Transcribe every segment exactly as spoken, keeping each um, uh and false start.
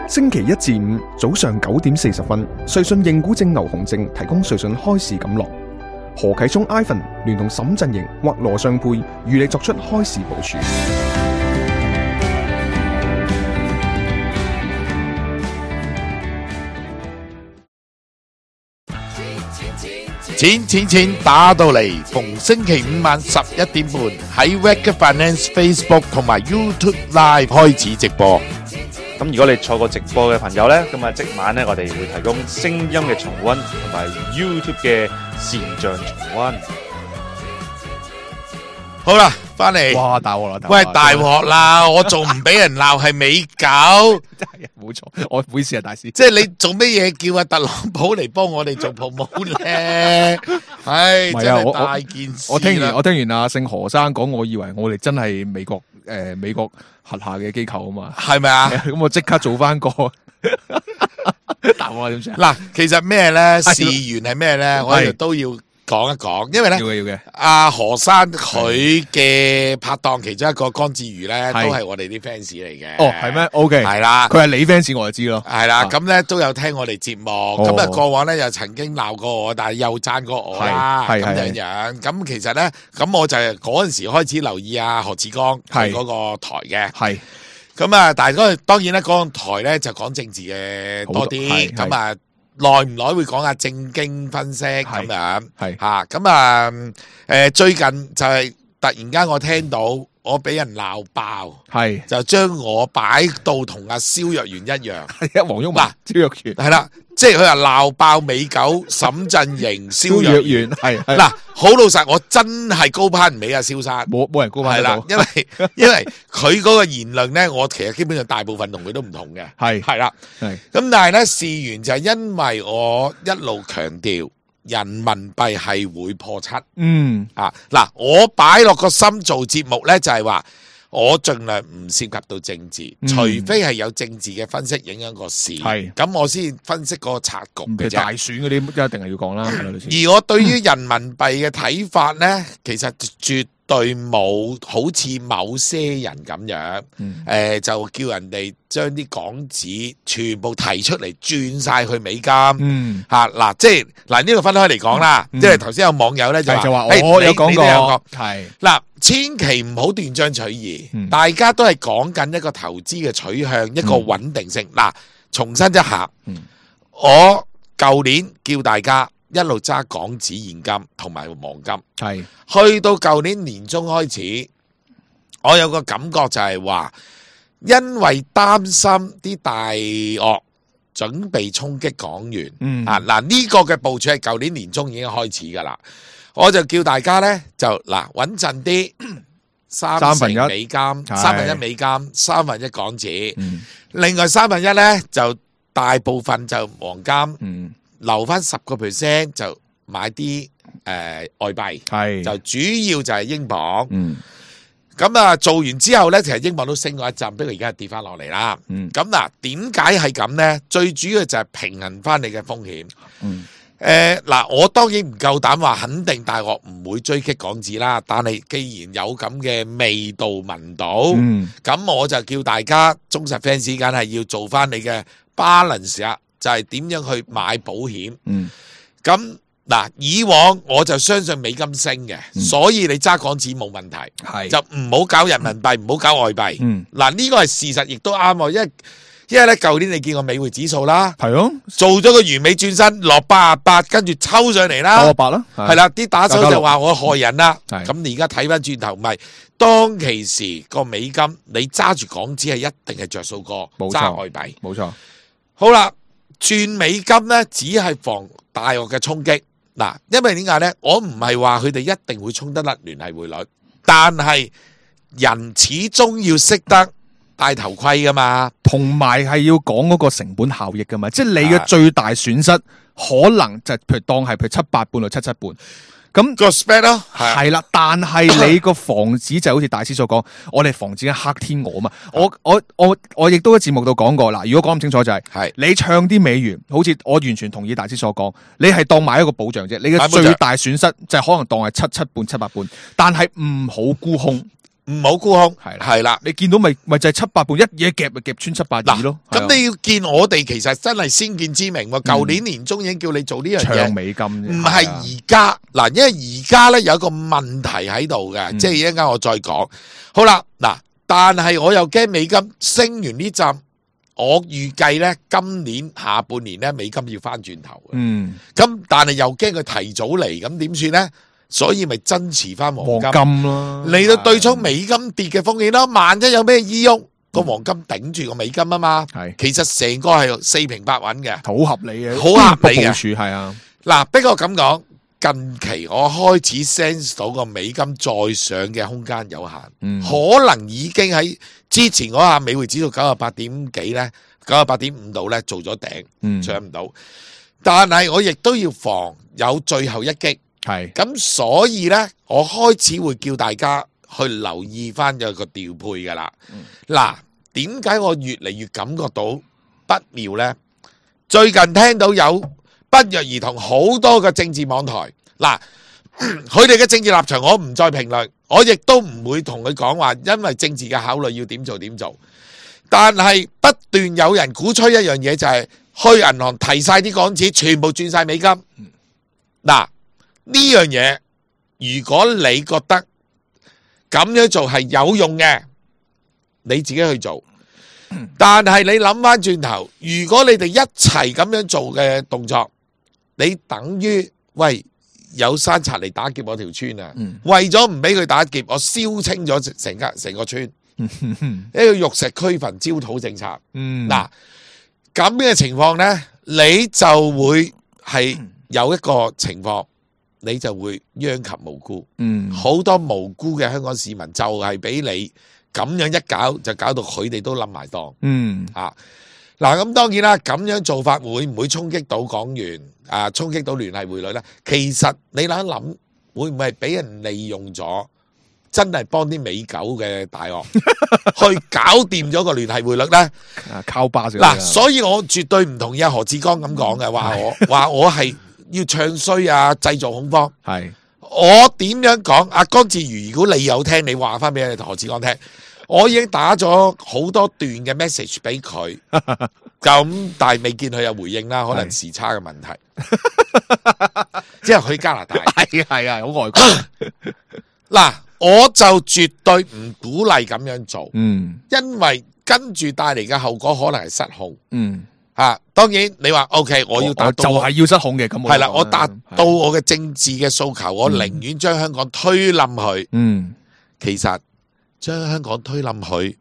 星期一至五早上九點四十分，瑞信認股證牛熊證提供瑞信開市錦囊。何啟聰 Ivan 聯同沈振盈或羅尚佩與你作出開市部署。錢錢錢打到嚟，逢星期五晚十一點半喺 Wake Finance Facebook 同埋 YouTube Live 開始直播。咁如果你錯過直播嘅朋友呢，咁啊即晚呢，我哋會提供聲音嘅重溫同埋 YouTube 嘅視像重溫。好啦，翻嚟。哇，大鑊啦！喂，大鑊啦！我仲唔俾人鬧係美狗？真係冇錯，我唔好意思啊，大師。即係你做乜嘢叫阿特朗普嚟幫我哋做 promote 咧？唉，真係大件事。我聽完我聽完阿姓何生講，我以為我哋真係美國誒美國轄下嘅機構啊嘛。係咪啊？咁我即刻做翻個答我點算？嗱，其實咩咧？事源係咩咧？我哋都要講一講，因為咧，要嘅要嘅。阿何生佢嘅拍檔其中一個江志瑜咧，都係我哋啲 fans 嚟嘅。哦，係咩 ？OK，係啦，佢係你 fans 我就知咯。係啦，咁咧都有聽我哋節目，咁啊過往咧又曾經鬧過我，但係又讚過我啦，咁樣樣。咁其實咧，咁我就嗰陣時開始留意阿何志剛佢嗰個台嘅。係。咁啊，但係嗰當然咧，嗰個台咧就講政治嘅多啲，咁啊。耐唔耐會講下正經分析咁樣，係吓咁啊！誒，最近就係突然間我聽到我俾人鬧爆，係就將我擺到同阿蕭若元一樣，係啊，黃毓民、蕭若元係啦，即係佢話鬧爆美狗、沈振盈、蕭若元，係嗱，好老實，我真係高攀唔起阿蕭生，冇冇人高攀得到，係啦，因為因為佢嗰個言論咧，我其實基本上大部分同佢都唔同嘅，係係啦，係咁，但係咧事緣就係因為我一路強調人民幣係會破七，嗯啊嗱，我擺落個心做節目咧，就係話我盡量唔涉及到政治，嗯、除非係有政治嘅分析影響個市，係咁我先分析個策局嘅啫。大選嗰啲一定係要講啦。而我對於人民幣嘅睇法咧，其實絕對冇好似某些人咁樣，誒、嗯呃、就叫人哋將啲港紙全部提出嚟轉晒去美金，嚇嗱、嗯啊，即係嗱呢度分開嚟講啦，嗯、即係頭先有網友咧就話，我、欸、有講過，係嗱，千祈唔好斷章取義，嗯、大家都係講緊一個投資嘅取向，一個穩定性。嗱、嗯，重申一下，嗯、我舊年叫大家一路揸港紙現金同埋黃金，係去到舊年年中開始，我有個感覺就係話，因為擔心啲大鱷準備衝擊港元，嗯、啊嗱呢、這個嘅部署係舊年年中已經開始噶啦，我就叫大家呢，就嗱穩陣啲，三成美金，三分一美金，三分一港紙，嗯、另外三分一呢，就大部分就黃金。嗯留翻十個 percent 就買啲誒、呃、外幣，係就主要就係英鎊。嗯，咁啊做完之後咧，其實英鎊都升過一陣，不過而家跌翻落嚟啦。嗯，咁嗱，點解係咁咧？最主要就係平衡翻你嘅風險。嗯，誒嗱、呃，我當然唔夠膽話肯定大鱷唔會追擊港紙啦。但係既然有咁嘅味道聞到，嗯，咁我就叫大家忠實 fans 梗係要做翻你嘅 balance 啊。就係點樣去買保險？嗯，咁嗱，以往我就相信美金升嘅，嗯、所以你揸港紙冇問題，係就唔好搞人民幣，唔好、嗯、搞外幣。嗯，嗱呢個係事實，亦都啱喎，因為因為咧舊年你見過美匯指數啦，係咯，做咗個完美轉身落八十八，跟住抽上嚟啦，九十八啦，係啦，啲打手就話我害人啦，咁你而家睇翻轉頭，唔係當其時個美金，你揸住港紙係一定係着數過揸外幣，冇錯。好啦。轉美金咧，只係防大鱷嘅衝擊。嗱，因為點解咧？我唔係話佢哋一定會衝得甩聯繫匯率，但係人始終要識得戴頭盔噶嘛，同埋係要講嗰個成本效益噶嘛。即係你嘅最大損失可能就譬如當係譬如七八半到七七半。咁個 spread 咯，係啦，但係你個防止就好似大師所講，我哋防止緊黑天鵝嘛。我我我我亦都喺節目度講過啦。如果講咁清楚就係、是，你唱啲美元，好似我完全同意大師所講，你係當買一個保障啫。你嘅最大損失就係可能當係七七半、七八半，但係唔好沽空。唔好沽空，係係啦。你見到咪咪就係七八半一嘢夾咪夾穿七八二咯。咁你要見我哋其實真係先見之明喎。舊年年中已經叫你做呢樣嘢，長美金唔係而家嗱，因為而家咧有一個問題喺度嘅，即係一陣間我再講。好啦，嗱，但係我又驚美金升完呢陣，我預計咧今年下半年咧美金要翻轉頭嘅。嗯，咁但係又驚佢提早嚟，咁點算咧？所以咪增持翻黃金，黃金咯，嚟到對沖美金跌嘅風險咯。萬一有咩意喐，個黃金頂住個美金啊嘛。係，其實成個係四平八穩嘅，好合理嘅，好合理嘅。部署係啊。嗱，不過咁講，近期我開始 sense 到個美金再上嘅空間有限，嗯、可能已經喺之前嗰下美匯指數九十八點幾咧，九十八點五度咧做咗頂，嗯、上唔到。但係我亦都要防有最後一擊。係咁，所以咧，我開始會叫大家去留意翻有個調配噶啦。嗱、嗯，點解我越嚟越感覺到不妙咧？最近聽到有不約而同好多個政治網台，嗱，佢哋嘅政治立場我唔再評論，我亦都唔會同佢講話，因為政治嘅考慮要點做點做。但係不斷有人鼓吹一樣嘢，就係去銀行提晒啲港紙，全部轉晒美金。嗱。呢樣嘢，如果你覺得咁樣做係有用嘅，你自己去做。但係你諗翻轉頭，如果你哋一齊咁樣做嘅動作，你等於喂有山賊嚟打劫我條村啊！嗯、為咗唔俾佢打劫，我燒清咗成間成個村，一個玉石俱焚焦土政策。嗱，咁嘅情況呢，你就會係有一個情況。你就會殃及無辜，嗯，好多無辜嘅香港市民就係俾你咁樣一搞，就搞到佢哋都冧埋檔，嗯，啊，嗱，咁當然啦，咁樣做法會唔會衝擊到港元啊？衝擊到聯繫匯率咧？其實你諗一諗，會唔會係俾人利用咗？真係幫啲美狗嘅大鱷去搞掂咗個聯繫匯率咧？啊，靠巴先嗱，所以我絕對唔同意阿何志剛咁講嘅，話我話我係。要唱衰啊！製造恐慌係我點樣講？阿江志瑜，如果你有聽，你話翻俾何志剛聽。我已經打咗好多段嘅 message 俾佢，咁但係未見佢有回應啦，可能時差嘅問題。即係去加拿大，係係啊，好外國。嗱，我就絕對唔鼓勵咁樣做，嗯，因為跟住帶嚟嘅後果可能係失控，嗯。啊，當然你話 OK， 我要達到就係要失控嘅，咁係啦，我達到我嘅政治嘅訴求，我寧願將香港推冧佢。嗯，其實將香港推冧佢，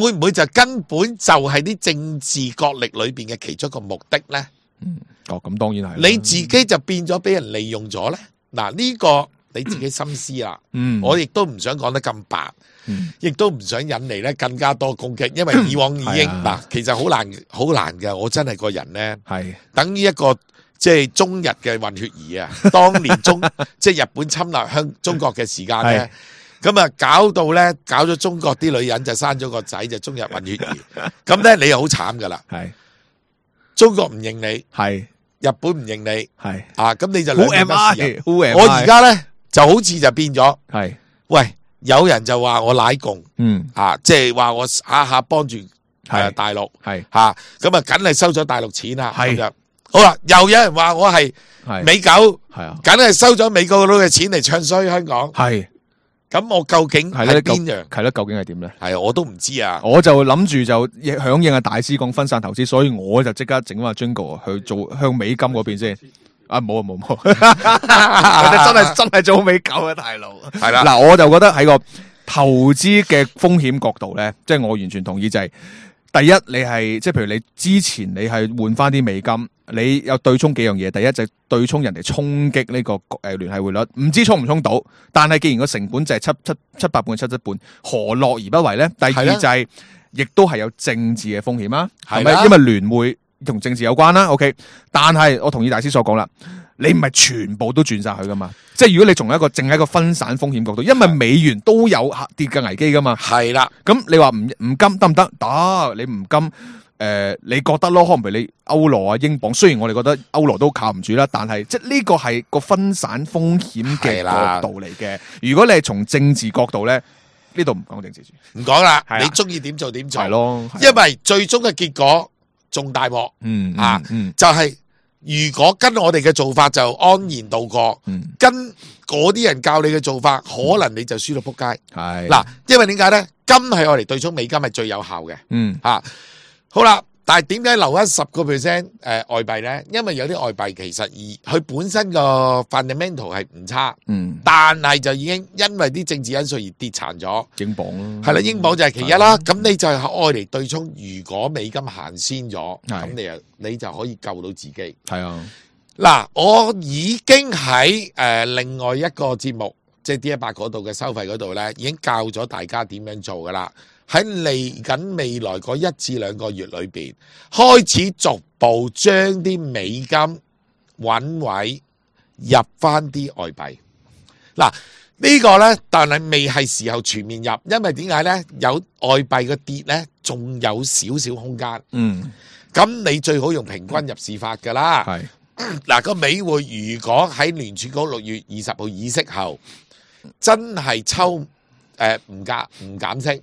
會唔會就根本就係啲政治角力裏邊嘅其中一個目的咧？嗯，哦，咁當然係。你自己就變咗俾人利用咗咧？嗱，呢個你自己心思啦。嗯，我亦都唔想講得咁白。亦都唔想引嚟咧更加多攻擊，因為以往已經嗱、啊，其實好難好難嘅。我真係個人咧，係等於一個即係中日嘅混血兒啊！當年中即係日本侵略香中國嘅時間咧，咁啊搞到咧搞咗中國啲女人就生咗個仔就中日混血兒，咁咧你又好慘噶啦，係中國唔認你，係日本唔認你，係啊咁你就兩邊不是人。我而家咧就好似就變咗，係喂。有人就話我奶共，嗯啊，即係話我下下幫住係大陸，係吓咁啊，梗係收咗大陸錢啦，係就好啦。又有人話我係美狗，係啊，梗係收咗美國佬嘅錢嚟唱衰香港，係咁我究竟係邊樣？係咧，究竟係點咧？係我都唔知啊。我就諗住就響應阿大師講分散投資，所以我就即刻整翻 Jingle 去做向美金嗰邊先。啊冇啊冇冇，真係真係做美狗嘅大佬。係啦，嗱我就覺得喺個投資嘅風險角度咧，即係我完全同意就係，第一你係即係譬如你之前你係換翻啲美金，你有對沖幾樣嘢。第一就係對沖人哋衝擊呢個誒聯繫匯率，唔知沖唔沖到，但係既然個成本就係七七七八半七七半，何樂而不為咧？第二就係亦都係有政治嘅風險啊，係咪？因為聯匯同政治有關啦 ，OK， 但係我同意大師所講啦，你唔係全部都轉晒去噶嘛，即係如果你從一個淨係一個分散風險角度，因為美元都有下跌嘅危機噶嘛，係啦，咁你話唔唔金得唔得？得，你唔金，誒、呃，你覺得咯？可能譬如你歐羅啊、英鎊，雖然我哋覺得歐羅都靠唔住啦，但係即係呢個係個分散風險嘅角度嚟嘅。如果你係從政治角度咧，呢度唔講政治住，唔講啦，係啊你中意點做點做，係咯，係啊因為最終嘅結果仲大鑊，嗯嗯啊嗯就係如果跟我哋嘅做法就安然度過，嗯跟嗰啲人教你嘅做法，可能你就輸到撲街。係嗱，因為點解咧？金係我哋對沖美金係最有效嘅，嗯啊，好啦。但係點解留翻十個 percent 誒外幣咧？因為有啲外幣其實而佢本身個 fundamental 係唔差，嗯但係就已經因為啲政治因素而跌殘咗。英鎊咯，係啦，英鎊就係其一啦。咁你就係愛嚟對沖，如果美金行先咗，係咁你又你就可以救到自己。係啊，嗱，我已經喺誒、呃、另外一個節目，即係 D 一百嗰度嘅收費嗰度咧，已經教咗大家點樣做噶啦。喺嚟緊未來嗰一至兩個月裏邊，開始逐步將啲美金揾位入翻啲外幣。嗱，呢個呢，但係未係時候全面入，因為點解呢？有外幣嘅跌呢，仲有少少空間。嗯，咁你最好用平均入市法噶啦。係嗱，個美匯如果喺聯儲局六月二十號議息後真係抽誒唔加唔減息，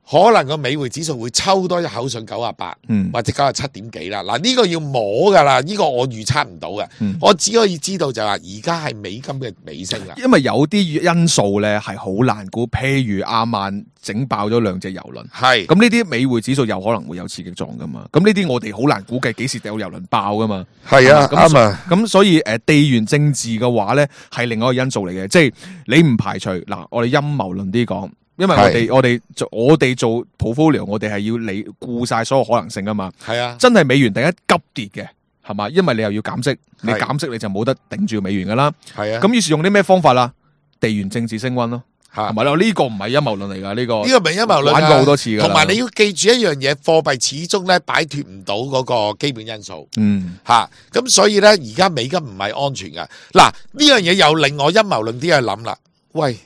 可能個美匯指數會抽多一口上九啊八，嗯或者九啊七點幾啦。嗱，呢個要摸噶啦，呢個我預測唔到嘅。嗯我只可以知道就係話而家係美金嘅尾聲啦。因為有啲因素咧係好難估，譬如亞曼整爆咗兩隻郵輪，係咁呢啲美匯指數有可能會有刺激作用噶嘛，咁呢啲我哋好難估計幾時有郵輪爆噶嘛。係啊，咁啱啊。咁所以誒地緣政治嘅話咧係另外一個因素嚟嘅，即係你唔排除嗱，我哋陰謀論啲講。因為我哋我哋做我哋做 portfolio， 我哋係要理顧晒所有可能性啊嘛。係啊，真係美元突然間急跌嘅，係嘛？因為你又要減息，你減息你就冇得頂住美元噶啦。係啊。咁於是用啲咩方法啦？地緣政治升溫咯，係係咪咯？呢個唔係陰謀論嚟噶，呢個呢個唔係陰謀論啊，玩過好多次噶啦。同埋你要記住一樣嘢，貨幣始終咧擺脫唔到嗰個基本因素。嗯，吓，咁所以咧，而家美金唔係安全噶。嗱，呢樣嘢又令我陰謀論啲去諗啦。喂，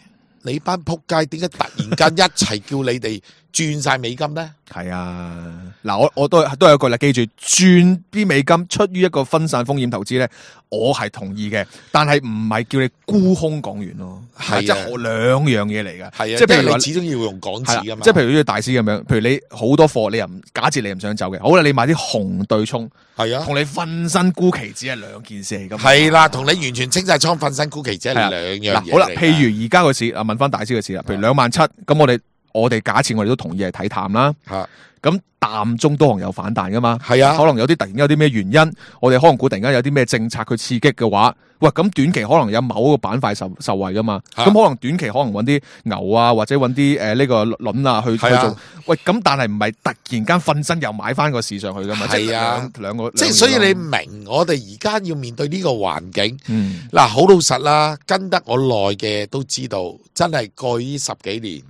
你班仆街點解突然間一齊叫你哋轉晒美金咧？係啊，嗱，我我都都有一句啦，記住轉啲美金出於一個分散風險投資咧，我係同意嘅，但係唔係叫你沽空港元咯，係啊即係兩樣嘢嚟噶，係啊，即係譬如話你始終要用港紙噶嘛。即係譬如呢個大師咁樣，譬如你好多貨，你又唔假設你又唔想走嘅，好啦，你買啲紅對沖，係啊，同你分身沽期指係兩件事嚟噶嘛。係啦，同你完全清晒倉、瞓身沽期指係兩樣嘢。嗱，好啦，譬如而家個市啊，問翻大師嘅市啦，譬如兩萬七，咁我哋我哋假設我哋都同意係睇淡啦。吓，咁淡中都可能有反彈噶嘛，係啊，可能有啲突然間有啲咩原因，我哋可能估突然間有啲咩政策去刺激嘅話，喂，咁短期可能有某個板塊受受惠噶嘛，咁、啊、可能短期可能揾啲牛啊，或者揾啲誒呢個輪啊去、啊、去做，喂，咁但係唔係突然間瞓身又買翻個市上去噶嘛，係啊，即係兩個，即係所以你明我哋而家要面對呢個環境，嗯，嗱，好老實啦，跟得我耐嘅都知道，真係過呢十幾年。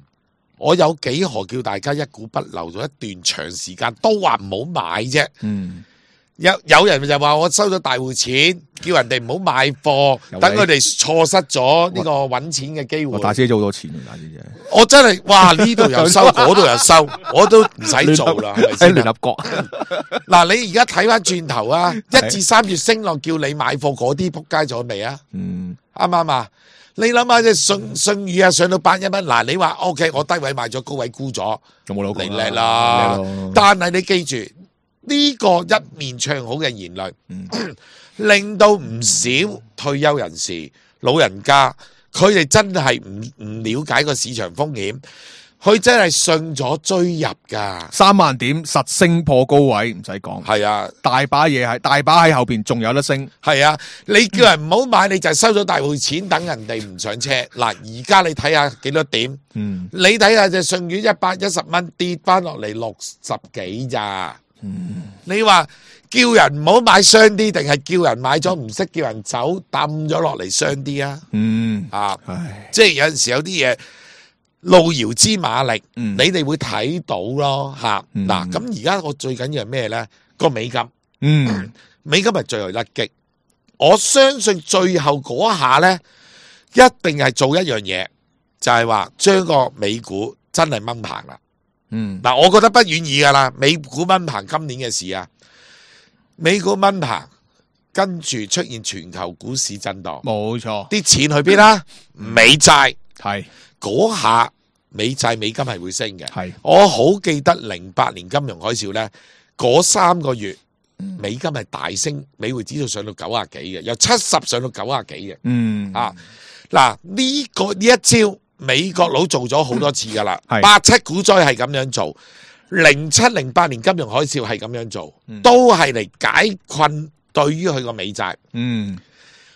我有幾何叫大家一股不留咗一段長時間都話唔好買啫。嗯，有有人就話我收咗大戶錢，叫人哋唔好買貨，等佢哋錯失咗呢個揾錢嘅機會。我大姐做好多錢，大姐姐。我真係哇呢度又收，嗰度又收，我都唔使做啦，係咪先？喺聯合國嗱，你而家睇翻轉頭啊，一至三月升落叫你買貨嗰啲仆街咗未啊？嗯，啱唔啱啊？你諗下隻信信譽啊，上到八一蚊，嗱你話 O K，我低位買咗，高位沽咗，有冇攞你叻啦？但係你記住呢、這個一面唱好嘅言論，嗯、令到唔少退休人士、老人家，佢哋真係唔唔了解個市場風險。佢真係信咗追入噶，三萬點實升破高位，唔使講。係啊，大把嘢係，大把喺後邊仲有得升。係啊，你叫人唔好買，你就收咗大戶錢，等人哋唔上車。嗱，而家你睇下幾多點？嗯，你睇下隻信譽一百一十蚊跌翻落嚟六十幾咋？嗯，你話叫人唔好買傷啲，定係叫人買咗唔識叫人走，抌咗落嚟傷啲啊？嗯，啊，唉即係有陣時有啲嘢。路遙知馬力，嗯、你哋會睇到咯吓。嗱，咁而家我最緊要係咩咧？個美金，嗯，美金係最後甩擊。我相信最後嗰下咧，一定係做一樣嘢，就係話將個美股真係掹棚啦。嗯，嗱，我覺得不遠矣噶啦，美股掹棚今年嘅事啊，美股掹棚，跟住出現全球股市震盪，冇錯。啲錢去邊啦？美債係。嗰下美債美金係會升嘅。係，我好記得零八年金融海嘯咧，嗰三個月美金係大升，美匯指數上到九啊幾嘅，由七十上到九啊幾嘅。嗯啊，嗱呢個呢一招美國佬做咗好多次噶啦，係八七股災係咁樣做，零七零八年金融海嘯係咁樣做，嗯都係嚟解困對於佢個美債。嗯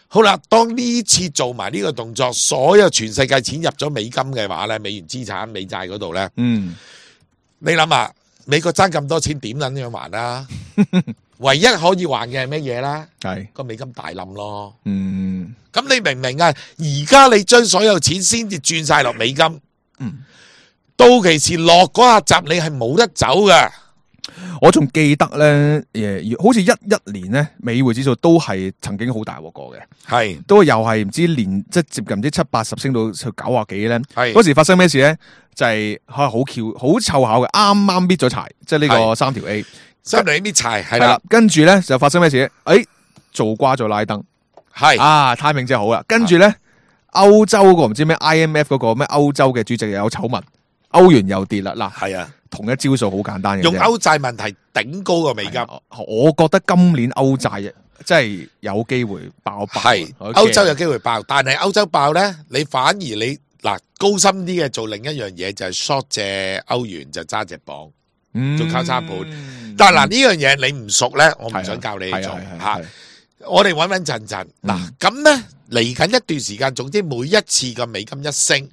好啦，當呢次做埋呢個動作，所有全世界錢入咗美金嘅話咧，美元資產、美債嗰度咧，嗯，你諗下，美國爭咁多錢點撚樣還啊？唯一可以還嘅係乜嘢啦？係，個美金大冧咯。嗯咁你明唔明啊？而家你將所有錢先至轉晒落美金，嗯，到期時落嗰下閘你係冇得走嘅。我仲記得咧，誒，好似一一年咧，美匯指數都係曾經好大鑊過嘅，係都又係唔知連即係接近唔知七八十升到去九啊幾咧。係嗰時發生咩事咧？就係嚇好巧好湊巧嘅，啱啱搣咗柴，即係呢個係三條 A，三條 A 搣柴係係啦啦，，跟住咧就發生咩事咧？誒，做瓜咗拉登。係啊 timing 真係好啦，跟住咧歐洲嗰個唔知咩 I M F 嗰個咩歐洲嘅主席又有醜聞，歐元又跌啦，嗱係啊，同一招數好簡單嘅啫，用歐債問題頂高個美金。我覺得今年歐債真係有機會爆爆，係我驚歐洲有機會爆，但係歐洲爆咧，你反而你嗱高深啲嘅做另一樣嘢就係 short 隻歐元就揸隻磅，嗯做交叉盤。但係嗱呢樣嘢你唔熟咧，我唔想教你做係啊係啊吓係啊。我哋穩穩陣陣嗱，咁咧嚟緊一段時間，總之每一次個美金一升，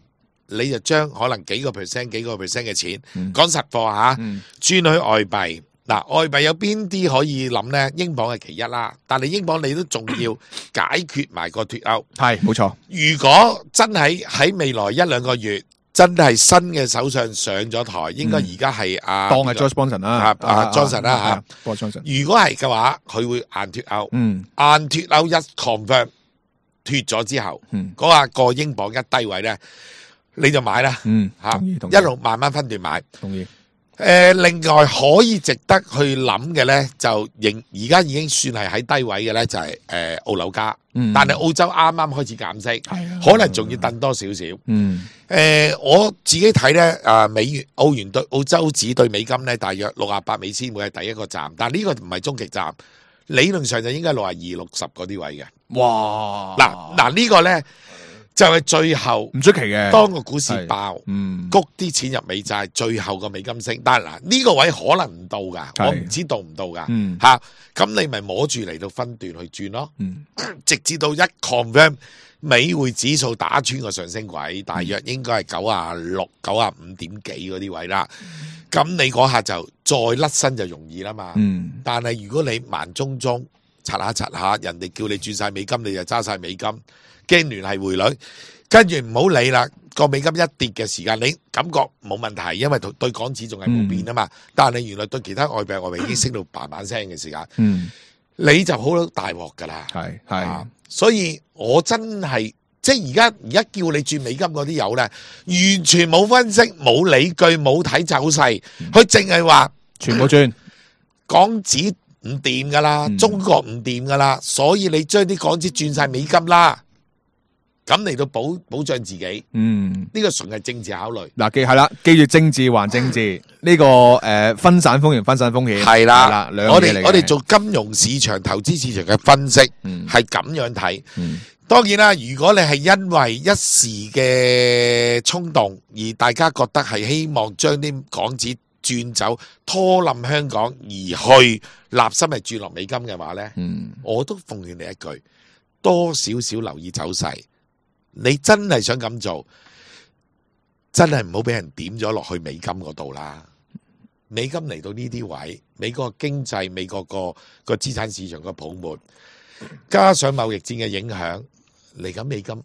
你就將可能幾個 percent、幾個 percent 嘅錢，嗯講實貨吓，嗯轉去外幣。嗱，外幣有邊啲可以諗咧？英鎊係其一啦，但係英鎊你都仲要解決埋個脱歐。係冇錯，如果真係喺未來一兩個月，真係新嘅首相上咗台，應該而家係阿當係 Johnson Johnson 啦，啊啊 Johnson 啦嚇，Boris Johnson，如果係嘅話，佢會硬脱歐。嗯硬脱歐一 confirm 脱咗之後，嗯嗰下個英鎊一低位咧，你就買啦嗯，嚇，同意同意一路慢慢分段買。同意，誒，另外可以值得去諗嘅咧，就仍而家已經算係喺低位嘅咧，就係誒澳紐加，嗯但係澳洲啱啱開始減息，係啊可能仲要等多少少。嗯誒、我自己睇咧，啊美元、澳元對澳洲紙對美金咧，大約六啊八美仙會係第一個站，但呢個唔係終極站，理論上就應該六啊二、六十嗰啲位嘅。哇，嗱嗱呢個咧就係、最後唔出奇嘅，當個股市爆，嗯谷啲錢入美債，最後個美金升，但係嗱呢個位可能唔到㗎，係我唔知到唔到㗎嗯嚇，咁、你咪摸住嚟到分段去轉咯，嗯直至到一 confirm。美匯指數打穿個上升軌，大約應該係九啊六、九啊五點幾嗰啲位啦。咁你嗰下就再甩身就容易啦嘛。嗯但係如果你慢中中擦下擦下，人哋叫你轉晒美金，你就揸晒美金，驚聯繫匯率，跟住唔好理啦。個美金一跌嘅時間，你感覺冇問題，因為對港紙仲係冇變啊嘛。但係原來對其他外幣外幣已經升到嘭嘭聲嘅時間，嗯，你就好大鑊㗎啦。係係啊。所以我真係即係而家而家叫你轉美金嗰啲友咧，完全冇分析、冇理據、冇睇走勢，佢淨係話全部轉，港紙唔掂噶啦，嗯中國唔掂噶啦，所以你將啲港紙轉晒美金啦，咁嚟到保保障自己，嗯。呢個純係政治考慮。嗱，記係啦，記住政治還政治，呢、個誒、呃、分散風險，分散風險係啦，兩樣嘢嚟嘅我哋我哋做金融市場、投資市場嘅分析嗯係咁樣睇。嗯當然啦，如果你係因為一時嘅衝動，而大家覺得係希望將啲港紙轉走，拖冧香港，而去立心係轉落美金嘅話呢，嗯我都奉勸你一句，多少少留意走勢。你真係想咁做，真係唔好俾人點咗落去美金嗰度啦。美金嚟到呢啲位，美國經濟、美國個個資產市場個泡沫，加上貿易戰嘅影響。嚟緊美金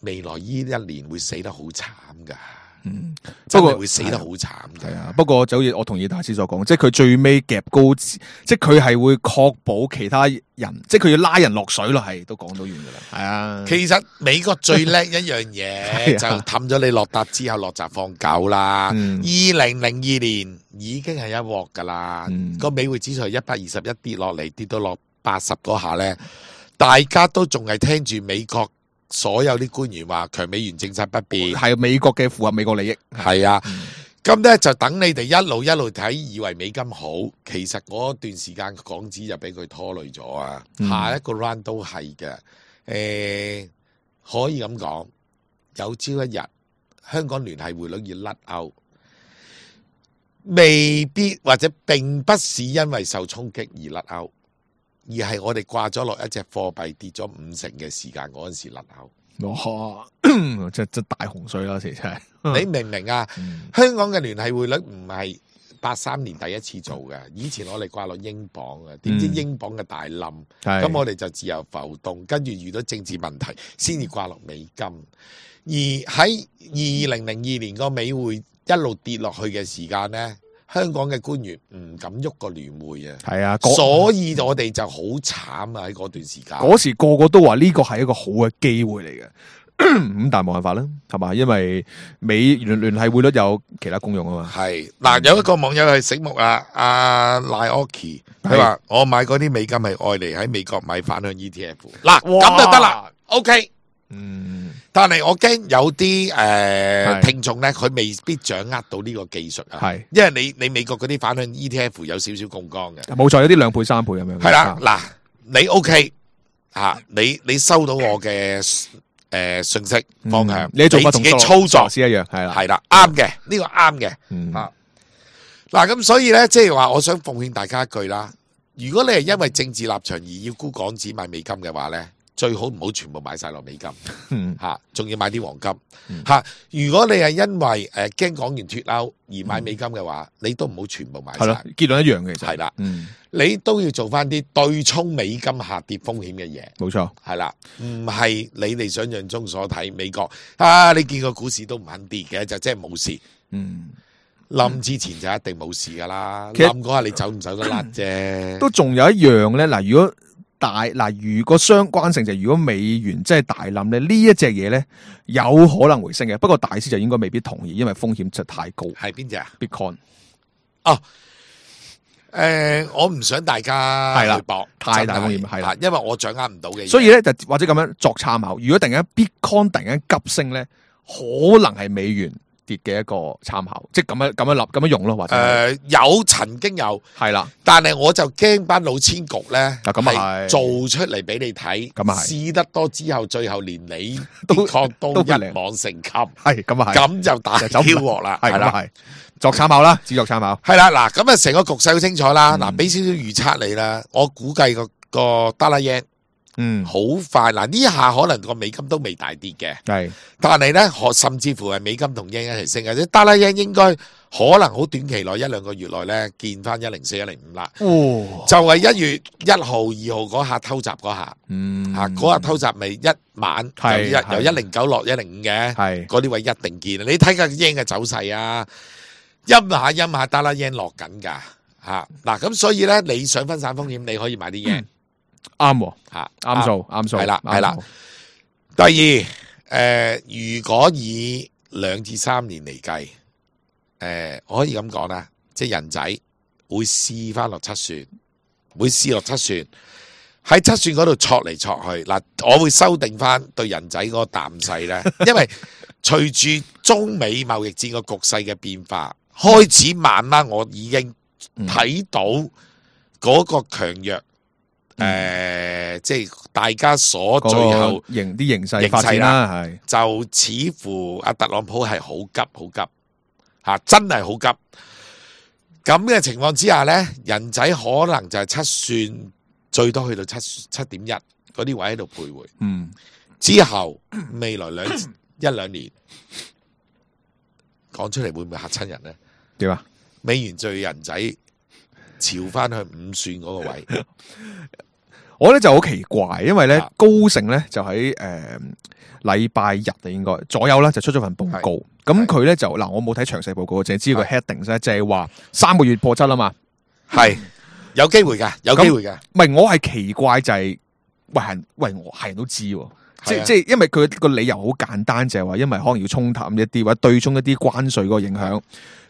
未來呢一年會死得好慘噶，嗯，真不過係會死得好慘噶。係啊，不過就好似我同意大師所講，即係佢最尾夾高，即係佢係會確保其他人，即係佢要拉人落水咯，係都講到完噶啦。係啊，其實美國最叻一樣嘢就係啊氹咗你落搭之後落閘放狗啦。二嗯零零二年已經係一鑊噶啦，嗯個美匯指數係一百二十一跌落嚟，跌到落八十嗰下呢，大家都仲係聽住美國所有啲官員話強美元政策不變，係美國嘅符合美國利益。係啊，咁咧、嗯、就等你哋一路一路睇，以為美金好，其實嗰段時間港紙就俾佢拖累咗啊。嗯、下一個 round 都係嘅，誒、呃、可以咁講，有朝一日香港聯繫匯率要甩歐，未必或者並不是因為受衝擊而甩歐。而係我哋掛咗落一隻貨幣跌咗五成嘅時間嗰陣時甩歐，哇！即係即係大洪水啦，其實係。你明唔明啊？嗯、香港嘅聯繫匯率唔係八三年第一次做嘅，以前我哋掛落英鎊嘅，點知英鎊嘅大冧，咁、嗯、我哋就自由浮動，跟住遇到政治問題，先至掛落美金。而喺二零零二年個美匯一路跌落去嘅時間呢，香港嘅官員唔敢喐個聯匯啊，係啊，所以我哋就好慘啊！喺嗰段時間，嗰時個個都話呢個係一個好嘅機會嚟嘅，咁但係冇辦法啦，係嘛？因為美聯聯繫匯率有其他功用啊嘛。係嗱，有一個網友係醒目啊，阿賴奧奇，佢話我買嗰啲美金係愛嚟喺美國買反向 E T F， 嗱咁就得啦 ，OK。嗯，但係我驚有啲誒、呃、聽眾咧，佢未必掌握到呢個技術啊。係，因為你你美國嗰啲反向 E T F 有少少槓桿嘅，冇錯，有啲兩倍三倍咁樣。係啦，嗱，你 OK 啊？你你收到我嘅誒、呃、信息方向，嗯、你做自己操作先一樣，係啦，係啦，啱嘅，呢、這個啱嘅。嗯、啊，嗱，咁所以咧，即係話，我想奉勸大家一句啦，如果你係因為政治立場而要沽港紙買美金嘅話咧，最好唔好全部買晒落美金，吓，仲要買啲黃金，吓。如果你係因為誒驚港元脫歐而買美金嘅話，你都唔好全部買晒。係咯，結論一樣嘅，其實係啦，你都要做翻啲對沖美金下跌風險嘅嘢。冇錯，係啦，唔係你哋想象中所睇美國啊，你見個股市都唔肯跌嘅，就即係冇事。嗯，冧之前就一定冇事噶啦，冧嗰下你走唔走得甩啫。都仲有一樣咧，嗱，如果大嗱，如果相關性就係如果美元真係大冧咧，呢一隻嘢咧有可能回升嘅。不過大師就應該未必同意，因為風險就太高。係邊隻啊 ？Bitcoin 哦，誒、呃，我唔想大家去搏，太大風險係啦，因為我掌握唔到嘅嘢。所以咧就或者咁樣作參考。如果突然間 Bitcoin 突然間急升咧，可能係美元跌嘅一個參考，即係咁樣咁樣立咁樣用咯，或者誒、呃、有曾經有係啦，但係我就驚班老千局咧係做出嚟俾你睇，咁啊試得多之後，最後連你都確都一網成擒，係咁啊係，咁就大挑鑊啦，係啦，係作參考啦，只作參考，係啦，嗱咁啊成個局勢好清楚啦，嗱俾少少預測你啦，我估計個個 dollar yen。嗯，好快嗱！呢下可能個美金都未大跌嘅，係，但係咧，甚至乎係美金同 yen 一齊升嘅，即係 dollar yen 應該可能好短期內一兩個月內咧見翻一零四一零五啦。哦，就係一月一號、二號嗰下偷襲嗰下，嗯，吓嗰下偷襲咪一晚由一由一零九落一零五嘅，係嗰啲位一定見。你睇下 yen 嘅走勢啊，陰下陰下 dollar yen 落緊噶吓嗱，咁所以咧你想分散風險，你可以買啲 yen。啱吓，啱數啱數，係啦係啦。第二，誒、呃，如果以兩至三年嚟計，誒、呃，我可以咁講啦，即係人仔會試翻落七算，會試落七算，喺七算嗰度戳嚟戳去。嗱，我會修訂翻對人仔嗰個淡勢咧，因為隨住中美貿易戰個局勢嘅變化，開始慢慢我已經睇到嗰個強弱。誒、呃，即係大家所最後形啲形勢發展啦，係就似乎阿特朗普係好急好急吓、啊，真係好急。咁嘅情況之下咧，人仔可能就係七算，最多去到七七點一嗰啲位喺度徘徊。嗯，之後未來兩一兩年講出嚟會唔會嚇親人咧？點啊？美元最人仔朝翻去五算嗰個位。我咧就好奇怪，因為咧高盛咧就喺誒禮拜日啊，應該左右啦，就出咗份報告。咁佢咧就嗱，我冇睇詳細報告，淨係知個 heading 咧，就係話三個月破七啊嘛，係有機會嘅，有機會嘅。唔係我係奇怪就係、是，喂係喂我係人都知，即即係因為佢個理由好簡單，就係、是、話因為可能要沖淡一啲或者對沖一啲關稅嗰個影響。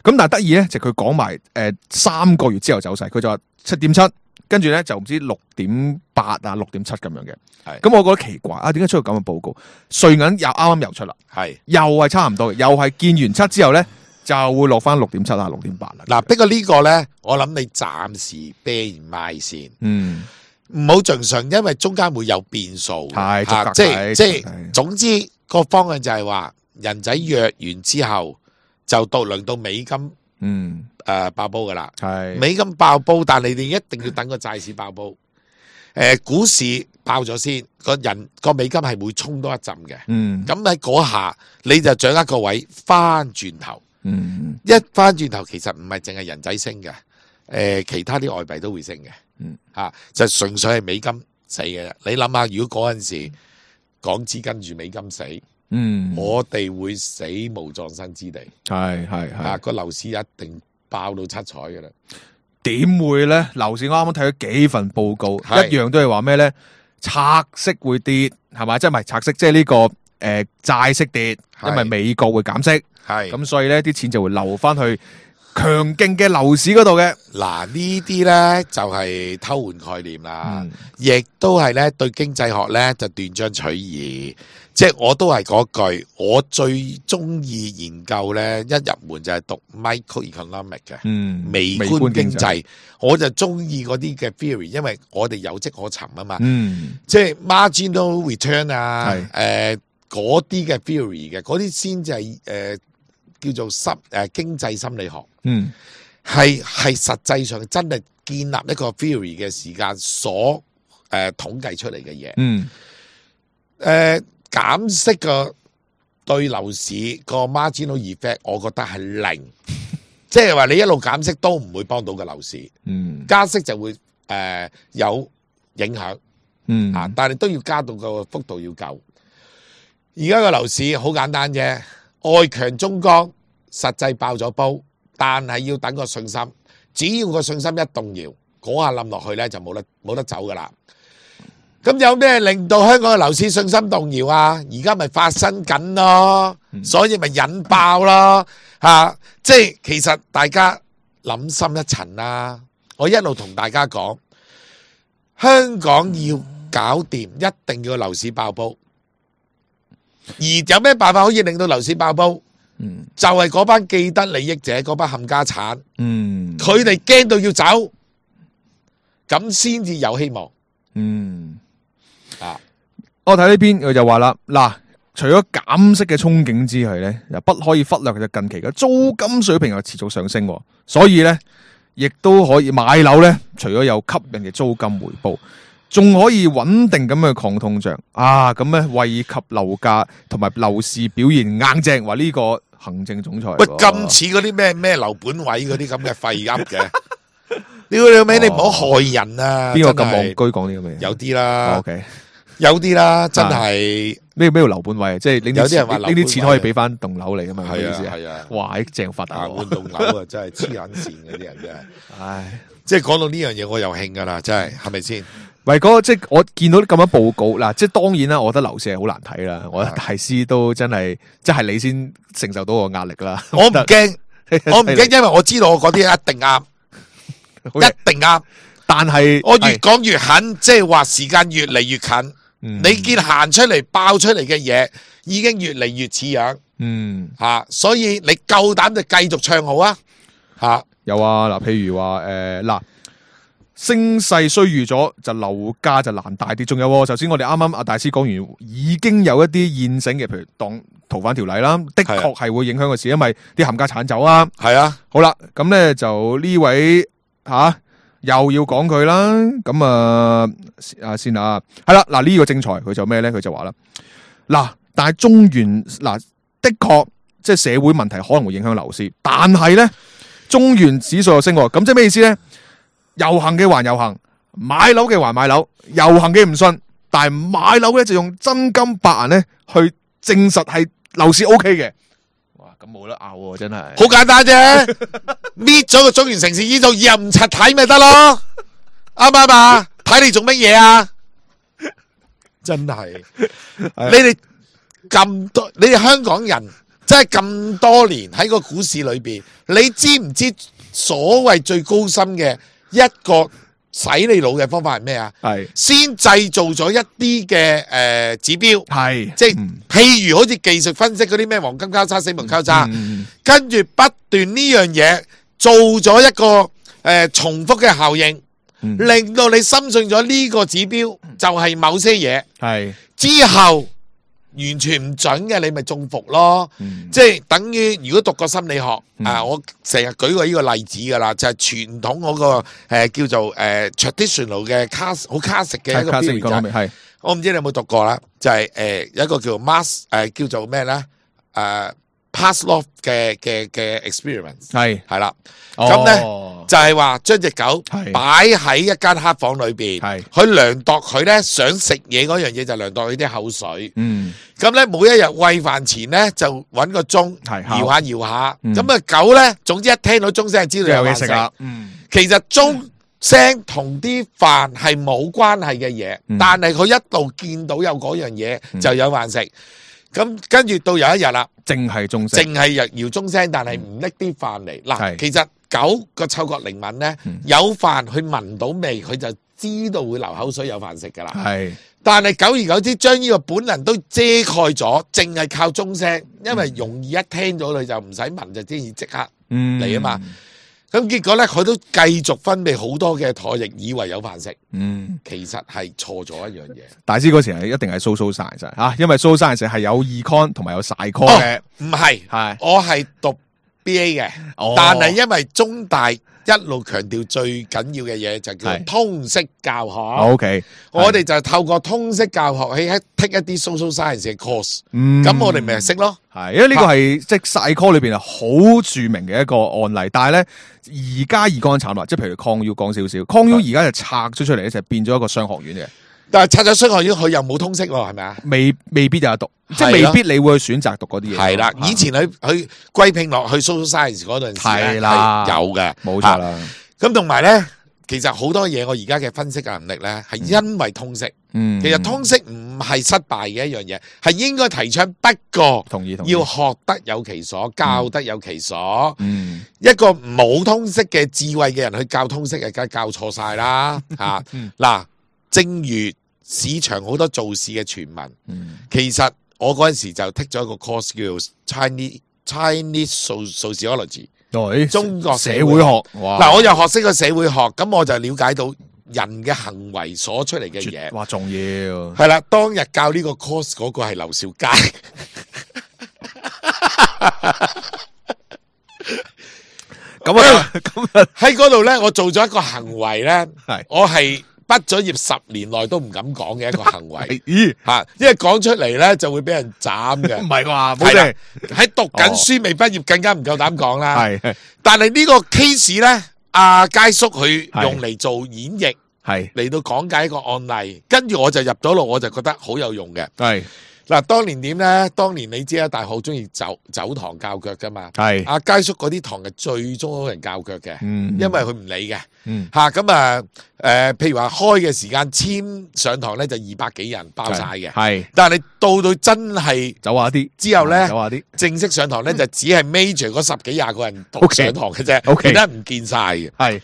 咁但係得意咧，就佢講埋誒三個月之後走勢，佢就話七點七。跟住咧就唔知六點八啊，六點七咁樣嘅。係咁，我覺得奇怪啊，點解出個咁嘅報告？瑞銀又啱啱又出啦，係又係差唔多嘅，又係見完七之後咧就會落翻六點七啊，六點八啦。嗱，不過呢個咧，我諗你暫時啤唔賣先，嗯，唔好盡信，因為中間會有變數，係嚇，即係即係總之個方向就係話人仔約完之後就到輪到美金。嗯，誒、呃，爆煲噶啦，係美金爆煲，但係你哋一定要等個債市爆煲。誒、呃，股市爆咗先，個人個美金係會衝多一陣嘅。嗯，咁喺嗰下你就掌握個位，翻轉頭，嗯，一翻轉頭其實唔係淨係人仔升嘅，誒、呃，其他啲外幣都會升嘅。嗯，吓、啊、就純粹係美金死嘅。你諗下，如果嗰陣時港紙跟住美金死。嗯，我哋會死無葬身之地，係係係啊個樓市一定爆到七彩㗎啦。點會咧？樓市我啱啱睇咗幾份報告，係一樣都係話咩咧？拆息會跌，係咪？即係唔係拆息？即係呢個誒債息跌，因為美國會減息，係咁所以咧啲錢就會流翻去強勁嘅樓市嗰度嘅。嗱呢啲咧就係偷換概念啦，嗯亦都係咧對經濟學咧就斷章取義。即係我都係嗰句，我最中意研究咧，一入門就係讀 microeconomic 嘅，嗯，微觀經濟，我就中意嗰啲嘅 theory，因為我哋有跡可尋啊嘛。嗯，即係 marginal return 啊，係誒嗰啲嘅 theory 嘅，嗰啲先至係誒叫做心誒、呃、經濟心理學，嗯，係係實際上真係建立一個 theory 嘅時間所誒、呃、統計出嚟嘅嘢，嗯，誒、呃。減息個對樓市個 marginal effect，我覺得係零，即係話你一路減息都唔會幫到個樓市，嗯，加息就會誒、呃、有影響，嗯啊，但係都要加到個幅度要夠。而家個樓市好簡單啫，外強中乾，實際爆咗煲，但係要等個信心，只要個信心一動搖，嗰下冧落去咧就冇得冇得走噶啦。咁有咩令到香港嘅樓市信心動搖啊？而家咪發生緊咯，所以咪引爆咯，吓、啊！即係其實大家諗深一層啦。我一路同大家講，香港要搞掂，一定要樓市爆煲。而有咩辦法可以令到樓市爆煲？嗯，就係、是、嗰班既得利益者，嗰班冚家產，嗯，佢哋驚到要走，咁先至有希望。嗯。啊！我睇呢邊佢就話啦，嗱，除咗減息嘅憧憬之外咧，又不可以忽略嘅近期嘅租金水平又持續上升，所以咧，亦都可以買樓咧，除咗有吸引嘅租金回報，仲可以穩定咁去抗通脹啊！咁咧惠及樓價同埋樓市表現硬正，話呢個行政總裁喂咁似嗰啲咩咩樓本位嗰啲咁嘅廢噏嘅。你你尾你唔好害人啊！邊個咁戇居講呢咁嘅嘢？有啲啦。O K。有啲啦，真係咩咩叫樓本位？即係有啲人話呢啲錢可以俾翻棟樓嚟噶嘛？係啊係啊，哇！正發達換棟樓啊，真係黐撚線嗰啲人真係。唉，即係講到呢樣嘢，我又興噶啦，真係係咪先？喂，嗰個即係我見到咁樣報告嗱，即係當然啦，我覺得樓市係好難睇啦。我覺得大師都真係，即係你先承受到個壓力啦。我唔驚，我唔驚，因為我知道我嗰啲一定啱，一定啱。但係我越講越狠，即係話時間越嚟越近。嗯、你見行出嚟爆出嚟嘅嘢，已經越嚟越似樣，嗯吓、啊，所以你夠膽就繼續唱好啊吓、啊，有啊嗱，譬如話誒嗱，升勢衰預咗，就樓價就難大啲。仲有，首先我哋啱啱阿大師講完，已經有一啲現成嘅，譬如當逃犯條例啦，的確係會影響個市，因為啲冚家產走啊，係啊，好啦，咁咧就呢位吓。啊又要講佢啦，咁啊啊先啊，係啦，嗱呢個正財佢就咩咧？佢就話啦，嗱，但係中原嗱的確即係社會問題可能會影響樓市，但係咧中原指數又升，咁即係咩意思咧？遊行嘅還遊行，買樓嘅還買樓，遊行嘅唔信，但係買樓咧就用真金白銀咧去證實係樓市 O K 嘅。咁冇得拗，真係好簡單啫，搣咗個中原城市指數，以後唔柒睇咪得咯，啱唔啱啊？睇你做乜嘢啊？真係，你哋咁多，你哋香港人真係咁多年喺個股市裏邊，你知唔知所謂最高深嘅一個洗你腦嘅方法係咩啊？係先製造咗一啲嘅誒指標，係即係、嗯、譬如好似技術分析嗰啲咩黃金交叉、死亡交叉，嗯嗯、跟住不斷呢樣嘢做咗一個誒、呃、重複嘅效應，嗯、令到你深信咗呢個指標就係某些嘢，係之後。完全唔準嘅，你咪中伏咯。嗯、即係等於如果讀過心理學，嗯、啊，我成日舉過呢個例子噶啦，就係、是、傳統嗰、那個誒、呃、叫做誒、呃、traditional 嘅 class 好 classic 嘅一個標準。係，我唔知你有冇讀過啦，就係、是、誒、呃、有一個叫 mass 誒、呃、叫做咩咧？誒、呃、Pavlov 嘅嘅嘅 experiment 係係啦。咁咧、哦、就係話將隻狗擺喺一間黑房裏邊，佢量度佢咧想食嘢嗰樣嘢就量度佢啲口水。嗯，咁咧每一日餵飯前咧就揾個鐘搖下搖下，咁啊、嗯、狗咧總之一聽到鐘聲就知道有嘢食啦。嗯，其實鐘聲同啲飯係冇關係嘅嘢，嗯、但係佢一路見到有嗰樣嘢就有飯食。咁跟住到有一日啦，淨係鐘聲，淨係搖搖鐘聲，但係唔拎啲飯嚟。嗱、嗯，其實狗個嗅覺靈敏咧，嗯、有飯佢聞到味，佢就知道會流口水有飯食噶啦。係，但係久而久之，將呢個本能都遮蓋咗，淨係靠鐘聲，因為容易一聽到佢就唔使聞就知即刻嚟啊嘛。咁、嗯、結果咧，佢都繼續分泌好多嘅唾液，以為有飯食。嗯，其實係錯咗一樣嘢。大師嗰時係一定係 social science 吓，因為 social science係有 econ 同埋有 psychon 嘅。唔係，係我係讀 B A 嘅，哦、但係因為中大一路強調最緊要嘅嘢就叫通識教學。O K，我哋就透過通識教學喺喺 take 一啲 social science 嘅 course。嗯，咁我哋咪識咯。係，因為呢個係即係 psycho 裏邊係好著名嘅一個案例。但係咧，而家 econ 慘啦，即係譬如抗要講少少，抗要而家就拆咗出嚟咧，就變咗一個商學院嘅。但係拆咗商學院，佢又冇通識喎，係咪啊？未未必有得讀，即係未必你會去選擇讀嗰啲嘢。係啦，以前佢佢歸併落去 social science 嗰陣時咧係有嘅，冇錯啦。咁同埋咧，其實好多嘢我而家嘅分析嘅能力咧，係因為通識。嗯，其實通識唔係失敗嘅一樣嘢，係應該提倡。不過同意，要學得有其所，教得有其所。嗯，一個冇通識嘅智慧嘅人去教通識，梗係教錯晒啦。吓，嗱。正如市場好多做事嘅傳聞，嗯、其實我嗰陣時就 take 咗一個 course 叫做 Chinese Chinese Sociology，對中國社會學。嗱，我又學識個社會學，咁我就了解到人嘅行為所出嚟嘅嘢。哇，重要係啦！當日教呢個 course 嗰個係劉兆佳，咁啊，咁啊喺嗰度咧，我做咗一個行為咧，係我係。畢咗業十年內都唔敢講嘅一個行為，咦吓，因為講出嚟咧就會俾人斬嘅。唔係啩？冇錯，喺讀緊書未畢業更加唔夠膽講啦。係，但係呢個 case 咧，阿佳叔佢用嚟做演繹，係嚟到講解一個案例，跟住我就入咗路，我就覺得好有用嘅。係。嗱，當年點咧？當年你知啦，大學好中意走走堂教腳噶嘛。係阿佳叔嗰啲堂係最多人教腳嘅，嗯，因為佢唔理嘅，嗯，吓咁啊，誒、呃，譬如話開嘅時間簽上堂咧就二百幾人包晒嘅，係，但係你到到真係走下啲之後咧，走下啲正式上堂咧就只係 major 嗰十幾廿個人讀上堂嘅啫，okay, 其他唔見晒嘅，係。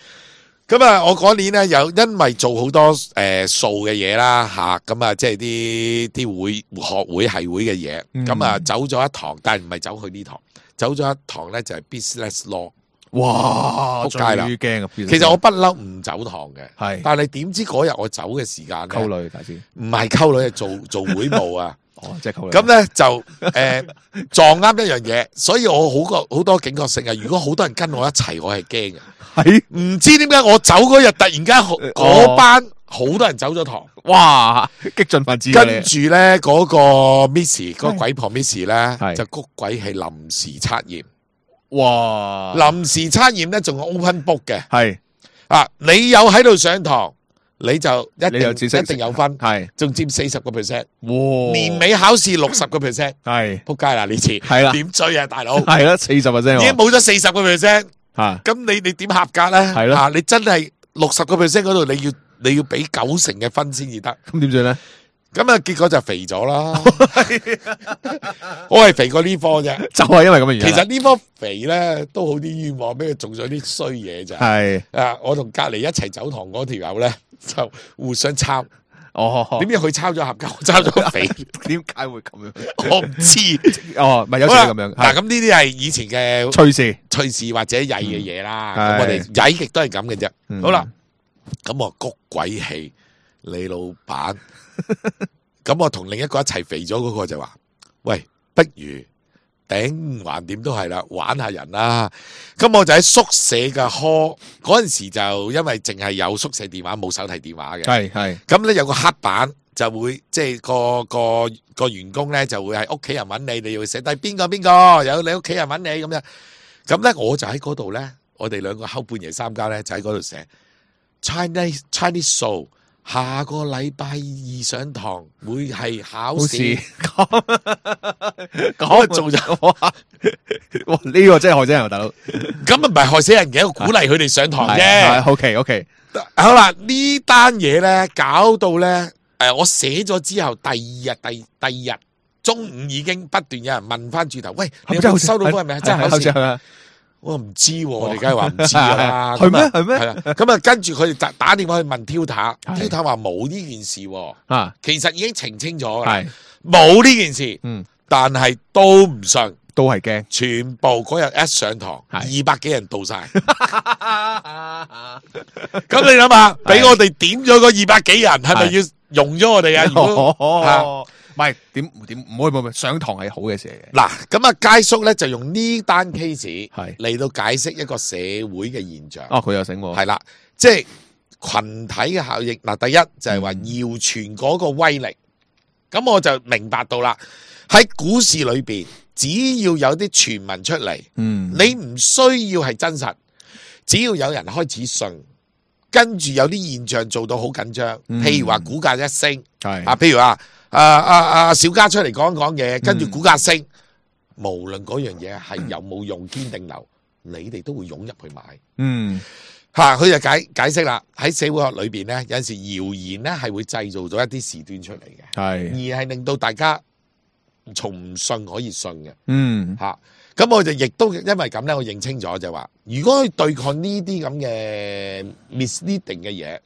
咁啊，我嗰年咧有因為做好多誒數嘅嘢啦吓，咁啊即係啲啲會學會係會嘅嘢，咁啊、嗯、走咗一堂，但係唔係走去呢堂，走咗一堂咧就係 business law。哇，仆街啦！最驚啊！其實我不嬲唔走堂嘅，係，但係點知嗰日我走嘅時間咧，溝女大師唔係溝女，係做做會務啊。哦，即係溝女。咁咧就誒、呃、撞啱一樣嘢，所以我好個好多警覺性啊！如果好多人跟我一齊，我係驚嘅。係唔知點解我走嗰日突然間嗰班好多人走咗堂，哇！激進分子。跟住咧嗰個 Miss 嗰個鬼婆 Miss 咧就谷鬼係臨時測驗，哇！臨時測驗咧仲係 open book 嘅，係啊！你有喺度上堂，你就一定一定有分，係仲佔四十個 percent， 哇！年尾考試六十個 percent， 係仆街啦呢次，係啦，點追啊大佬？係啦，四十 percent 已經冇咗四十個 percent。啊！咁你你點合格咧？係咯，啊！你真係六十個 percent 嗰度，你要你要俾九成嘅分先至得。咁點算咧？咁啊，結果就肥咗啦。我係肥過呢科啫，就係因為咁嘅原因。其實呢科肥咧都好啲冤枉，俾佢種咗啲衰嘢咋。係啊，我同隔離一齊走堂嗰條友咧就互相抄。哦，點知佢抄咗合格，我抄咗肥？點解會咁樣？我唔知。哦，咪有時咁樣。嗱，咁呢啲係以前嘅趣事、趣事或者曳嘅嘢啦。咁我哋曳極都係咁嘅啫。好啦，咁我谷鬼氣，你老闆。咁我同另一個一齊肥咗嗰個就話：喂，不如頂橫掂都係啦，玩下人啦。咁我就喺宿舍嘅 call 嗰陣時，就因為淨係有宿舍電話冇手提電話嘅，係係。咁咧有個黑板就會即係個個個員工咧就會係屋企人揾你，你要寫低邊個邊個有你屋企人揾你咁樣。咁咧我就喺嗰度咧，我哋兩個後半夜三更咧就喺嗰度寫 Chinese Chinese Soul。下個禮拜二上堂會係考試，咁做咗哇！呢個真係害死人，大佬。咁啊唔係害死人嘅，我鼓勵佢哋上堂啫。OK OK，好啦，呢單嘢咧搞到咧，誒，我寫咗之後，第二日第第二日中午已經不斷有人問翻轉頭，喂，你有冇收到嗰係咪真係考試？我唔知，我哋梗係話唔知噶啦。係咩？係咩？係啦。咁啊，跟住佢哋打打電話去問 Tutor，Tutor 話冇呢件事。啊，其實已經澄清咗啦，冇呢件事。嗯，但係都唔信，都係驚。全部嗰日一上堂，二百幾人到晒。咁你諗下，俾我哋點咗個二百幾人，係咪要用咗我哋啊？如果唔係點點唔可以唔上堂係好嘅事嚟嘅。嗱，咁啊，佳叔咧就用呢單 case 係嚟到解釋一個社會嘅現象。哦，佢又醒喎。係啦，即係群體嘅效應。嗱，第一就係話謠傳嗰個威力。咁、嗯、我就明白到啦，喺股市裏邊，只要有啲傳聞出嚟，嗯，你唔需要係真實，只要有人開始信，跟住有啲現象做到好緊張，譬如話股價一升，係、嗯、啊，譬如話。啊啊啊！小家出嚟講一講嘢，跟住股價升，嗯、無論嗰樣嘢係有冇用堅定流，你哋都會湧入去買。嗯，吓佢就解解釋啦。喺社會學裏邊咧，有陣時謠言咧係會製造咗一啲事端出嚟嘅，係而係令到大家從唔信可以信嘅。嗯，吓咁我就亦都因為咁咧，我認清咗就話，如果去對抗呢啲咁嘅 misleading 嘅嘢，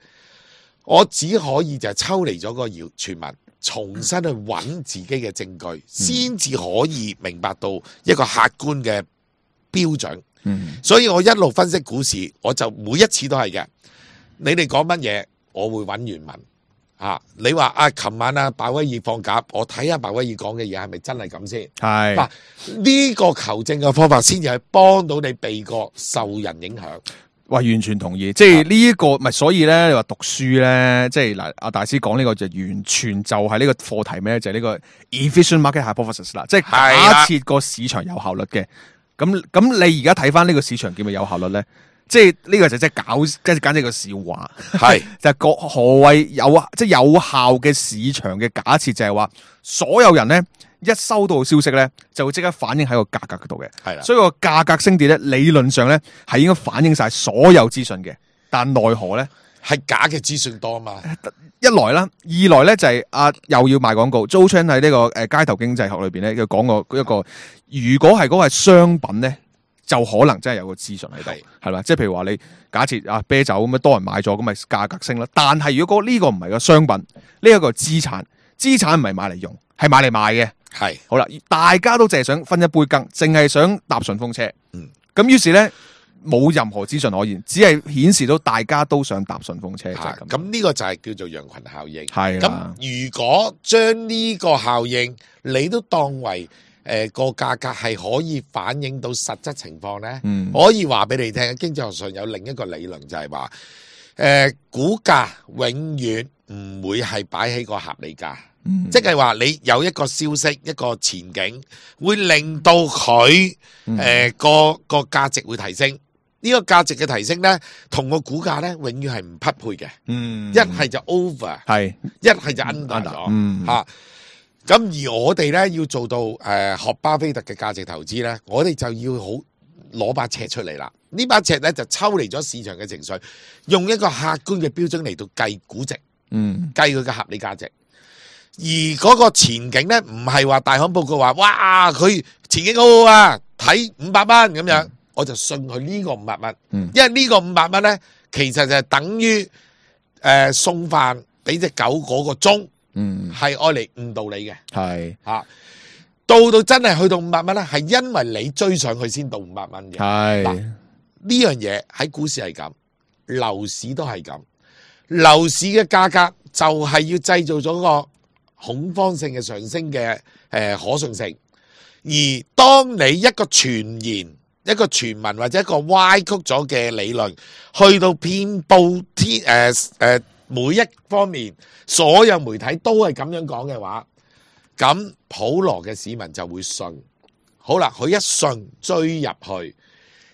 我只可以就係抽離咗個謠傳聞。重新去揾自己嘅證據，先至可以明白到一個客觀嘅標準。嗯，所以我一路分析股市，我就每一次都係嘅。你哋講乜嘢，我會揾原文。啊，你話啊，琴晚啊，鮑威爾放鴿，我睇下鮑威爾講嘅嘢係咪真係咁先？係嗱，呢個求證嘅方法，先至係幫到你避過受人影響。喂，完全同意，即係呢一個，咪所以咧，你話讀書咧，即係嗱，阿大師講呢個就完全就係呢個課題咩？就係、是、呢個 efficient market hypothesis 啦，即係假設個市場有效率嘅。咁咁，你而家睇翻呢個市場叫咪有效率咧？即係呢個就即係搞，即係簡直個笑話。係就係個何謂有即係有效嘅市場嘅假設，就係話所有人咧。一收到消息咧，就會即刻反映喺個價格嗰度嘅，係啦。所以個價格升跌咧，理論上咧係應該反映晒所有資訊嘅。但奈何咧係假嘅資訊多嘛？一來啦，二來咧就係、是、啊又要賣廣告。Joe Chan 喺呢個誒街頭經濟學裏邊咧，佢講過一個，如果係嗰個係商品咧，就可能真係有個資訊喺度，係啦。即係譬如話你假設啊啤酒咁樣多人買咗，咁咪價格升啦。但係如果呢個唔係個商品，呢、這、一個資產，資產唔係買嚟用，係買嚟賣嘅。係好啦，大家都淨係想分一杯羹，淨係想搭順風車。嗯，咁於是咧冇任何資訊可言，只係顯示到大家都想搭順風車。係咁，呢個就係叫做羊群效應。係咁，如果將呢個效應你都當為誒個價格係可以反映到實質情況咧，嗯，可以話俾你聽，經濟學上有另一個理論就係話，誒、呃、股價永遠唔會係擺喺個合理價。嗯、即係話你有一個消息，一個前景，會令到佢誒、嗯呃、個個價值會提升。呢、這個價值嘅提升咧，同個股價咧永遠係唔匹配嘅。嗯，一係就 over，係一係就 under 咗。嗯，吓、嗯、咁、啊、而我哋咧要做到誒、呃、學巴菲特嘅價值投資咧，我哋就要好攞把尺出嚟啦。呢把尺咧就抽離咗市場嘅情緒，用一個客觀嘅標準嚟到計估值，嗯，計佢嘅合理價值。而嗰個前景咧，唔係話大行報告話，哇，佢前景好好啊，睇五百蚊咁樣，我就信佢呢個五百蚊，嗯，因為呢個五百蚊咧，其實就係等於誒、呃、送飯俾隻狗嗰個鐘，嗯，係愛嚟誤導你嘅，係吓，到到真係去到五百蚊咧，係因為你追上去先到五百蚊嘅，係嗱，呢樣嘢喺股市係咁，樓市都係咁，樓市嘅價格就係要製造咗個恐慌性嘅上升嘅誒、呃、可信性，而當你一個傳言、一個傳聞或者一個歪曲咗嘅理論，去到遍佈天誒誒每一方面，所有媒體都係咁樣講嘅話，咁普羅嘅市民就會信。好啦，佢一信追入去，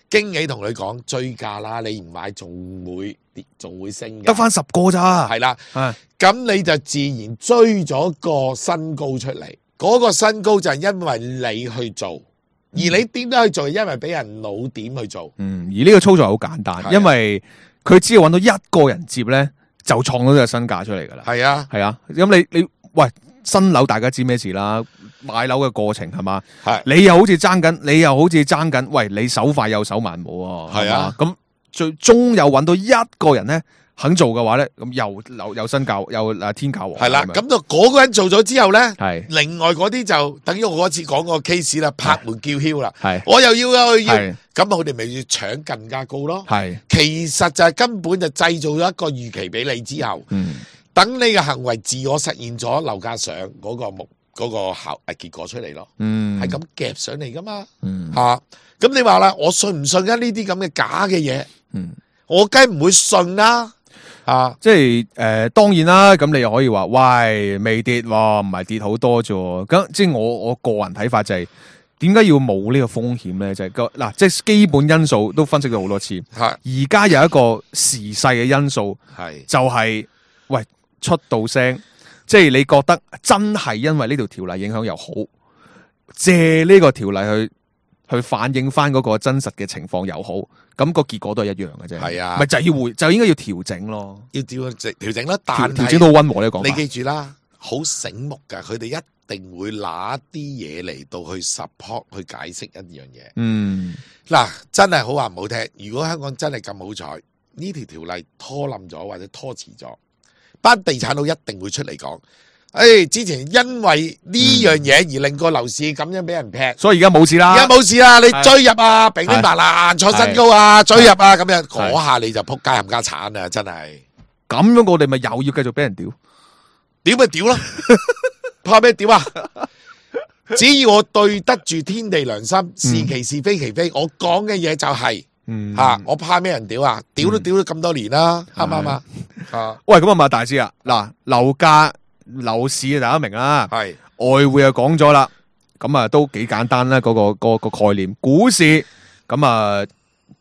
經紀同佢講追價啦，你唔買仲會跌，仲會升嘅，得翻十個咋，係啦。係咁你就自然追咗個新高出嚟，嗰、嗰個新高就係因為你去做，而你點解去做？因為俾人老點去做。嗯，而呢個操作係好簡單，因為佢只要揾到一個人接咧，就創到呢個新價出嚟噶啦。係啊，係啊，咁你你喂新樓大家知咩事啦？買樓嘅過程係嘛？係你又好似爭緊，你又好似爭緊，喂，你手快有手慢冇啊？係啊，咁最終又揾到一個人咧。肯做嘅話咧，咁又又又新教又誒天教王係啦，咁就嗰個人做咗之後咧，係另外嗰啲就等於我嗰次講個 case 啦，拍門叫囂啦，係我又要啊，要咁啊，佢哋咪要搶更加高咯，係其實就係根本就製造咗一個預期俾你之後，嗯，等你嘅行為自我實現咗樓價上嗰個目嗰個效誒結果出嚟咯，嗯，係咁夾上嚟噶嘛，嗯吓，咁你話啦，我信唔信啊呢啲咁嘅假嘅嘢？嗯，我梗唔會信啦。啊，即係誒、呃，當然啦，咁你又可以話，喂，未跌喎，唔係跌好多啫。咁即係我我個人睇法就係、是，點解要冇呢個風險咧？就係、是、個嗱，即係基本因素都分析咗好多次。係而家有一個時勢嘅因素，係就係、是、喂出到聲，即係你覺得真係因為呢條條例影響又好，借呢個條例去去反映翻嗰個真實嘅情況又好。咁個結果都係一樣嘅啫，係啊，咪就係要回，就應該要調整咯，要調整調整啦。但係調整到溫和呢個講法，你記住啦，好醒目噶，佢哋一定會拿啲嘢嚟到去 support 去解釋一樣嘢。嗯，嗱，真係好話唔好聽，如果香港真係咁好彩，呢條條例拖冧咗或者拖遲咗，班地產佬一定會出嚟講。誒、哎，之前因為呢樣嘢而令個樓市咁樣俾人劈，所以而家冇事啦。而家冇事啦，你追入啊，平平白爛創新高啊，追入啊，咁樣嗰下你就撲街冚家鏟啊！真係咁樣，我哋咪又要繼續俾人屌，屌咪屌咯，怕咩屌啊？只要我對得住天地良心，是其是非其非，我講嘅嘢就係、是，嗯吓、啊，我怕咩人屌啊？屌都屌咗咁多年啦，啱唔啱啊？啊，喂，咁啊，馬大師啊，嗱，樓價。樓市啊，大家明啦，係外匯又講咗啦，咁啊都幾簡單啦，嗰、嗰個、嗰個概念。股市咁啊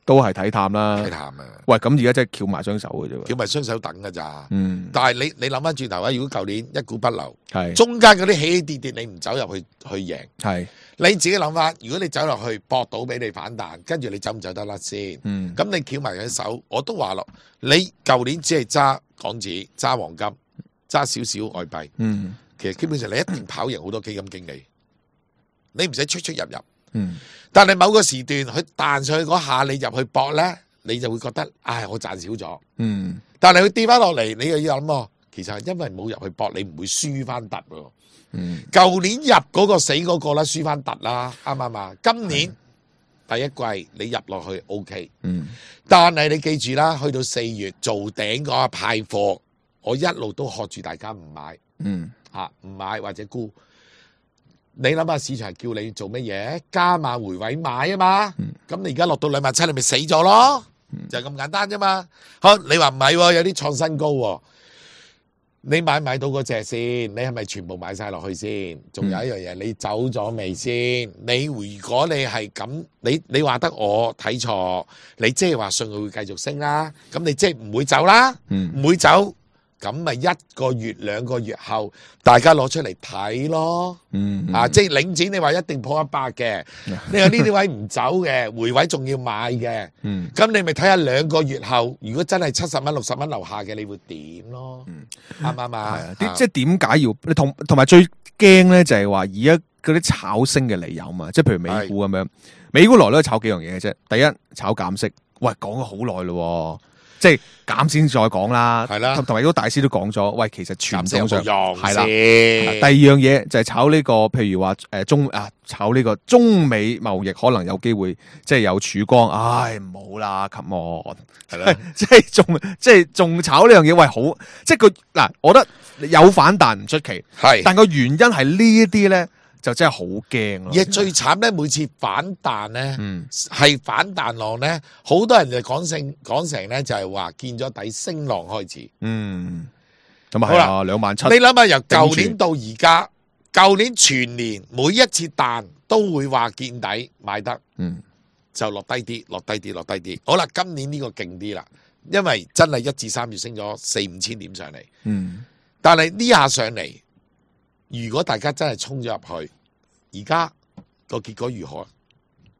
都係睇淡啦，睇淡啊！喂，咁而家真係翹埋雙手嘅啫，翹埋雙手等㗎咋？嗯，但係你你諗翻轉頭啊，如果舊年一股不留，係中間嗰啲起起跌跌，你唔走入去去贏，係你自己諗翻，如果你走落去搏到俾你反彈，跟住你走唔走得甩先？嗯，咁你翹埋隻手，我都話咯，你舊年只係揸港紙、揸黃金。揸少少外幣，嗯，其實基本上你一定跑贏好多基金經理，你唔使出出入入，嗯，但係某個時段佢彈上去嗰下，你入去搏咧，你就會覺得，唉，我賺少咗，嗯，但係佢跌翻落嚟，你又要諗，其實係因為冇入去搏，你唔會輸翻突，嗯，舊年入嗰個死嗰個啦，輸翻突啦，啱唔啱啊？今年第一季你入落去 OK，嗯，但係你記住啦，去到四月做頂嗰下派貨。我一路都喝住大家唔買，嗯，吓唔買或者沽。你諗下市場係叫你做乜嘢？加碼回位買啊嘛。咁、嗯、你而家落到兩萬七，你咪死咗咯，嗯、就係咁簡單啫嘛。好，你話唔係，有啲創新高、啊，你買唔買到嗰隻先？你係咪全部買晒落去先？仲有一樣嘢，你走咗未先？你如果你係咁，你你話得我睇錯，你即係話信佢會繼續升啦。咁你即係唔會走啦，唔、嗯、會走。咁咪一個月兩個月後，大家攞出嚟睇咯。嗯，啊，即係領展，你話一定破一百嘅，你話呢啲位唔走嘅，回位仲要買嘅。嗯，咁你咪睇下兩個月後，如果真係七十蚊、六十蚊樓下嘅，你會點咯？啱唔啱啊？係啊，啲即係點解要你同同埋最驚咧就係話而家嗰啲炒升嘅理由嘛，即係譬如美股咁樣，美股來都係炒幾樣嘢嘅啫。第一，炒減息，喂，講咗好耐咯。即係減先再講啦，係啦，同埋都大師都講咗，喂，其實傳統上係啦。第二樣嘢就係炒呢、這個，譬如話誒中啊，炒呢個中美貿易可能有機會即係有曙光，唉，唔好啦 ，come on， 係啦，即係仲即係仲炒呢樣嘢，喂，好，即係佢嗱，我覺得有反彈唔出奇，係，但個原因係呢一啲咧。就真係好驚咯！而最慘咧，每次反彈咧，係、嗯、反彈浪咧，好多人就講成講成咧，就係話見咗底升浪開始。嗯，咁啊係啊，兩萬七。你諗下，由舊年到而家，舊年全年每一次彈都會話見底買得，嗯，就落低啲，落低啲，落低啲。好啦，今年呢個勁啲啦，因為真係一至三月升咗四五千點上嚟。嗯，但係呢下上嚟。如果大家真係衝咗入去，而家個結果如何？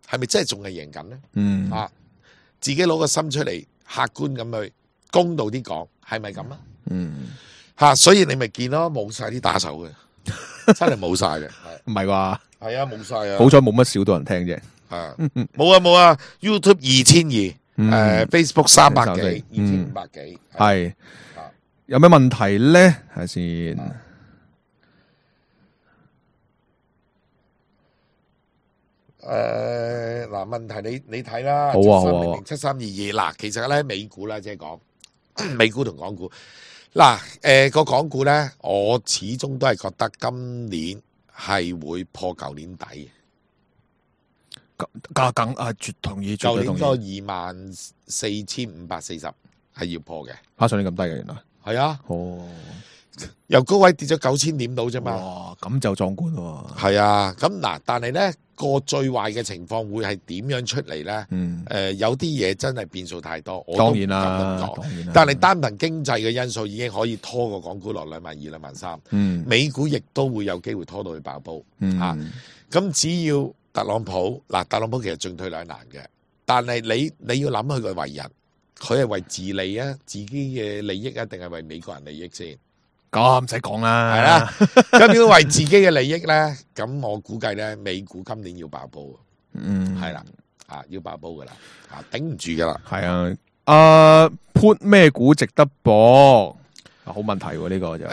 係咪真係仲係贏緊咧？嗯，啊，自己攞個心出嚟，客觀咁去公道啲講，係咪咁啊？嗯，吓，所以你咪見咯，冇晒啲打手嘅，真係冇晒嘅，唔係啩？係啊，冇晒啊！好彩冇乜少多人聽啫。啊，冇啊冇啊 ，YouTube 二千二，誒 Facebook 三百幾，二千五百幾，係。有咩問題咧？睇下先。誒，嗱，問題你你睇啦，好啊好啊，七三二二，嗱，其實咧美股啦，即係講美股同港股，嗱，誒個港股咧，我始終都係覺得今年係會破舊年底嘅，梗梗啊，絕同意，絕對同意。舊年個二萬四千五百四十係要破嘅，吓上年咁低嘅原來，係啊，哦，由高位跌咗九千點到啫嘛，哇，咁就壯觀喎，係啊，咁嗱，但係咧。個最壞嘅情況會係點樣出嚟咧？嗯，誒、呃，有啲嘢真係變數太多，我當然啦，當然啦。但係單憑經濟嘅因素已經可以拖個港股落兩萬二、兩萬三。嗯，美股亦都會有機會拖到去爆煲。嗯，吓、啊，咁只要特朗普嗱，特朗普其實進退兩難嘅，但係你你要諗佢嘅為人，佢係為自利啊，自己嘅利益啊，定係為美國人利益先？咁唔使講啦，係啦。咁如果為自己嘅利益咧，咁我估計咧，美股今年要爆煲。嗯，係啦，啊，要爆煲噶啦，啊，頂唔住噶啦。係啊，啊 put 咩股值得搏？好問題喎，呢個就。誒，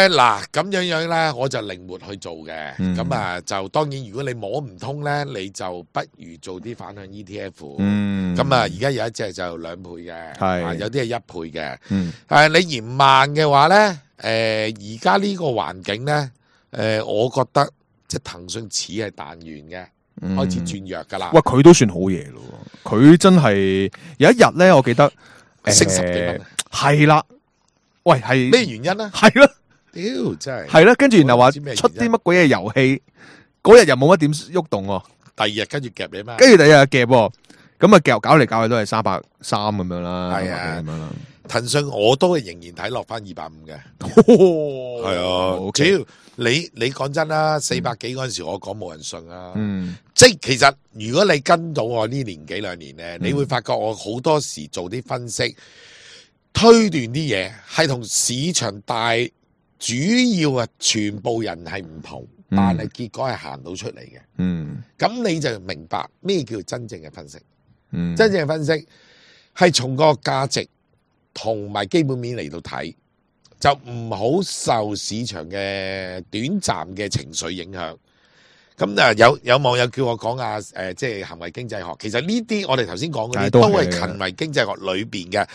嗱，咁樣樣咧，我就靈活去做嘅。咁啊，就當然，如果你摸唔通咧，你就不如做啲反向 E T F。嗯。咁啊，而家有一隻就兩倍嘅，係，有啲係一倍嘅。嗯。誒，你嫌慢嘅話咧？誒，而家呢個環境咧，誒、呃，我覺得即係騰訊似係彈完嘅，嗯、開始轉弱噶啦。喂，佢都算好嘢咯，佢真係有一日咧，我記得升十幾蚊，係啦。喂，係咩原因咧？係咯，屌真係。係啦，跟住然後話出啲乜鬼嘢遊戲，嗰日又冇乜點喐動喎。第二日跟住夾你咩？跟住第二日夾，咁啊夾搞嚟搞去都係三百三咁樣啦。係啊，咁樣啦。騰訊我都係仍然睇落翻二百五嘅，係啊，主要你你講真啦，四百幾嗰陣時我講冇人信啊，嗯，即係其實如果你跟到我呢年幾兩年咧，嗯、你會發覺我好多時做啲分析、推斷啲嘢係同市場大主要啊全部人係唔同，嗯、但係結果係行到出嚟嘅，嗯，咁你就明白咩叫真正嘅分析，嗯，真正嘅分析係從個價值。同埋基本面嚟到睇，就唔好受市場嘅短暫嘅情緒影響。咁啊，有有網友叫我講啊，誒、呃，即係行為經濟學。其實呢啲我哋頭先講嗰啲都係行為經濟學裏邊嘅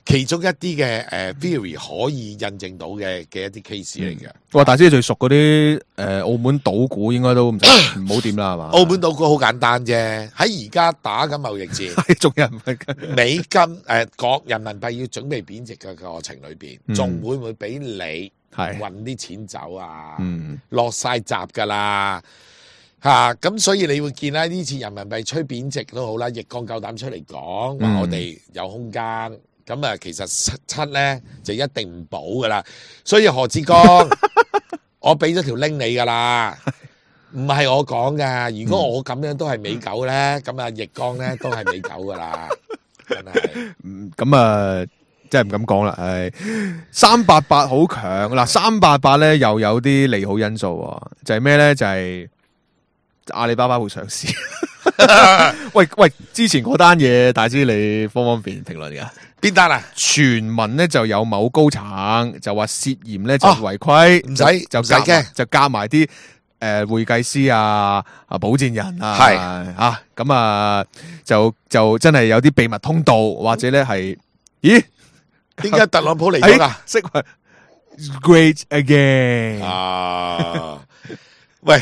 其中一啲嘅誒 theory 可以印證到嘅嘅一啲 case 嚟嘅。哇！大師最熟嗰啲誒澳門賭股應該都唔唔好掂啦，係嘛？澳門賭股好簡單啫，喺而家打緊貿易戰，仲有人係美金誒國人民幣要準備貶值嘅過程裏邊，仲、嗯、會唔會俾你運啲錢走啊？嗯、落晒閘㗎啦嚇！咁、啊、所以你會見啦，呢次人民幣吹貶值都好啦，易綱夠膽出嚟講話我哋有空間。咁啊，其實七七咧就一定唔補噶啦。所以何志剛，我俾咗條 link 你噶啦，唔係我講噶。如果我咁樣都係美狗咧，咁啊易剛咧都係美狗噶啦，真係。嗯，咁啊。真係唔敢講啦，係三八八好強嗱，三八八咧又有啲利好因素，就係咩咧？就係、是、阿里巴巴會上市。喂喂，之前嗰單嘢，大知你方方便評論噶？邊單啊？傳聞咧就有某高層就話涉嫌咧就違規，唔使就唔使驚，就夾埋啲誒會計師啊、啊保薦人啊，係啊咁啊，就就真係有啲秘密通道，或者咧係咦？點解特朗普嚟咗噶？識 Great again 啊！喂，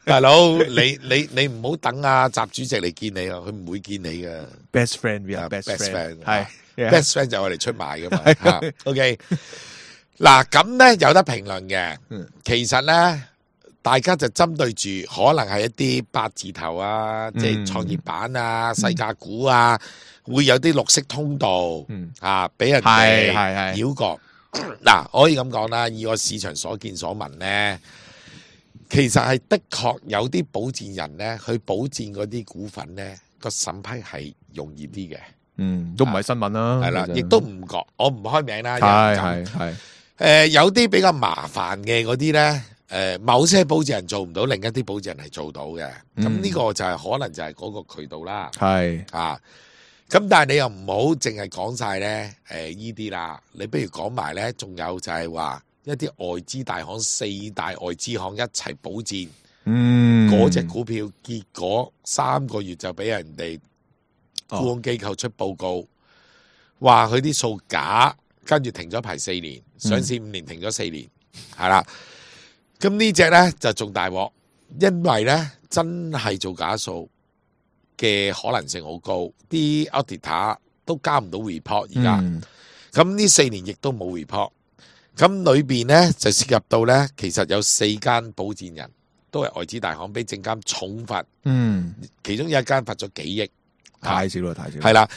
大佬，你你你唔好等阿習主席嚟見你啊，佢唔會見你噶。Best friend，we are best friend，係 best friend 就係我哋出賣噶嘛。吓 ，OK。嗱咁咧有得評論嘅，其實咧大家就針對住可能係一啲八字頭啊，即係創業板啊、細價股啊。會有啲綠色通道，嗯啊，俾人哋繞過。嗱，我可以咁講啦，以我市場所見所聞咧，其實係的確有啲保薦人咧，去保薦嗰啲股份咧，個審批係容易啲嘅。嗯，都唔係新聞啦，係啦，亦都唔覺，我唔開名啦。係係係。誒，有啲比較麻煩嘅嗰啲咧，誒，某些保薦人做唔到，另一啲保薦人係做到嘅。咁呢個就係可能就係嗰個渠道啦。係啊。咁但係你又唔好淨係講晒咧，誒依啲啦，你不如講埋咧，仲有就係話一啲外資大行、四大外資行一齊保薦，嗯，嗰隻股票，結果三個月就俾人哋沽空機構出報告，話佢啲數假，跟住停咗牌四年，上市五年停咗四年，係啦、嗯。咁呢隻咧就仲大鑊，因為咧真係做假數嘅可能性好高，啲 auditor 都交唔到 report 而家，咁呢四年亦都冇 report，咁裏邊咧就涉及到咧，其實有四間保薦人都係外資大行，俾證監重罰，嗯，其中有一間罰咗幾億，太少啦，太少，係啦，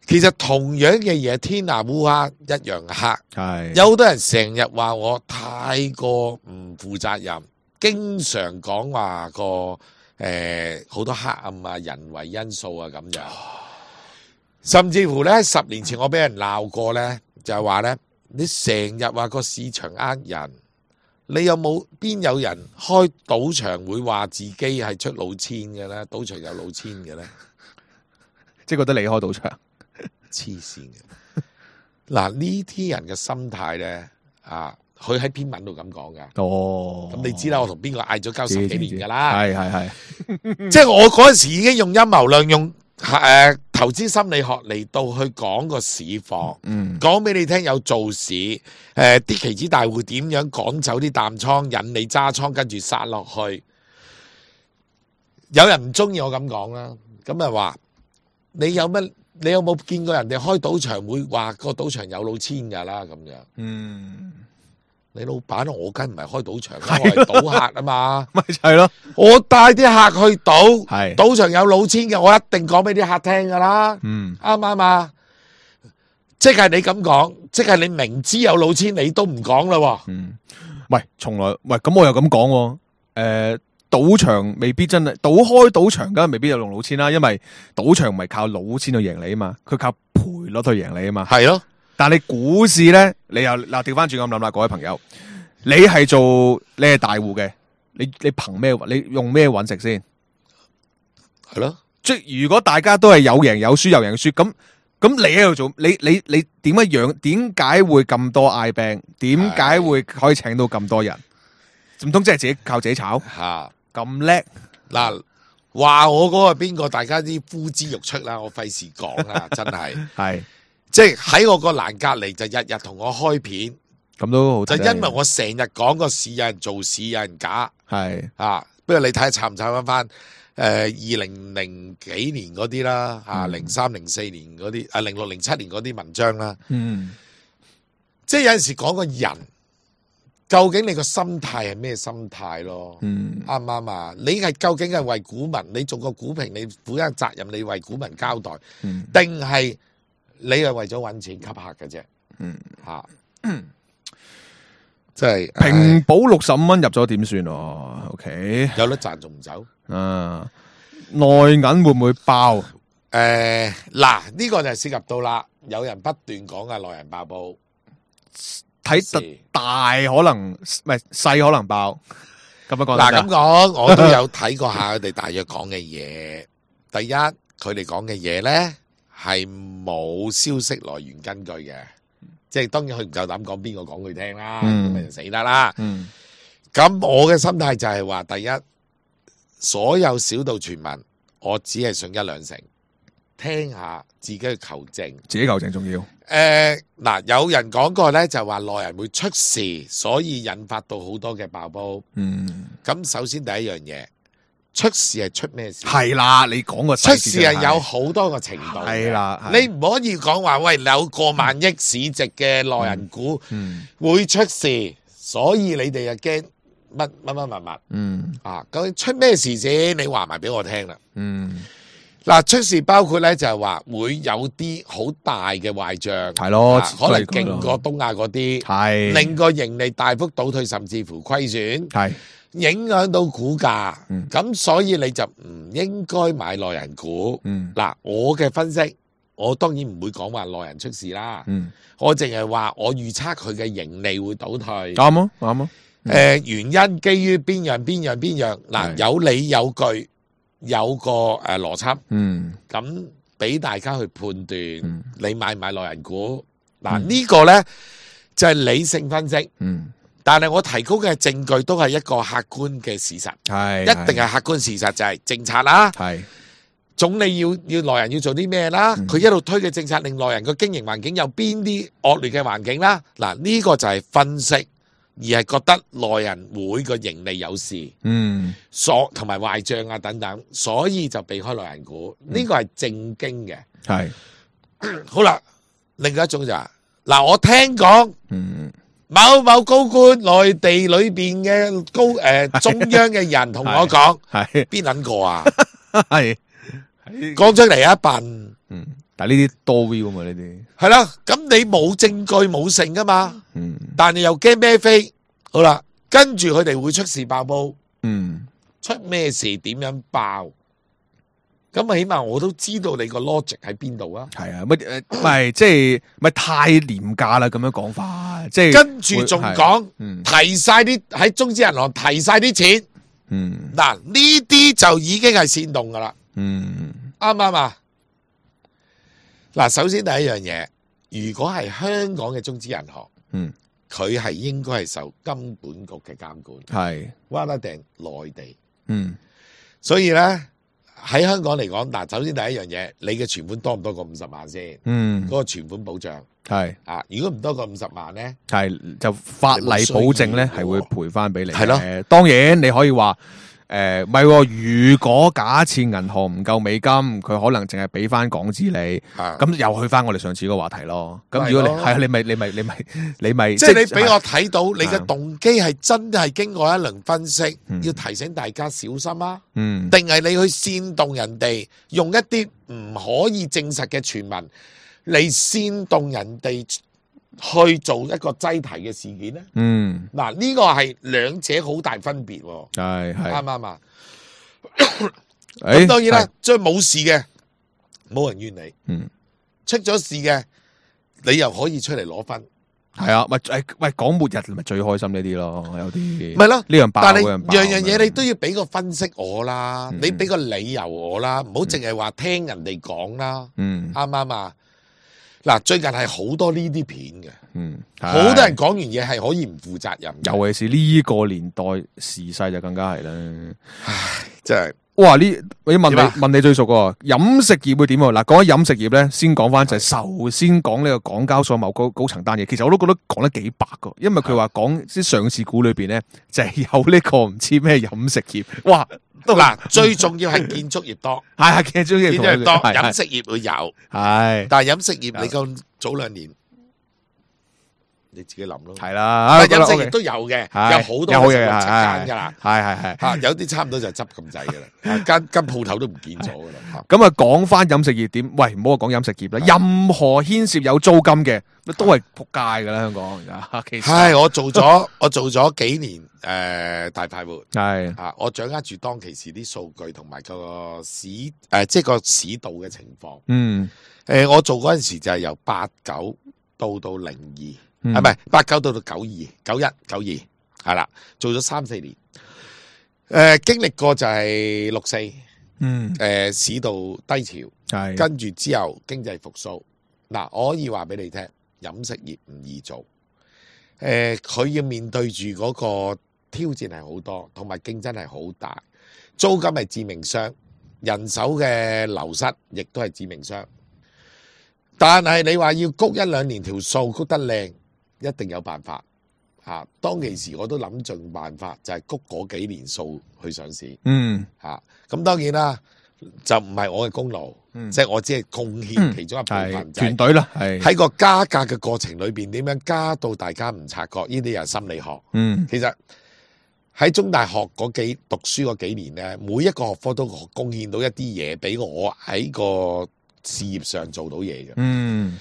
其實同樣嘅嘢，天下烏鴉一樣黑，係有好多人成日話我太過唔負責任，經常講話個。誒，好多黑暗啊，人為因素啊，咁樣，甚至乎咧，十年前我俾人鬧過咧，就係話咧，你成日話個市場呃人，你有冇邊有人開賭場會話自己係出老千嘅咧？賭場有老千嘅咧，即係覺得你開賭場黐線嘅。嗱，呢啲人嘅心態咧，啊。佢喺篇文度咁講噶，哦，咁你知啦，我同邊個嗌咗交十幾年噶啦，係係係，即係我嗰陣時已經用陰謀論，用誒、呃、投資心理學嚟到去講個市況，嗯，講俾你聽有做市，誒、呃、啲期指大戶點樣趕走啲淡倉，引你揸倉，跟住殺落去。有人唔中意我咁講啦，咁啊話你有乜？你有冇見過人哋開賭場會話個賭場有老千噶啦咁樣？嗯。你老闆我梗唔係開賭場，我係賭客啊嘛，咪就係咯。我帶啲客去賭，係賭場有老千嘅，我一定講俾啲客聽噶啦。嗯，啱唔啱啊？即係你咁講，即係你明知有老千，你都唔講啦。嗯，喂，從來喂咁我又咁講，誒，賭場未必真係賭開賭場，梗係未必有用老千啦，因為賭場唔係靠老千去贏你啊嘛，佢靠賠率去贏你啊嘛。係咯。但係你股市咧，你又嗱調翻轉咁諗啦，各位朋友，你係做你係大戶嘅，你你憑咩？你用咩揾食先？係咯，即係如果大家都係有贏有輸有贏有輸，咁咁你喺度做，你你你點樣養？點解會咁多嗌病？點解會可以請到咁多人？唔通即係自己靠自己炒？吓咁叻嗱，話我嗰個邊個？大家啲呼之欲出啦，我費事講啦，真係係。即係喺我個欄隔籬就日日同我開片，咁都好。就因為我成日講個市有人做市有人假，係啊。不過你睇下查唔查翻翻誒二零零幾年嗰啲啦，啊零三零四年嗰啲啊零六零七年嗰啲文章啦。嗯，即係有陣時講個人究竟你個心態係咩心態咯？嗯，啱唔啱啊？你係究竟係為股民，你做個股評，你負責責任，你為股民交代，定係？你係為咗揾錢吸客嘅啫。嗯嚇，即係平保六十五蚊入咗點算啊 ？OK， 有得賺仲唔走？啊，內銀會唔會爆？誒嗱，呢個就係涉及到啦，有人不斷講嘅內銀爆煲，睇特大可能唔係細可能爆。咁樣講嗱咁講，我都有睇過下佢哋大約講嘅嘢。第一，佢哋講嘅嘢咧係冇消息來源根據嘅，即係當然佢唔夠膽講邊個講佢聽啦，咁咪就死得啦。嗯，咁我嘅心態就係話，第一，所有小道傳聞，我只係信一兩成，聽下自己去求證，自己求證重要。誒嗱，有人講過咧，就話內人會出事，所以引發到好多嘅爆煲。嗯，咁首先第一樣嘢，出事係出咩事？係啦，你講個出事係有好多個程度。係啦，你唔可以講話喂，有過萬億市值嘅內人股會出事，所以你哋就驚乜乜乜乜乜。嗯，啊，究竟出咩事先？你話埋俾我聽啦。嗯。嗱，出事包括咧就係話會有啲好大嘅壞賬，係咯，可能勁過東亞嗰啲，係令個盈利大幅倒退，甚至乎虧損，係影響到股價。咁所以你就唔應該買內人股。嗱，我嘅分析，我當然唔會講話內人出事啦。我淨係話我預測佢嘅盈利會倒退。啱啊，啱啊。誒，原因基於邊樣邊樣邊樣？嗱，有理有據。有個誒邏輯，嗯，咁俾大家去判斷，嗯、你買唔買內人股？嗱、嗯，呢個呢就係理性分析，嗯，但係我提供嘅證據都係一個客觀嘅事實，係一定係客觀事實，就係政策啦，係總理要要內人要做啲咩啦，佢、嗯、一路推嘅政策令內人個經營環境有邊啲惡劣嘅環境啦，嗱，呢個就係分析。而係覺得內人會個盈利有事，嗯，所同埋壞賬啊等等，所以就避開內人股，呢、嗯、個係正經嘅。係好啦，另外一種就係、是、嗱，我聽講，嗯，某某高官內地裏邊嘅高誒、呃、中央嘅人同我講，係邊撚個啊？係講出嚟一笨，嗯。但係呢啲多 view 啊嘛，呢啲係啦，咁你冇證據冇成噶嘛，嗯，但係又驚咩飛，好啦，跟住佢哋會出事爆煲，嗯，出咩事點樣爆，咁啊起碼我都知道你個 logic 喺邊度啊，係啊，乜誒，唔係即係咪太廉價啦？咁樣講法，即係跟住仲講，提晒啲喺中資銀行提晒啲錢，嗯，嗱呢啲就已經係煽動噶啦，嗯，啱唔啱啊？嗱，首先第一樣嘢，如果係香港嘅中資銀行，嗯，佢係應該係受金管局嘅監管，係，話得定內地，嗯，所以咧喺香港嚟講，嗱，首先第一樣嘢，你嘅存款多唔多過五十萬先，嗯，嗰個存款保障係，啊，如果唔多過五十萬咧，係就法例保證咧係會賠翻俾你，係咯，誒，當然你可以話。誒，唔係、呃，如果假設銀行唔夠美金，佢可能淨係俾翻港紙你，咁的又去翻我哋上次個話題咯。咁如果你係啊，你咪你咪你咪你咪，即係你俾我睇到你嘅動機係真係經過一輪分析，的要提醒大家小心啊。嗯，定係你去煽動人哋用一啲唔可以證實嘅傳聞嚟煽動人哋去做一個擠提嘅事件咧，嗯，嗱呢個係兩者好大分別，係係啱唔啱啊？咁當然啦，即係冇事嘅，冇人怨你，嗯，出咗事嘅，你又可以出嚟攞分，係啊，喂誒喂，講末日咪最開心呢啲咯，有啲咪咯，呢樣爆，但係樣樣嘢你都要俾個分析我啦，你俾個理由我啦，唔好淨係話聽人哋講啦，嗯，啱唔啱啊？嗱，最近係好多呢啲片嘅，嗯，好多人講完嘢係可以唔負責任，尤其是呢個年代時勢就更加係啦。唉，真係，哇！呢我要問你問你最熟喎，飲食業會點啊？嗱，講起飲食業咧，先講翻就係首先講呢個港交所某高高層單嘢，其實我都覺得講得幾白噶，因為佢話講啲上市股裏邊咧就係有呢個唔知咩飲食業，哇！嗱，最重要係建築業多，係係建築業多，飲食業會有，係，但係飲食業你講早兩年你自己諗咯。係啦，飲食業都有嘅，有好多嘅食七間噶啦，係係係嚇，有啲差唔多就執咁滯噶啦，間間鋪頭都唔見咗噶啦。咁啊，講翻飲食業點？喂，唔好講飲食業啦，任何牽涉有租金嘅都係仆街噶啦，香港而家。其實係我做咗我做咗幾年誒大快活，係啊，我掌握住當其時啲數據同埋個市誒，即係個市道嘅情況。嗯，誒，我做嗰陣時就係由八九到到零二，係咪八九到到九二九一九二係啦，做咗三四年。誒，經歷過就係六四，嗯，誒，市道低潮，係跟住之後經濟復甦。嗱，我可以話俾你聽，飲食業唔易做。誒，佢要面對住嗰個挑戰係好多，同埋競爭係好大，租金係致命傷，人手嘅流失亦都係致命傷。但係你話要谷一兩年條數谷得靚，一定有辦法嚇。當其時我都諗盡辦法，就係谷嗰幾年數去上市。嗯嚇，咁當然啦，就唔係我嘅功勞，即係我只係貢獻其中一部分。團隊啦，係喺個加價嘅過程裏邊，點樣加到大家唔察覺？呢啲又係心理學。嗯，其實喺中大學嗰幾讀書嗰幾年咧，每一個學科都貢獻到一啲嘢俾我喺個事業上做到嘢嘅。嗯，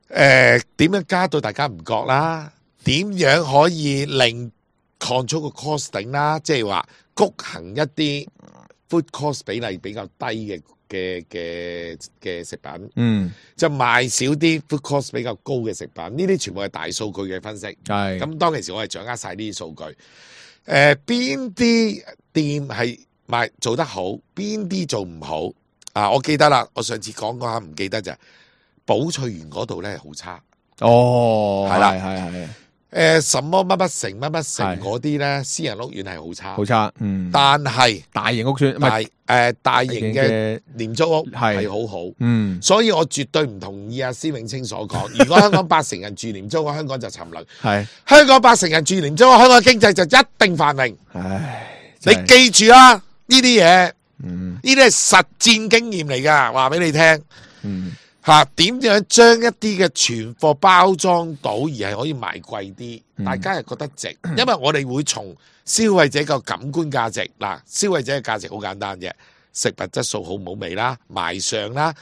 誒點樣加到大家唔覺啦？點樣可以令 control 個 costing 啦？即係話谷行一啲 food cost 比例比較低嘅嘅嘅嘅食品，嗯，就賣少啲 food cost 比較高嘅食品。呢啲全部係大數據嘅分析。係咁當其時我係掌握晒呢啲數據。誒邊啲店係賣做得好，邊啲做唔好啊？我記得啦，我上次講過下唔記得就係寶翠園嗰度咧好差。哦，係啦係係係。誒，什麼乜乜城乜乜城嗰啲咧，私人屋苑係好差，好差，嗯。但係大型屋邨，唔係大誒大型嘅廉租屋係好好，嗯。所以我絕對唔同意阿施永青所講。如果香港八成人住廉租屋，香港就沉淪。係香港八成人住廉租屋，香港經濟就一定繁榮。唉，你記住啦，呢啲嘢，嗯，呢啲係實戰經驗嚟噶，話俾你聽。嗯。吓，點樣將一啲嘅存貨包裝到而係可以賣貴啲，嗯、大家係覺得值，因為我哋會從消費者個感官價值，嗱，消費者嘅價值好簡單嘅，食物質素好唔好味啦，賣相啦，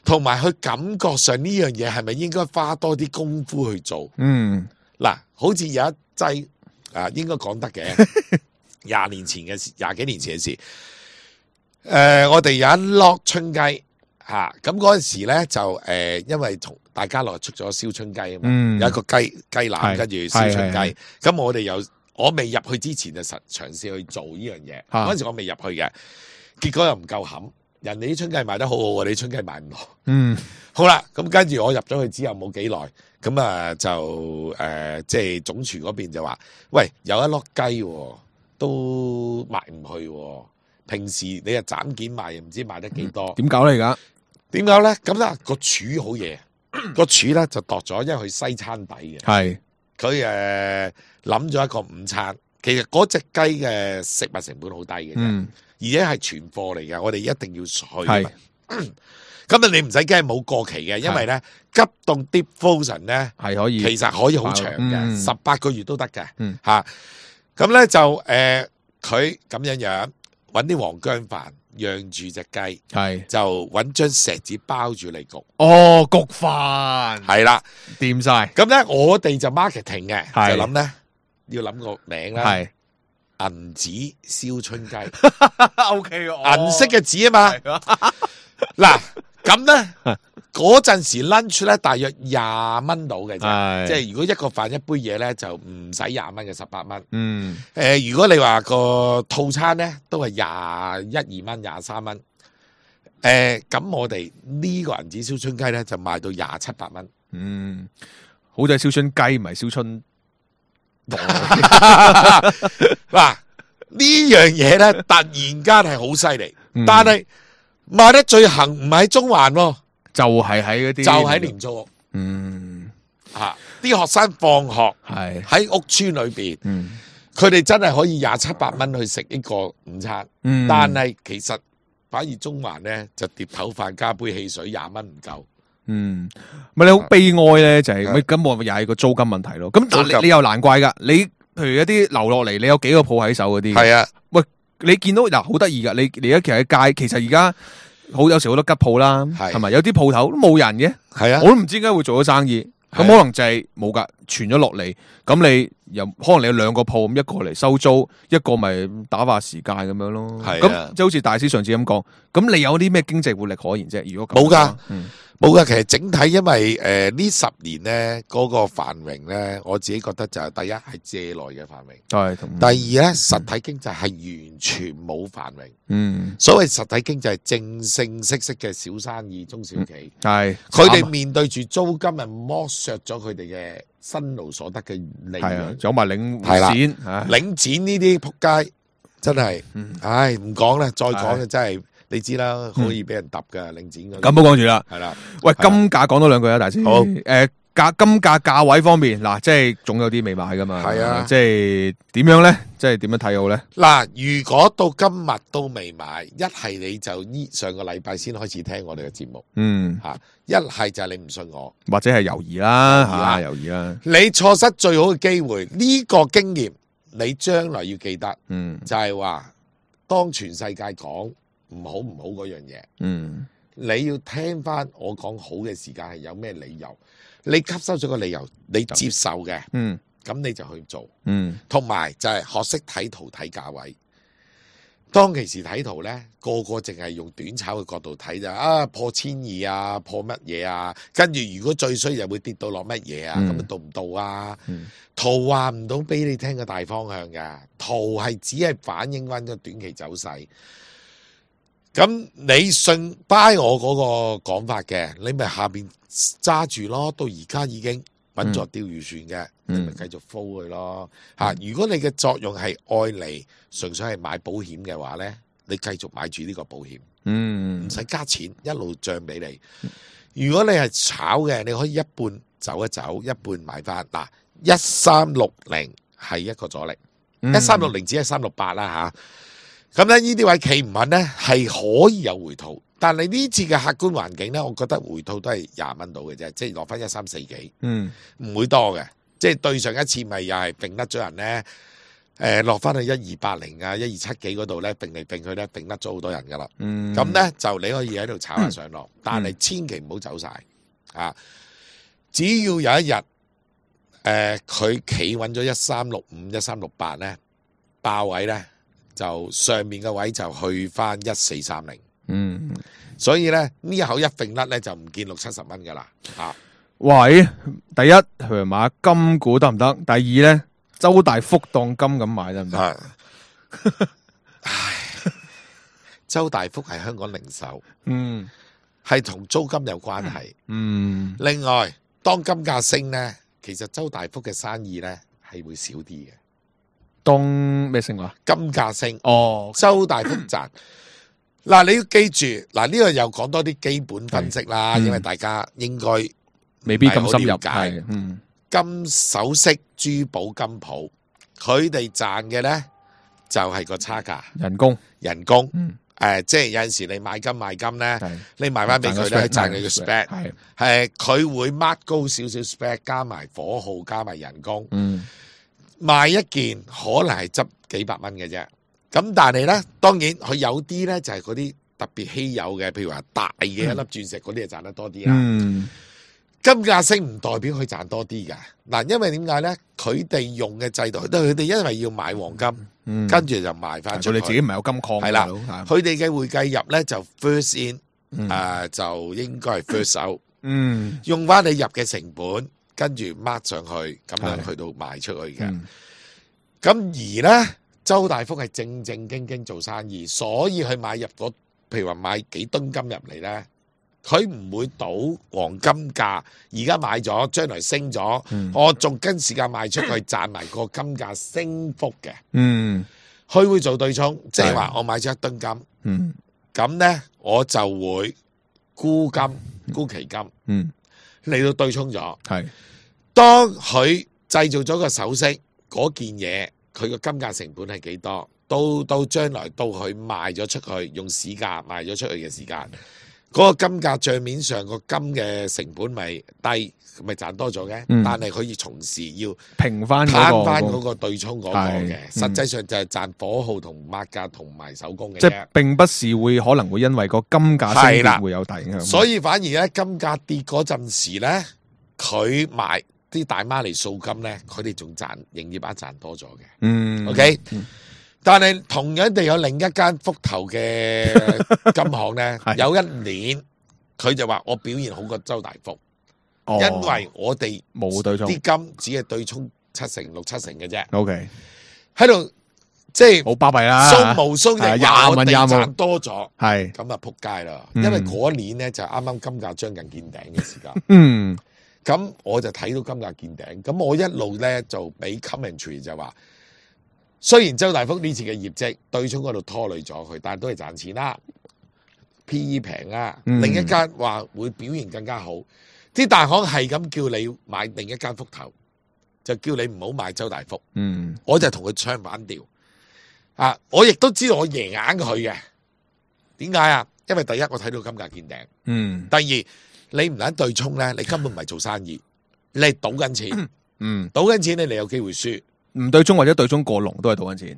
同埋佢感覺上呢樣嘢係咪應該花多啲功夫去做？嗯，嗱，好似有一劑啊，應該講得嘅，廿年前嘅事，廿幾年前嘅事，誒、呃，我哋有一粒春雞。吓，咁嗰陣時咧就誒、呃，因為同大家樂出咗燒春雞啊嘛，嗯、有一個雞雞腩跟住燒春雞，咁我哋又我未入去之前就實嘗試去做呢樣嘢，嗰陣、啊、時我未入去嘅，結果又唔夠冚，人哋啲春雞賣得好好，我哋啲春雞賣唔落。嗯，好啦，咁跟住我入咗去之後冇幾耐，咁啊就誒、呃，即係總廚嗰邊就話，喂，有一粒雞、哦、都賣唔去、哦，平時你又斬件賣，又唔知賣得幾多，點搞咧而家？點解咧？咁咧個廚好嘢，個廚咧就度咗，因為佢西餐底嘅。係佢誒諗咗一個午餐，其實嗰隻雞嘅食物成本好低嘅啫，嗯、而且係存貨嚟嘅，我哋一定要去。係咁啊，你唔使驚冇過期嘅，因為咧急凍 deep frozen 咧係可以，其實可以好長嘅，十八、嗯、個月都得嘅。吓、嗯，咁咧、啊、就誒佢咁樣樣搵啲黃薑飯。養住隻雞，係就揾張錫紙包住嚟焗。哦，焗飯係啦，掂晒。咁咧，我哋就 marketing 嘅，就諗咧要諗個名啦。係銀紙燒春雞，O K，銀色嘅紙啊嘛。嗱，咁咧嗰陣時 lunch 咧大約廿蚊到嘅啫，即係如果一個飯一杯嘢咧就唔使廿蚊嘅，十八蚊。嗯，誒、呃，如果你話個套餐咧都係廿一二蚊、廿三蚊。誒、呃，咁我哋呢個銀紙燒春雞咧就賣到廿七八蚊。嗯，好在燒春雞唔係燒春。嗱，呢樣嘢咧突然間係好犀利，嗯、但係賣得最行唔係喺中環喎。就係喺嗰啲，就喺廉租屋。嗯，吓啲學生放學係喺屋邨裏邊，嗯，佢哋真係可以廿七八蚊去食一個午餐。嗯，但係其實反而中環咧就碟頭飯加杯汽水廿蚊唔夠，嗯，咪你好悲哀咧，就係咁我又係個租金問題咯。咁但係你又難怪噶，你譬如一啲留落嚟，你有幾個鋪喺手嗰啲，係啊，喂，你見到嗱好得意噶，你你而家其實喺街，其實而家好有時好多吉鋪啦，係咪？有啲鋪頭都冇人嘅，係啊，我都唔知點解會做咗生意。咁可能就係冇噶，傳咗落嚟，咁你又可能你有兩個鋪，咁一個嚟收租，一個咪打發時間咁樣咯。係咁即係好似大師上次咁講，咁你有啲咩經濟活力可言啫？如果冇噶，冇噶。其實整體因為誒呢十年咧嗰個繁榮咧，我自己覺得就係第一係借來嘅繁榮，係。第二咧實體經濟係完全冇繁榮。嗯，所謂實體經濟係正正式式嘅小生意、中小企，係佢哋面對住租金係剝削咗佢哋嘅辛勞所得嘅利潤，有埋領展，領展呢啲仆街真係，唉唔講啦，再講就真係。你知啦，可以俾人揼噶領展嗰啲。咁唔好講住啦，係啦。喂，金價講多兩句啊，大師。好，誒價金價價位方面，嗱，即係總有啲未買噶嘛。係啊，即係點樣咧？即係點樣睇好咧？嗱，如果到今日都未買，一係你就依上個禮拜先開始聽我哋嘅節目。嗯，嚇，一係就係你唔信我，或者係猶豫啦，嚇，猶豫啦。你錯失最好嘅機會，呢個經驗你將來要記得。嗯，就係話當全世界講唔好唔好嗰樣嘢，嗯，你要聽翻我講好嘅時間係有咩理由？你吸收咗個理由，你接受嘅，嗯，咁你就去做，嗯，同埋就係學識睇圖睇價位。當其時睇圖咧，個個淨係用短炒嘅角度睇就啊破千二啊，破乜嘢啊？跟住如果最衰又會跌到落乜嘢啊？咁、嗯、到唔到啊？嗯、圖話唔到俾你聽個大方向㗎，圖係只係反映翻個短期走勢。咁你信 buy 我嗰個講法嘅，你咪下邊揸住咯。到而家已經穩坐釣魚船嘅，嗯、你咪繼續 follow 佢咯。吓、嗯，如果你嘅作用係愛嚟純粹係買保險嘅話咧，你繼續買住呢個保險，嗯，唔使加錢，一路漲俾你。如果你係炒嘅，你可以一半走一走，一半買翻。嗱，一三六零係一個阻力，一三六零只係三六八啦吓。咁咧呢啲位企唔穩咧，係可以有回吐，但係呢次嘅客觀環境咧，我覺得回吐都係廿蚊到嘅啫，即係落翻一三四幾，嗯，唔會多嘅，即係對上一次咪又係並甩咗人咧，誒、呃、落翻去一二八零啊，一二七幾嗰度咧，並嚟並去咧，並甩咗好多人噶啦，嗯，咁咧就你可以喺度炒下上落，嗯、但係千祈唔好走晒，啊，只要有一日，誒佢企穩咗一三六五、一三六八咧，爆位咧。就上面嘅位就去翻一四三零，嗯，所以咧呢一口一揈甩咧就唔見六七十蚊噶啦，啊，喂，第一佢買金股得唔得？第二咧周大福當金咁買得唔得？唉，周大福係香港零售，嗯，係同租金有關係，嗯，另外當金價升咧，其實周大福嘅生意咧係會少啲嘅。當咩升話？金價升哦，周大福賺。嗱，你要記住，嗱呢個又講多啲基本分析啦，嗯、因為大家應該未必咁深入解。嗯，金首飾、珠寶、金鋪，佢哋賺嘅咧就係、是、個差價，人工，人工。嗯，誒、呃，即係有陣時你買金賣金咧，你賣翻俾佢咧，賺你個 spec，係，係佢會 mark 高少少 spec，加埋火耗，加埋人工。嗯。賣一件可能係執幾百蚊嘅啫，咁但係咧，當然佢有啲咧就係嗰啲特別稀有嘅，譬如話大嘅一粒鑽石嗰啲，就賺得多啲啦。嗯，金價升唔代表佢賺多啲噶，嗱，因為點解咧？佢哋用嘅制度，都係佢哋因為要買黃金，嗯、跟住就賣翻出去。佢哋自己唔係有金礦，係啦，佢哋嘅會計入咧就 first in，誒、嗯呃、就應該係 first out，嗯，用翻你入嘅成本。跟住 mark 上去，咁樣去到賣出去嘅。咁、嗯、而咧，周大福係正正經經做生意，所以佢買入嗰，譬如話買幾噸金入嚟咧，佢唔會賭黃金價。而家買咗，將來升咗，嗯、我仲跟時間賣出去，賺埋個金價升幅嘅。嗯，佢會做對沖，即係話我買咗一噸金，嗯，咁咧我就會沽金沽期金，嗯。嚟到對沖咗，係當佢製造咗個首飾嗰件嘢，佢個金價成本係幾多？到到將來到佢賣咗出去，用市價賣咗出去嘅時間，嗰個金價帳面上個金嘅成本咪低，咪賺多咗嘅。嗯、但係佢要從事要平翻攤翻嗰個對沖嗰個嘅，嗯、實際上就係賺火耗同抹價同埋手工嘅。即係並不是會可能會因為個金價升跌會有大影響。所以反而咧金價跌嗰陣時咧，佢賣啲大媽嚟掃金咧，佢哋仲賺營業額賺多咗嘅。嗯 ，OK。嗯但係同樣地有另一間福頭嘅金行咧，有一年佢就話我表現好過周大福，哦、因為我哋冇對沖，啲金只係對沖七成六七成嘅啫。OK，喺度即係好巴閉啦，蘇無蘇就話我哋賺多咗，係咁啊撲街啦！因為嗰年咧就啱啱金價將近見頂嘅時間，嗯，咁我就睇到金價見頂，咁我一路咧就俾 commentary 就話。雖然周大福呢次嘅業績對沖嗰度拖累咗佢，但係都係賺錢啦 ，P E 平啊。嗯、另一間話會表現更加好，啲大行係咁叫你買另一間福頭，就叫你唔好買周大福。嗯，我就同佢唱反調啊！我亦都知道我贏硬佢嘅，點解啊？因為第一我睇到金價見頂，嗯，第二你唔撚對沖咧，你根本唔係做生意，你係賭緊錢，嗯，賭緊錢你你有機會輸。唔對沖或者對沖過龍都係賭緊錢，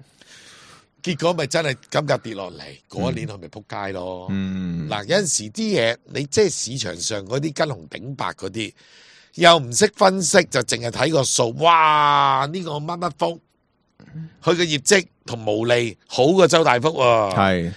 結果咪真係金價跌落嚟，嗰、嗯、一年佢咪撲街咯。嗱、嗯，有陣時啲嘢你即係市場上嗰啲跟紅頂白嗰啲，又唔識分析，就淨係睇個數。哇！呢、這個乜乜福，佢嘅業績同毛利好過周大福喎。係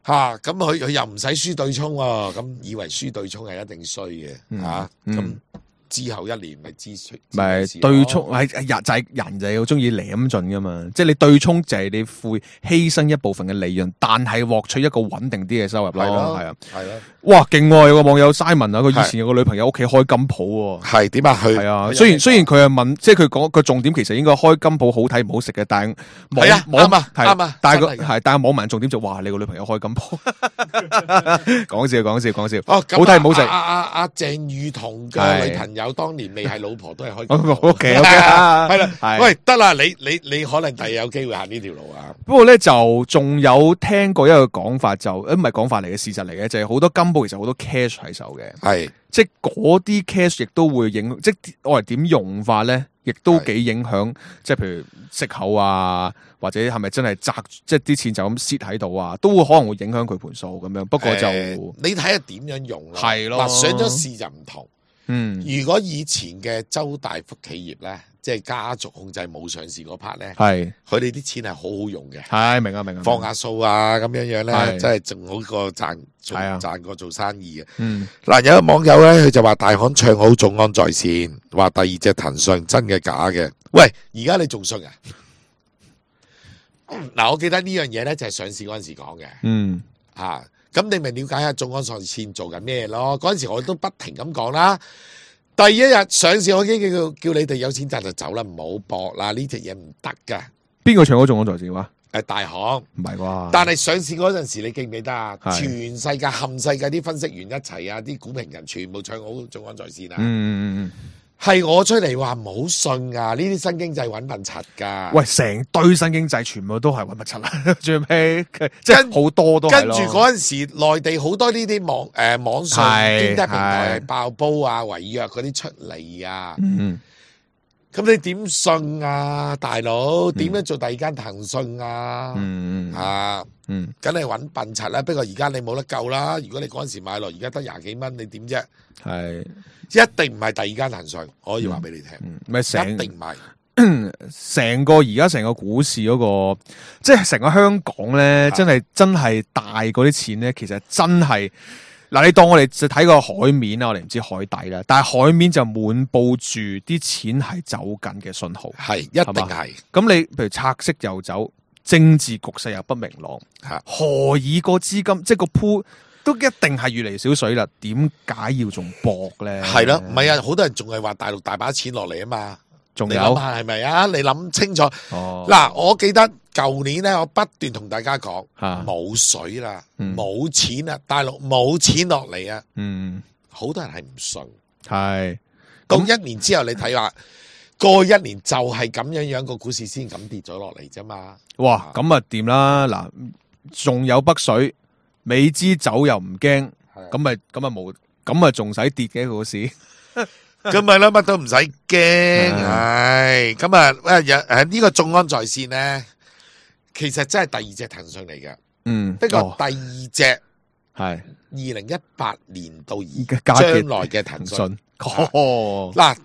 嚇，咁佢佢又唔使輸對沖喎，咁以為輸對沖係一定衰嘅嚇咁。啊嗯之後一年咪支出，咪對沖係人就係人就係好中意舐盡噶嘛，即係你對沖就係你會犧牲一部分嘅利潤，但係獲取一個穩定啲嘅收入咯，係啊，係咯，哇，勁喎！有個網友 Simon 啊，佢以前有個女朋友屋企開金鋪喎，係點啊？佢係啊，雖然雖然佢係問，即係佢講個重點其實應該開金鋪好睇唔好食嘅，但係係啊，啱啊，啱啊，但係個係但係網民重點就話你個女朋友開金鋪，講笑講笑講笑，哦，好睇唔好食？阿阿阿鄭裕彤嘅女朋友。有當年未係老婆都係開金鋪，O K O K 啊，係啦，喂得啦，你你你可能第日有機會行呢條路啊。不過咧就仲有聽過一個講法，就誒唔係講法嚟嘅，事實嚟嘅，就係、是、好多金鋪其實好多 cash 喺手嘅，係即係嗰啲 cash 亦都會影，即係我哋點用法咧，亦都幾影響，即係譬如息口啊，或者係咪真係砸，即係啲錢就咁蝕喺度啊，都會可能會影響佢盤數咁樣。不過就、呃、你睇下點樣用咯，係咯，上咗市就唔同。嗯，如果以前嘅周大福企業咧，即係家族控制冇上市嗰 part 咧，係佢哋啲錢係好好用嘅，係明啊明啊，放下數啊咁樣樣咧，真係仲好過賺，係啊賺過做生意嘅。嗯，嗱有個網友咧，佢就話大行唱好眾安在線，話第二隻騰訊真嘅假嘅？喂，而家你仲信啊？嗱，我記得呢樣嘢咧就係上市嗰陣時講嘅，嗯啊。咁你咪了解下眾安在線做緊咩咯？嗰陣時我都不停咁講啦。第一日上市我已經叫叫你哋有錢賺就走啦，唔好搏啦，呢隻嘢唔得噶。邊個唱好眾安在線話？誒，大行唔係啩？但係上市嗰陣時你記唔記得啊？全世界冚世界啲分析員一齊啊，啲股評人全部唱好眾安在線啊。嗯嗯嗯。係我出嚟話唔好信啊！呢啲新經濟搵笨柒噶。喂，成堆新經濟全部都係搵笨柒啦，最尾即係好多都係咯。跟住嗰陣時，內地好多呢啲網誒、呃、網上經濟平台爆煲啊、違約嗰啲出嚟啊。嗯，咁你點信啊，大佬？點樣做第二間騰訊啊？嗯啊，嗯，梗係搵笨柒啦。不過而家你冇得救啦。如果你嗰陣時買落，而家得廿幾蚊，你點啫？係。一定唔係第二間騰訊，我可以話俾你聽，咩、嗯、成一定唔係成個而家成個股市嗰、那個，即係成個香港咧，真係真係大嗰啲錢咧，其實真係嗱，你當我哋就睇個海面啦，我哋唔知海底啦，但係海面就滿布住啲錢係走緊嘅信號，係一定係。咁你譬如拆息又走，政治局勢又不明朗，何以個資金即係個鋪？都一定係越嚟越少水啦，點解要仲搏咧？係咯，唔係啊，好多人仲係話大陸大把錢落嚟啊嘛，仲有係咪啊？你諗清楚。嗱、哦，我記得舊年咧，我不斷同大家講，冇水啦，冇、嗯、錢啦，大陸冇錢落嚟啊。嗯，好多人係唔信。係，到一年之後你睇下，過一年就係咁樣樣個股市先咁跌咗落嚟啫嘛。哇，咁啊掂啦，嗱，仲有北水。美資走又唔驚，咁咪咁咪冇，咁咪仲使跌嘅股市？咁咪啦，乜都唔使驚，唉，咁啊，誒誒呢個眾安在線咧，其實真係第二隻騰訊嚟嘅，嗯，不過第二隻係二零一八年到而將來嘅騰訊，哦，嗱，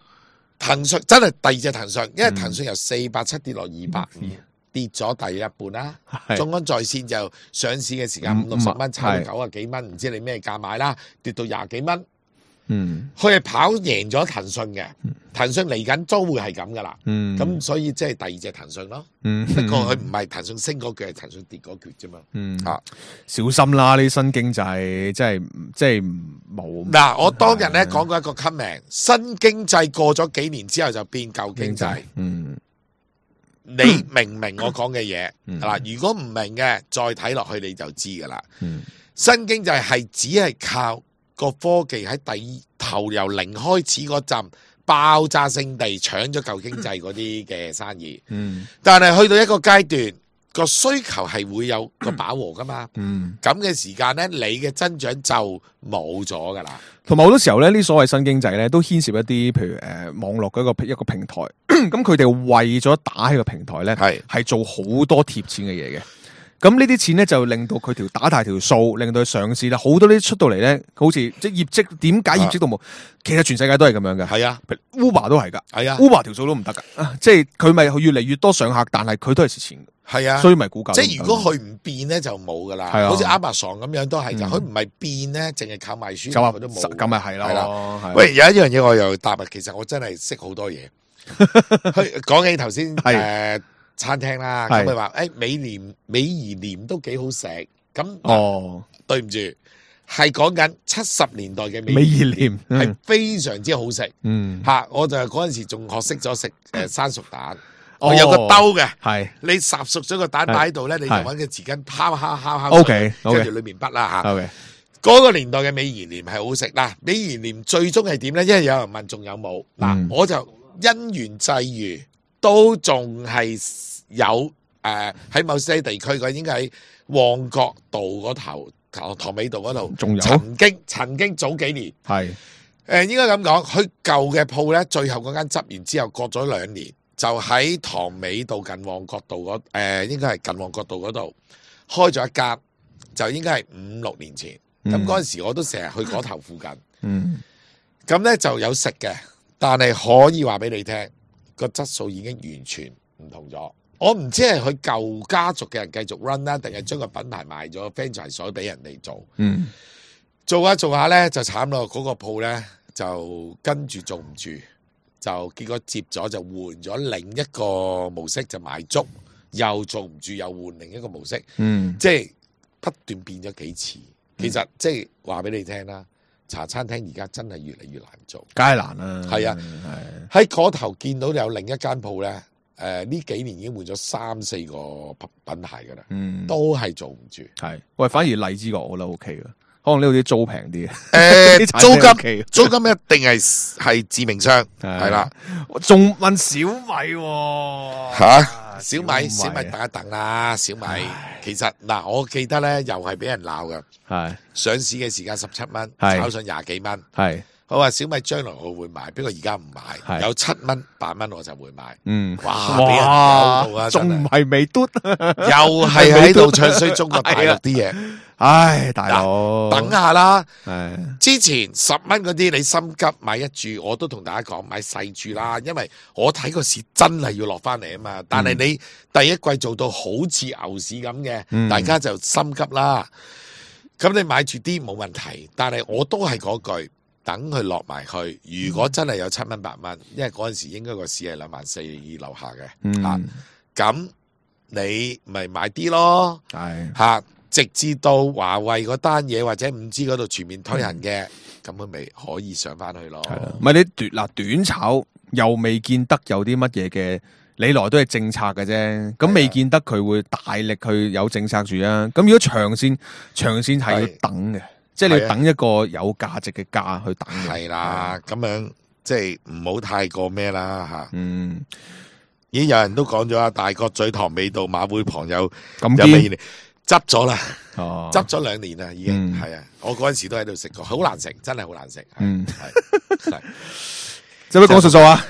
騰訊真係第二隻騰訊，因為騰訊由四百七跌落二百五，跌咗大約一半啦。眾安在線就上市嘅時間五六十蚊，差到九啊幾蚊，唔知你咩價買啦，跌到廿幾蚊。嗯，佢係跑贏咗騰訊嘅，騰訊嚟緊都會係咁噶啦，嗯，咁所以即係第二隻騰訊咯，嗯，不過佢唔係騰訊升嗰橛，係騰訊跌嗰橛啫嘛，嗯，啊，小心啦，呢啲新經濟即係即係冇。嗱，我當日咧講過一個 comment， 新經濟過咗幾年之後就變舊經濟，嗯，你明唔明我講嘅嘢？嗱、嗯，如果唔明嘅，再睇落去你就知噶啦，嗯，新經濟係只係靠個科技喺第頭由零開始嗰陣爆炸性地搶咗舊經濟嗰啲嘅生意，嗯，但係去到一個階段個需求係會有個飽和噶嘛，嗯，咁嘅時間咧，你嘅增長就冇咗噶啦。同埋好多時候咧，呢所謂新經濟咧，都牽涉一啲譬如誒、呃、網絡嘅一個一個平台，咁佢哋為咗打起個平台咧，係係做好多貼錢嘅嘢嘅。咁呢啲錢咧就令到佢條打大條數，令到佢上市啦。好多呢啲出到嚟咧，好似即係業績點解業績都冇？其實全世界都係咁樣嘅。係啊 ，Uber 都係噶。係啊 ，Uber 條數都唔得噶。即係佢咪越嚟越多上客，但係佢都係蝕錢。係啊，所以咪股價。即係如果佢唔變咧，就冇噶啦。係啊，好似 Amazon 咁樣都係就，佢唔係變咧，淨係靠賣書，佢都冇。咁咪係咯。喂，有一樣嘢我又答啊，其實我真係識好多嘢。講起頭先誒。餐廳啦，咁佢話誒美廉美而廉都幾好食，咁哦，對唔住，係講緊七十年代嘅美而廉係非常之好食，嗯吓，我就嗰陣時仲學識咗食誒生熟蛋，我有個兜嘅，係你烚熟咗個蛋擺喺度咧，你就搵個匙羹敲敲敲敲，OK，跟住裏面筆啦吓，OK，嗰個年代嘅美而廉係好食啦，美而廉最終係點咧？因為有人問仲有冇，嗱，我就因緣際遇。都仲係有誒喺、呃、某些地區嘅，應該喺旺角道嗰頭、塘尾道嗰度，仲有曾經曾經早幾年係誒、呃、應該咁講，佢舊嘅鋪咧，最後嗰間執完之後，過咗兩年，就喺塘尾道近旺角道嗰誒、呃，應該係近旺角道嗰度開咗一間，就應該係五六年前。咁嗰陣時我都成日去嗰頭附近，嗯，咁咧就有食嘅，但係可以話俾你聽。個質素已經完全唔同咗，我唔知係佢舊家族嘅人繼續 run 啦，定係將個品牌賣咗 franchise 所俾人哋做。嗯，做下做下咧就慘咯，嗰、那個鋪咧就跟住做唔住，就結果接咗就換咗另一個模式，就賣粥，又做唔住，又換另一個模式。嗯，即係不斷變咗幾次。其實、嗯、即係話俾你聽啦。茶餐廳而家真係越嚟越難做，梗係難啦。係啊，喺嗰頭見到有另一間鋪咧，誒、呃、呢幾年已經換咗三四個品牌噶啦，嗯，都係做唔住。係，喂，反而荔枝角我覺得 OK 嘅，可能呢度啲租平啲。誒、呃，租金租金一定係係致命傷，係啦。仲問小米吓、啊？小米小米等一等啦，小米其實嗱，我記得咧又係俾人鬧噶，係上市嘅時間十七蚊，炒上廿幾蚊，係我話小米將來我會買，不過而家唔買，有七蚊八蚊我就會買，嗯，哇，俾人鬧到啊，仲唔係美嘟，又係喺度唱衰中國大陸啲嘢。唉，大佬，等下啦。之前十蚊嗰啲你心急買一注，我都同大家講買細注啦，因為我睇個市真係要落翻嚟啊嘛。但係你第一季做到好似牛市咁嘅，嗯、大家就心急啦。咁你買住啲冇問題，但係我都係嗰句，等佢落埋去。如果真係有七蚊八蚊，因為嗰陣時應該個市係兩萬四樓下嘅，嗯、啊，咁你咪買啲咯，係吓。啊直至到華為嗰單嘢或者五 G 嗰度全面推行嘅，咁佢咪可以上翻去咯。係啦，唔係你短嗱短炒又未見得有啲乜嘢嘅，你來都係政策嘅啫。咁未見得佢會大力去有政策住啊。咁如果長線長線係要等嘅，即係你要等一個有價值嘅價去等嘅。係啦，咁樣即係唔好太過咩啦吓。嗯，已經有人都講咗啊，大角咀塘尾道馬會旁有咁有咩？執咗啦，哦，執咗兩年啦，已經係啊！我嗰陣時都喺度食過，好難食，真係好難食。嗯，係係，使唔使講術數啊？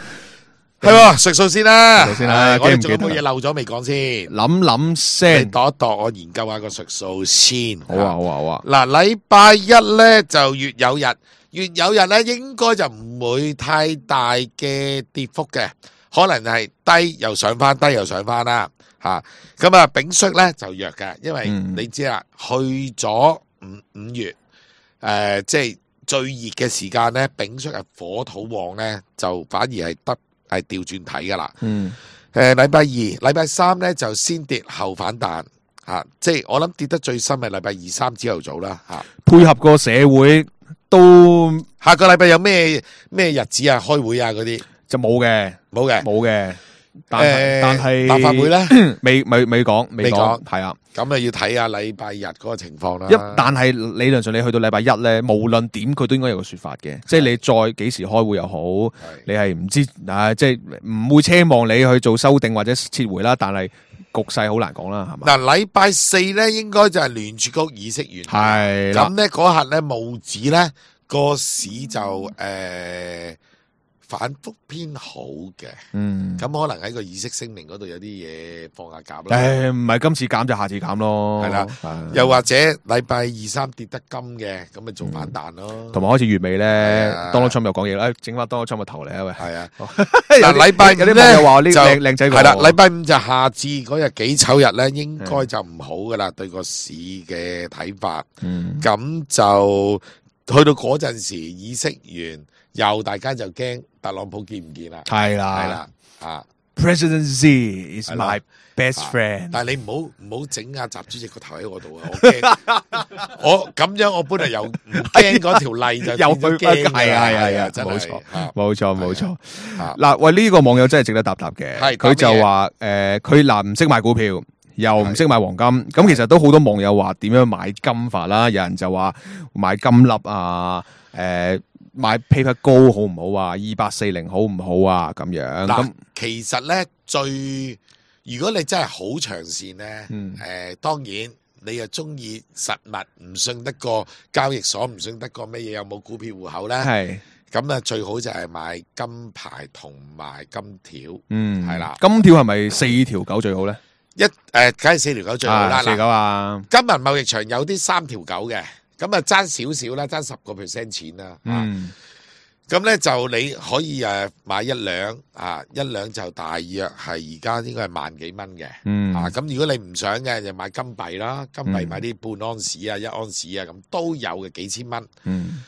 係喎，術數先啦，術數先啦，我哋記唔記得仲有冇嘢漏咗未講先？諗諗你先，度一度，我研究下個術數先。好啊，好啊，好啊。嗱，禮拜一咧就月有日，月有日咧應該就唔會太大嘅跌幅嘅，可能係低又上翻，低又上翻啦。吓，咁啊，丙戌咧就弱嘅，因為你知啦，去咗五五月，誒，即係最熱嘅時間咧，丙戌係火土旺咧，就反而係得係調轉睇噶啦。嗯，誒，禮拜二、禮拜三咧就先跌後反彈，吓，即係我諗跌得最深係禮拜二三朝頭早啦，吓。配合個社會都下個禮拜有咩咩日子啊？開會啊嗰啲就冇嘅，冇嘅，冇嘅。但誒，但係立法會咧，未未未講，未講，未講係啊。咁啊要睇下禮拜日嗰個情況啦。一但係理論上你去到禮拜一咧，無論點佢都應該有個說法嘅，即係你再幾時開會又好，你係唔知啊，即係唔會奢望你去做修訂或者撤回啦。但係局勢好難講啦，係嘛？嗱，禮拜四咧應該就係聯儲局議息完，係啦咁咧嗰日咧無指咧個市就誒反覆偏好嘅，嗯，咁可能喺個議息聲明嗰度有啲嘢放下鴿啦。誒，唔係今次減就下次減咯，係啦，又或者禮拜二三跌得金嘅，咁咪做反彈咯。同埋開始月尾咧，Donald Trump又講嘢啦，誒，整翻 Donald Trump 個頭嚟啊喂，係啊，嗱，禮拜有啲網友話呢靚靚仔係啦，禮拜五就夏至嗰日幾丑日咧，應該就唔好噶啦，對個市嘅睇法。嗯，咁就去到嗰陣時議息完，又大家就驚特朗普見唔見啦？係啦，係啦，啊 ，President Z is my best friend。但係你唔好唔好整阿習主席個頭喺我度啊！我驚，我咁樣我本來又唔驚嗰條例就又變咗驚，係啊係啊，真係冇錯啊冇錯冇錯。啊嗱，喂，呢個網友真係值得答答嘅，係佢就話誒，佢嗱唔識買股票，又唔識買黃金，咁其實都好多網友話點樣買金法啦，有人就話買金粒啊，誒。買 paper 高好唔好啊？二八四零好唔好啊？咁樣咁，其實咧最，如果你真係好長線咧，誒、嗯呃，當然你又中意實物，唔信得過交易所，唔信得過乜嘢，有冇股票戶口咧？係咁啊，最好就係買金牌同埋金條，嗯，係啦。金條係咪四條九最好咧？一誒，梗係四條九最好啦。四九啊，金銀貿易場有啲三條九嘅。咁啊，爭少少啦，爭十個 percent 錢啦。嗯，咁咧就你可以誒買一兩啊，一兩就大約係而家應該係萬幾蚊嘅。嗯，啊，咁如果你唔想嘅，就買金幣啦，金幣買啲半安士啊、一安士啊，咁都有嘅幾千蚊。嗯，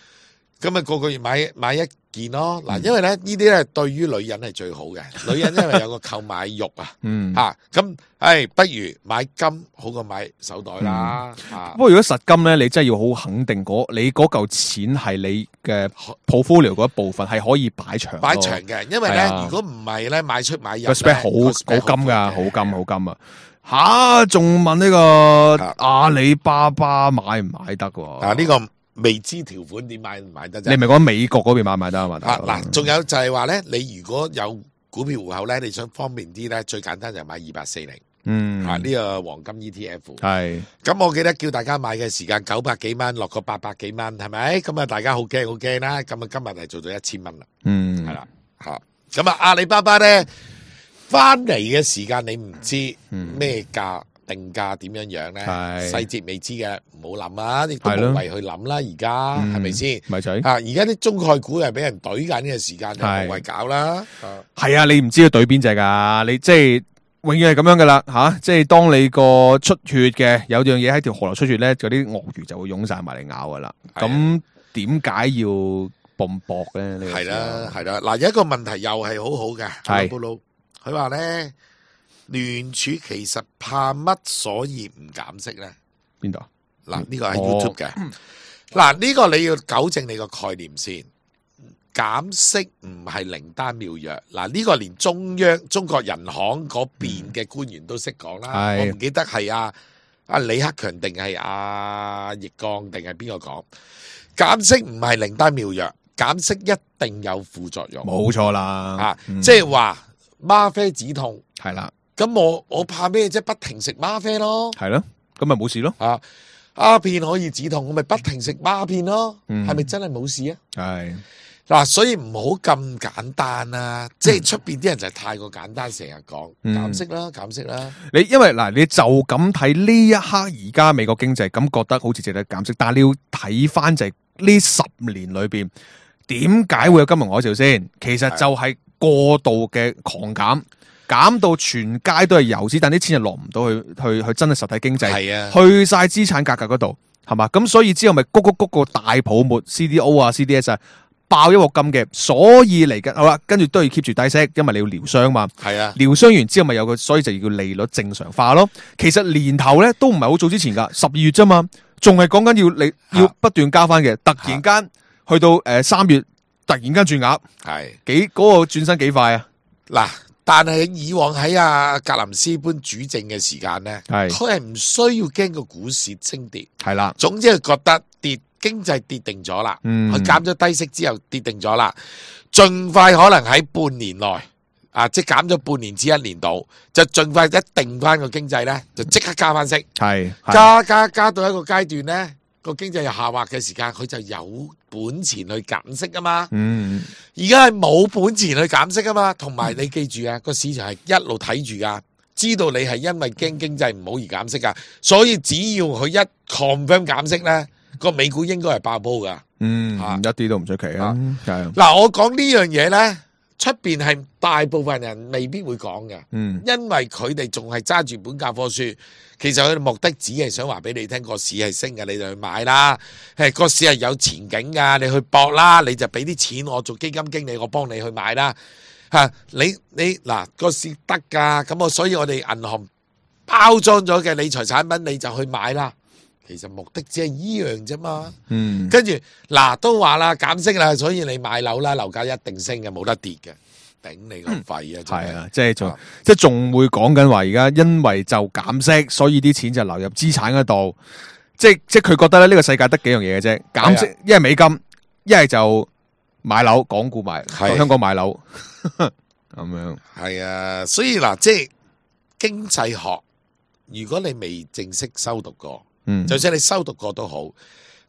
咁啊個個月買買一件咯。嗱，因為咧呢啲咧對於女人係最好嘅，女人因為有個購買欲啊。嗯，嚇咁。誒，不如買金好過買手袋啦。不過如果實金咧，你真係要好肯定嗰你嗰嚿錢係你嘅 portfolio 嗰一部分係可以擺長。擺長嘅，因為咧如果唔係咧買出買入個 spec 好好金噶，好金好金啊！吓，仲問呢個阿里巴巴買唔買得？啊，呢個未知條款點買唔買得啫？你咪講美國嗰邊買唔買得啊嘛？嗱，仲有就係話咧，你如果有股票戶口咧，你想方便啲咧，最簡單就係買二八四零。嗯，啊呢、這個黃金 E T F 係，咁我記得叫大家買嘅時間九百幾蚊，落個八百幾蚊，係咪？咁啊大家好驚好驚啦，咁啊今日係做咗一千蚊啦，嗯，係啦，吓，咁啊阿里巴巴咧翻嚟嘅時間你唔知咩價定價點樣樣咧，細節未知嘅，唔好諗啊，亦都無謂去諗啦，而家係咪先？咪仔啊，而家啲中概股係俾人懟緊嘅時間，就無謂搞啦，係啊，你唔知佢懟邊隻噶，你即係。永遠係咁樣噶啦，吓、啊，即係當你個出血嘅有樣嘢喺條河流出血咧，嗰啲鱷魚就會湧晒埋嚟咬噶啦。咁點解要泵搏咧？係啦，係啦。嗱，有一個問題又係好好嘅，係布魯，佢話咧聯儲其實怕乜，所以唔減息咧？邊度？嗱，呢個係 YouTube 嘅。嗱、哦，呢個你要糾正你個概念先。減息唔係靈丹妙藥，嗱、這、呢個連中央中國人行嗰邊嘅官員都識講啦。嗯、我唔記得係阿阿李克強定係阿易綱定係邊個講？減息唔係靈丹妙藥，減息一定有副作用。冇錯啦，啊，嗯、即係話嗎啡止痛係啦。咁我我怕咩啫？不停食嗎啡咯，係咯。咁咪冇事咯。啊，鴉片可以止痛，我咪不停食鴉片咯，係咪、嗯、真係冇事啊？係嗱，所以唔好咁簡單啦，即係出邊啲人就係太過簡單，成日講減息啦，減息啦。你因為嗱，你就咁睇呢一刻而家美國經濟咁覺得好似值得減息，但係你要睇翻就係呢十年裏邊點解會有金融海嘯先？其實就係過度嘅狂減，減到全街都係遊資，但啲錢就落唔到去去去真係實體經濟，係啊，去晒資產價格嗰度，係嘛？咁所以之後咪谷谷谷個大泡沫 C D O 啊 C D S 啊。爆一鑊金嘅，所以嚟緊好啦，跟住都要 keep 住低息，因為你要療傷嘛。係啊，療傷完之後咪有個，所以就要利率正常化咯。其實年頭咧都唔係好早之前噶，十二月啫嘛，仲係講緊要你要不斷加翻嘅。突然間去到誒三月，突然間轉額，係幾嗰個轉身幾快啊！嗱，但係以往喺阿格林斯潘主政嘅時間咧，係佢係唔需要驚個股市升跌，係啦，總之係覺得跌。經濟跌定咗啦，佢減咗低息之後跌定咗啦，盡快可能喺半年內啊，即係減咗半年至一年度，就盡快一定翻個經濟咧，就即刻加翻息，係加加加到一個階段咧，個經濟又下滑嘅時間，佢就有本錢去減息啊嘛。嗯，而家係冇本錢去減息啊嘛，同埋你記住啊，個市場係一路睇住噶，知道你係因為驚經濟唔好而減息噶，所以只要佢一 confirm 減息咧。個美股應該係爆煲噶，嗯，啊、一啲都唔出奇啊。嗱、啊，我講呢樣嘢咧，出邊係大部分人未必會講嘅，嗯，因為佢哋仲係揸住本教科書，其實佢哋目的只係想話俾你聽個市係升嘅，你就去買啦。係個市係有前景噶，你去搏啦，你就俾啲錢我做基金經理，我幫你去買啦。吓、啊，你你嗱個市得噶，咁我所以我哋銀行包裝咗嘅理財產品，你就去買啦。其實目的只係依樣啫嘛，嗯，跟住嗱都話啦減息啦，所以你買樓啦，樓價一定升嘅，冇得跌嘅，頂你個肺啊！係啊，即係仲即係仲會講緊話，而家因為就減息，所以啲錢就流入資產嗰度，即係即係佢覺得咧呢個世界得幾樣嘢嘅啫，減息一係美金，一係就買樓，港股買，香港買樓咁樣。係啊，所以嗱，即係經濟學，如果你未正式修讀過。嗯，就算你修讀過都好，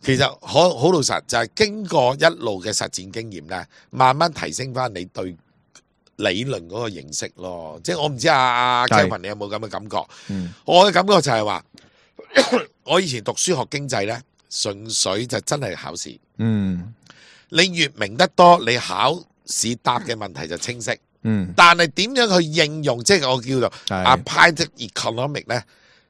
其實好好老實就係經過一路嘅實戰經驗咧，慢慢提升翻你對理論嗰個認識咯。即係我唔知阿阿 Kevin 你有冇咁嘅感覺？嗯，我嘅感覺就係話，我以前讀書學經濟咧，純粹就真係考試。嗯，你越明得多，你考試答嘅問題就清晰。嗯，但係點樣去應用，即係我叫做 applied economic 咧？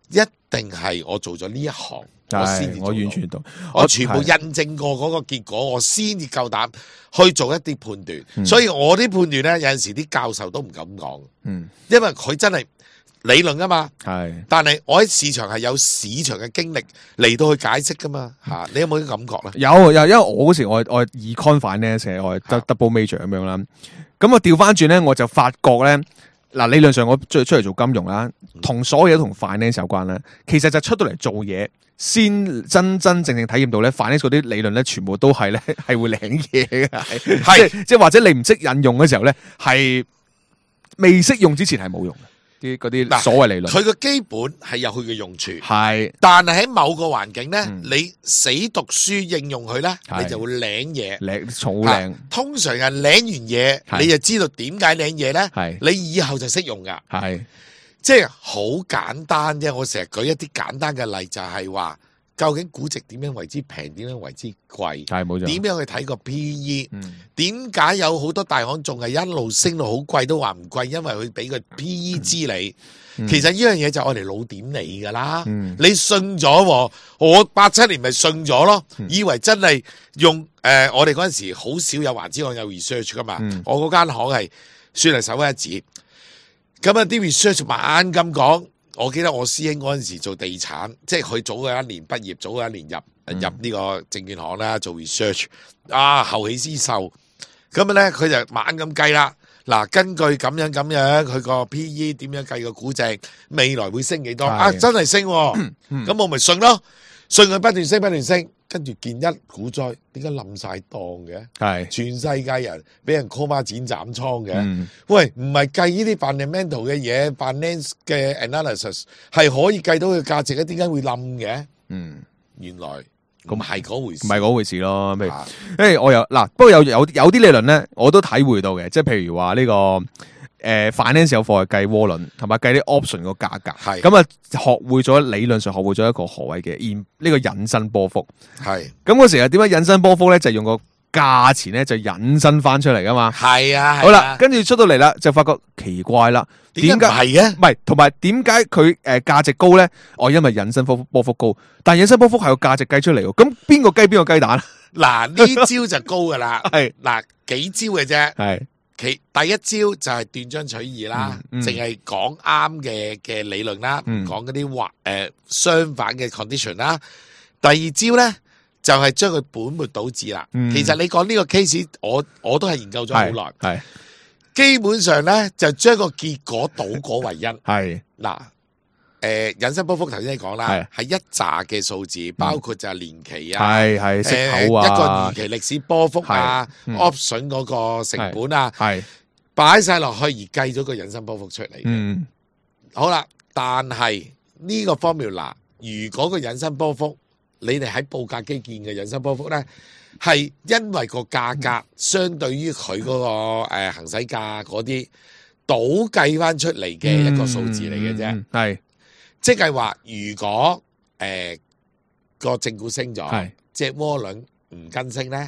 一定係我做咗呢一行，我先至做到。我完全懂，我全部印證過嗰個結果，我先至夠膽去做一啲判斷。嗯、所以我啲判斷咧，有陣時啲教授都唔敢講。嗯，因為佢真係理論啊嘛。係，但係我喺市場係有市場嘅經歷嚟到去解釋噶嘛。吓、嗯，你有冇啲感覺咧？有，又因為我嗰時我我 econ finance 咧，我係 double major 咁樣啦。咁我調翻轉咧，我就發覺咧。嗱，理論上我出出嚟做金融啦，同所有嘢都同 finance 有關啦。其實就出到嚟做嘢，先真真正正體驗到咧 finance 嗰啲理論咧，全部都係咧係會領嘢嘅，係即即或者你唔識引用嘅時候咧，係未識用之前係冇用嘅。啲嗰啲所謂理論，佢個基本係有佢嘅用處，係，但係喺某個環境咧，嗯、你死讀書應用佢咧，你就會領嘢，領草領。通常係領完嘢，你就知道點解領嘢咧，係，你以後就識用噶，係，即係好簡單啫。我成日舉一啲簡單嘅例，就係話。究竟估值點樣為之平？點樣為之貴？係冇錯。點樣去睇個 P E？點解、嗯、有好多大行仲係一路升到好貴都話唔貴？因為佢俾個 P E 知你。嗯、其實呢樣嘢就我哋老點你噶啦。嗯、你信咗，我八七年咪信咗咯，嗯、以為真係用誒、呃，我哋嗰陣時好少有華資行有 research 噶嘛。嗯、我嗰間行係算係首屈一指。咁啊啲 research 猛咁講。我記得我師兄嗰陣時做地產，即係佢早嘅一年畢業，早嘅一年入、嗯、入呢個證券行啦，做 research 啊，後起之秀。咁啊咧，佢就猛咁計啦。嗱，根據咁樣咁樣，佢個 P E 點樣計個估值，未來會升幾多？啊，真係升、啊，咁、嗯嗯、我咪信咯，信佢不斷升不斷升。跟住見一股災，點解冧晒檔嘅？係全世界人俾人 call 孖剪斬倉嘅。嗯、喂，唔係計呢啲 fundamental 嘅嘢 ，finance 嘅 analysis 係可以計到佢價值嘅，點解會冧嘅？嗯，原來咁係嗰回事，唔係嗰回事咯。譬如，因為我有嗱，不過有有有啲理論咧，我都體會到嘅，即係譬如話呢、這個。誒 finance 有課係計窩輪，同埋計啲 option 個價格，係咁啊，學會咗理論上學會咗一個何謂嘅引呢個引伸波幅，係咁嗰時啊點解引伸波幅咧？就係、用個價錢咧就引申翻出嚟噶嘛，係啊，好啦，跟住出到嚟啦，就發覺奇怪啦，點解係嘅？唔係，同埋點解佢誒價值高咧？哦，因為引伸波波幅高，但係引伸波幅係個價值計出嚟喎，咁邊個雞邊個雞蛋？嗱呢招就高噶啦，係嗱幾招嘅啫，係。其第一招就係斷章取義啦，淨係講啱嘅嘅理論啦，唔講嗰啲或誒相反嘅 condition 啦。第二招咧就係將佢本末倒置啦。嗯、其實你講呢個 case，我我都係研究咗好耐，係基本上咧就將個結果倒果為因。係嗱。誒，引申波幅頭先你講啦，係一紮嘅數字，包括就係年期啊，係係息口啊，一個年期歷史波幅啊 ，option 嗰個成本啊，係擺晒落去而計咗個引申波幅出嚟。嗯，好啦，但係呢個 formula，如果個引申波幅，你哋喺報價基建嘅引申波幅咧，係因為個價格相對於佢嗰個誒行使價嗰啲倒計翻出嚟嘅一個數字嚟嘅啫，係。即係話，如果誒個、呃、正股升咗，隻窩輪唔跟升咧，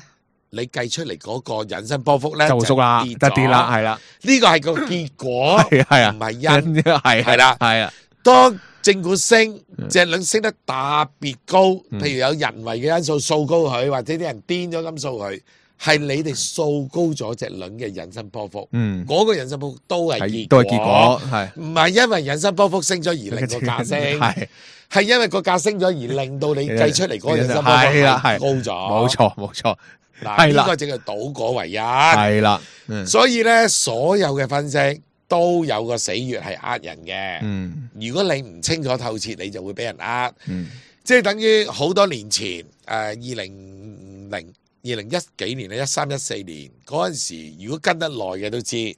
你計出嚟嗰個引申波幅咧就縮啦，就跌啦，係啦。呢個係個結果，係啊，唔係因，係係啦，係啊。當正股升，隻輪升得特別高，譬如有人為嘅因素掃高佢，或者啲人癲咗咁掃佢。係你哋掃高咗隻輪嘅引申波幅，嗯，嗰個引申波幅都係結都係結果，係唔係因為引申波幅升咗而令個價升，係係因為個價升咗而令到你計出嚟嗰個引申波幅係高咗，冇錯冇錯，嗱呢個淨係倒果為因，係啦，所以咧所有嘅分析都有個死穴係呃人嘅，嗯，如果你唔清楚透徹，你就會俾人呃，嗯，即係等於好多年前誒二零零。二零一幾年咧，一三一四年嗰陣時，如果跟得耐嘅都知，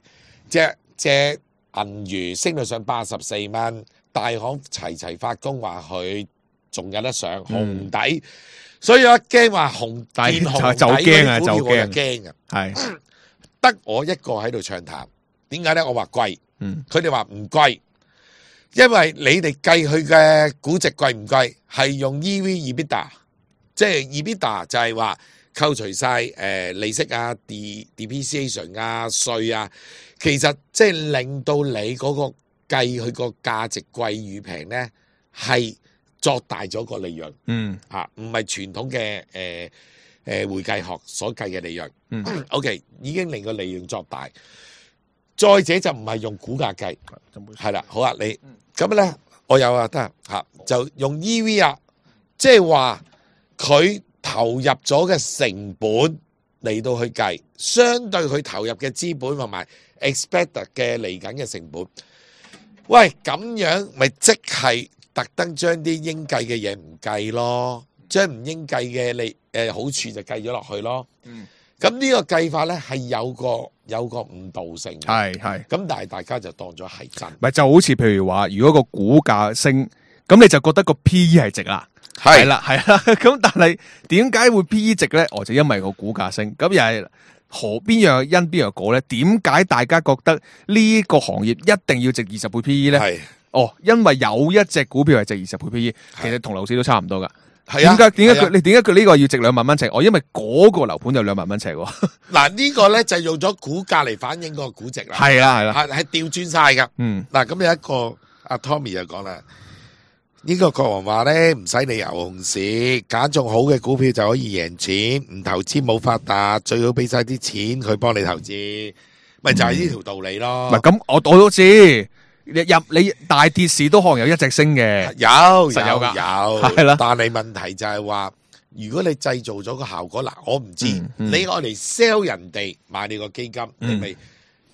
隻隻銀魚升到上八十四蚊，大行齊齊發功話佢仲有得上紅底，嗯、所以我一驚話紅見紅底就驚啊，就驚啊，係得我一個喺度唱淡，點解咧？我話貴，嗯，佢哋話唔貴，因為你哋計佢嘅估值貴唔貴，係用 E V/EBITDA， 即係 EBITDA 就係話。扣除晒誒、呃、利息啊、D depreciation 啊、稅啊，其實即係令到你嗰個計佢個價值貴與平咧，係作大咗個利潤。嗯，嚇唔係傳統嘅誒誒會計學所計嘅利潤。嗯，OK 已經令個利潤作大。再者就唔係用股價計，係啦，好啊，你咁咧、嗯，我有啊，得嚇就用 E V 啊，即係話佢。投入咗嘅成本嚟到去計，相對佢投入嘅資本同埋 expect 嘅嚟緊嘅成本，喂咁樣咪即係特登將啲應計嘅嘢唔計咯，將唔應計嘅利誒好處就計咗落去咯。嗯，咁呢個計法咧係有個有個誤導性，係係，咁但係大家就當咗係真，咪就好似譬如話，如果個股價升，咁你就覺得個 P E 係值啦。係啦，係啦，咁但係點解會 P E 值咧？哦，就因為個股價升，咁又係何邊樣因邊樣果咧？點解大家覺得呢個行業一定要值二十倍 P E 咧？係哦，因為有一隻股票係值二十倍 P E，其實同樓市都差唔多噶。係啊，點解點解佢你點解佢呢個要值兩萬蚊尺？哦，因為嗰個樓盤有兩萬蚊尺。嗱，呢個咧就用咗股價嚟反映個估值啦。係啊，係啦，係係調轉晒噶。嗯，嗱，咁有一個阿 Tommy 就講啦。呢個國王話咧，唔使理牛熊市，揀中好嘅股票就可以贏錢，唔投資冇發達，最好俾晒啲錢佢幫你投資，咪就係呢條道理咯。唔係咁，我我都知，入你大跌市都可能有一隻升嘅，有實有噶，有係啦。但係問題就係話，如果你製造咗個效果，嗱，我唔知你愛嚟 sell 人哋買你個基金，你咪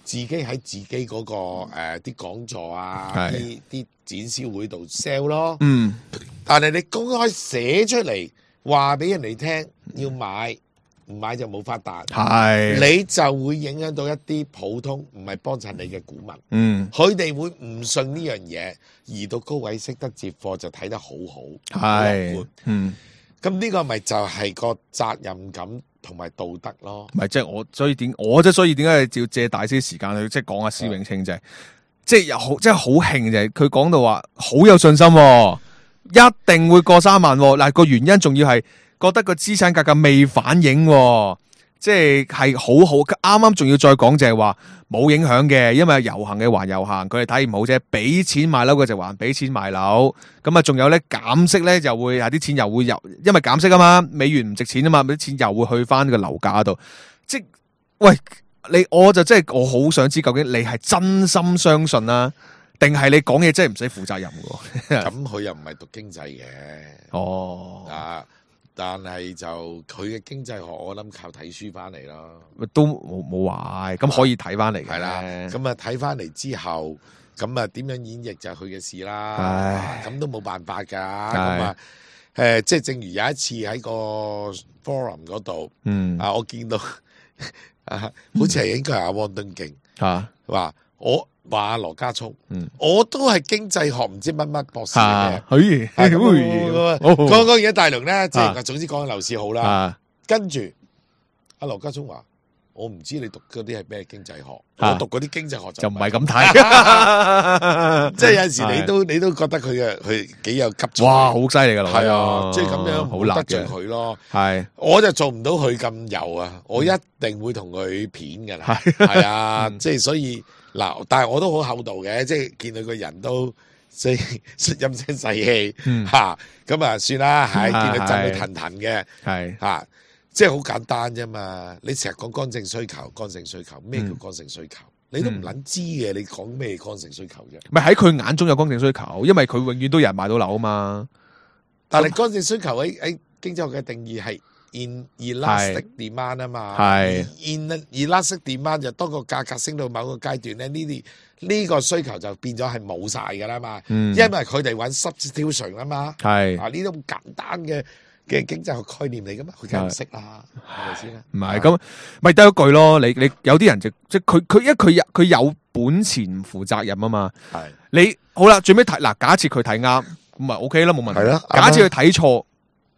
自己喺自己嗰個誒啲講座啊，啲啲。展銷會度 sell 咯，嗯，但係你公開寫出嚟話俾人哋聽要買，唔買就冇發達，係你就會影響到一啲普通唔係幫襯你嘅股民，嗯，佢哋會唔信呢樣嘢，而到高位識得接貨就睇得好好，係，嗯，咁呢個咪就係個責任感同埋道德咯。唔係即係我，所以點我即係所以點解要借大些時間去即係講下施永青就係，即係又好即係好興就係佢講到話好有信心，一定會過三萬。嗱個原因仲要係覺得個資產價格未反映，即係係好好。啱啱仲要再講就係話冇影響嘅，因為遊行嘅還遊行，佢哋睇唔好啫。俾錢買樓嘅就還俾錢買樓，咁啊仲有咧減息咧，就會有啲錢又會有，因為減息啊嘛，美元唔值錢啊嘛，啲錢又會去翻個樓價度。即喂你，我就真係我好想知究竟你係真心相信啦，定係你講嘢真係唔使負責任嘅？咁佢又唔係讀經濟嘅，哦啊。但係就佢嘅經濟學，我諗靠睇書翻嚟咯，都冇冇壞，咁可以睇翻嚟嘅。係啦，咁啊睇翻嚟之後，咁啊點樣演繹就係佢嘅事啦。咁都冇辦法㗎。咁啊誒，即係正如有一次喺個 forum 嗰度，嗯啊，我見到啊，好似係應該係阿汪敦敬啊，話我。話羅家聰，嗯，我都係經濟學唔知乜乜博士嘅，可以，講講而家大陸咧，即係總之講樓市好啦。跟住阿羅家聰話：我唔知你讀嗰啲係咩經濟學，我讀嗰啲經濟學就唔係咁睇。即係有陣時你都你都覺得佢嘅佢幾有急。哇，好犀利噶啦，係啊，即係咁樣好得罪佢咯。係，我就做唔到佢咁油啊，我一定會同佢片噶啦。係啊，即係所以。嗱，但係我都好厚道嘅，即係見到個人都即係陰聲細氣嚇，咁啊算啦，係見到震到騰騰嘅，係嚇，即係好簡單啫嘛。你成日講剛性需求，剛性需求咩叫剛性需求？你都唔撚知嘅，你講咩剛性需求啫？唔係喺佢眼中有剛性需求，因為佢永遠都有人買到樓啊嘛。但係剛性需求喺喺經濟學嘅定義係 in elastic demand 啊嘛，係 in elastic demand 就當個價格升到某個階段咧，呢啲呢個需求就變咗係冇晒㗎啦嘛，嗯、因為佢哋揾 substitution 啊嘛，係啊呢啲咁簡單嘅嘅經濟學概念嚟噶嘛，佢梗係唔識啦，係咪先啦？唔係咁，咪得一句咯。你你有啲人就即係佢佢因為佢有佢有本錢唔負責任啊嘛，係你好啦，最尾睇嗱，假設佢睇啱咁咪 OK 啦，冇問題。係啦，假設佢睇錯。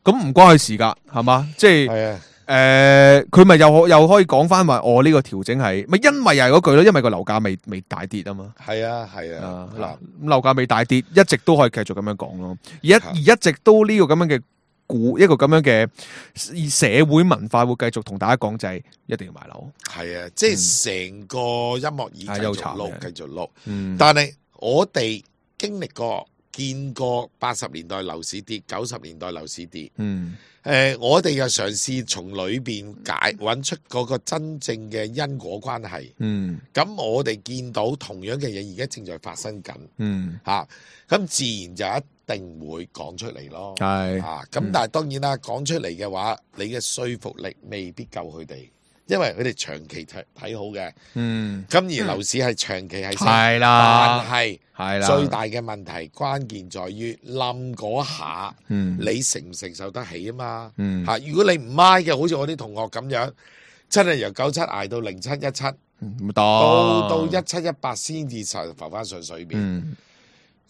咁唔關佢事噶，係嘛？即係誒，佢咪又可又可以講翻話，我呢個調整係咪因為又係嗰句咯？因為個樓價未未大跌啊嘛。係啊，係啊。嗱，咁樓價未大跌，一直都可以繼續咁樣講咯。而一而一直都呢個咁樣嘅股，一個咁樣嘅社會文化會繼續同大家講就係一定要買樓。係啊，即係成個音樂椅繼續錄，繼續錄。嗯，但係我哋經歷過。見過八十年代樓市跌，九十年代樓市跌。嗯，誒、呃，我哋又嘗試從裏邊解揾出嗰個真正嘅因果關係。嗯，咁我哋見到同樣嘅嘢而家正在發生緊。嗯，嚇、啊，咁自然就一定會講出嚟咯。係啊，咁但係當然啦，講出嚟嘅話，你嘅說服力未必夠佢哋。因為佢哋長期睇睇好嘅，嗯，咁而樓市係長期係升，係啦，但係係啦，最大嘅問題關鍵在於冧嗰下，嗯，你承唔承受得起啊嘛，嗯，嚇，如果你唔買嘅，好似我啲同學咁樣，真係由九七捱到零七一七，唔到到一七一八先至浮翻上水邊。嗯，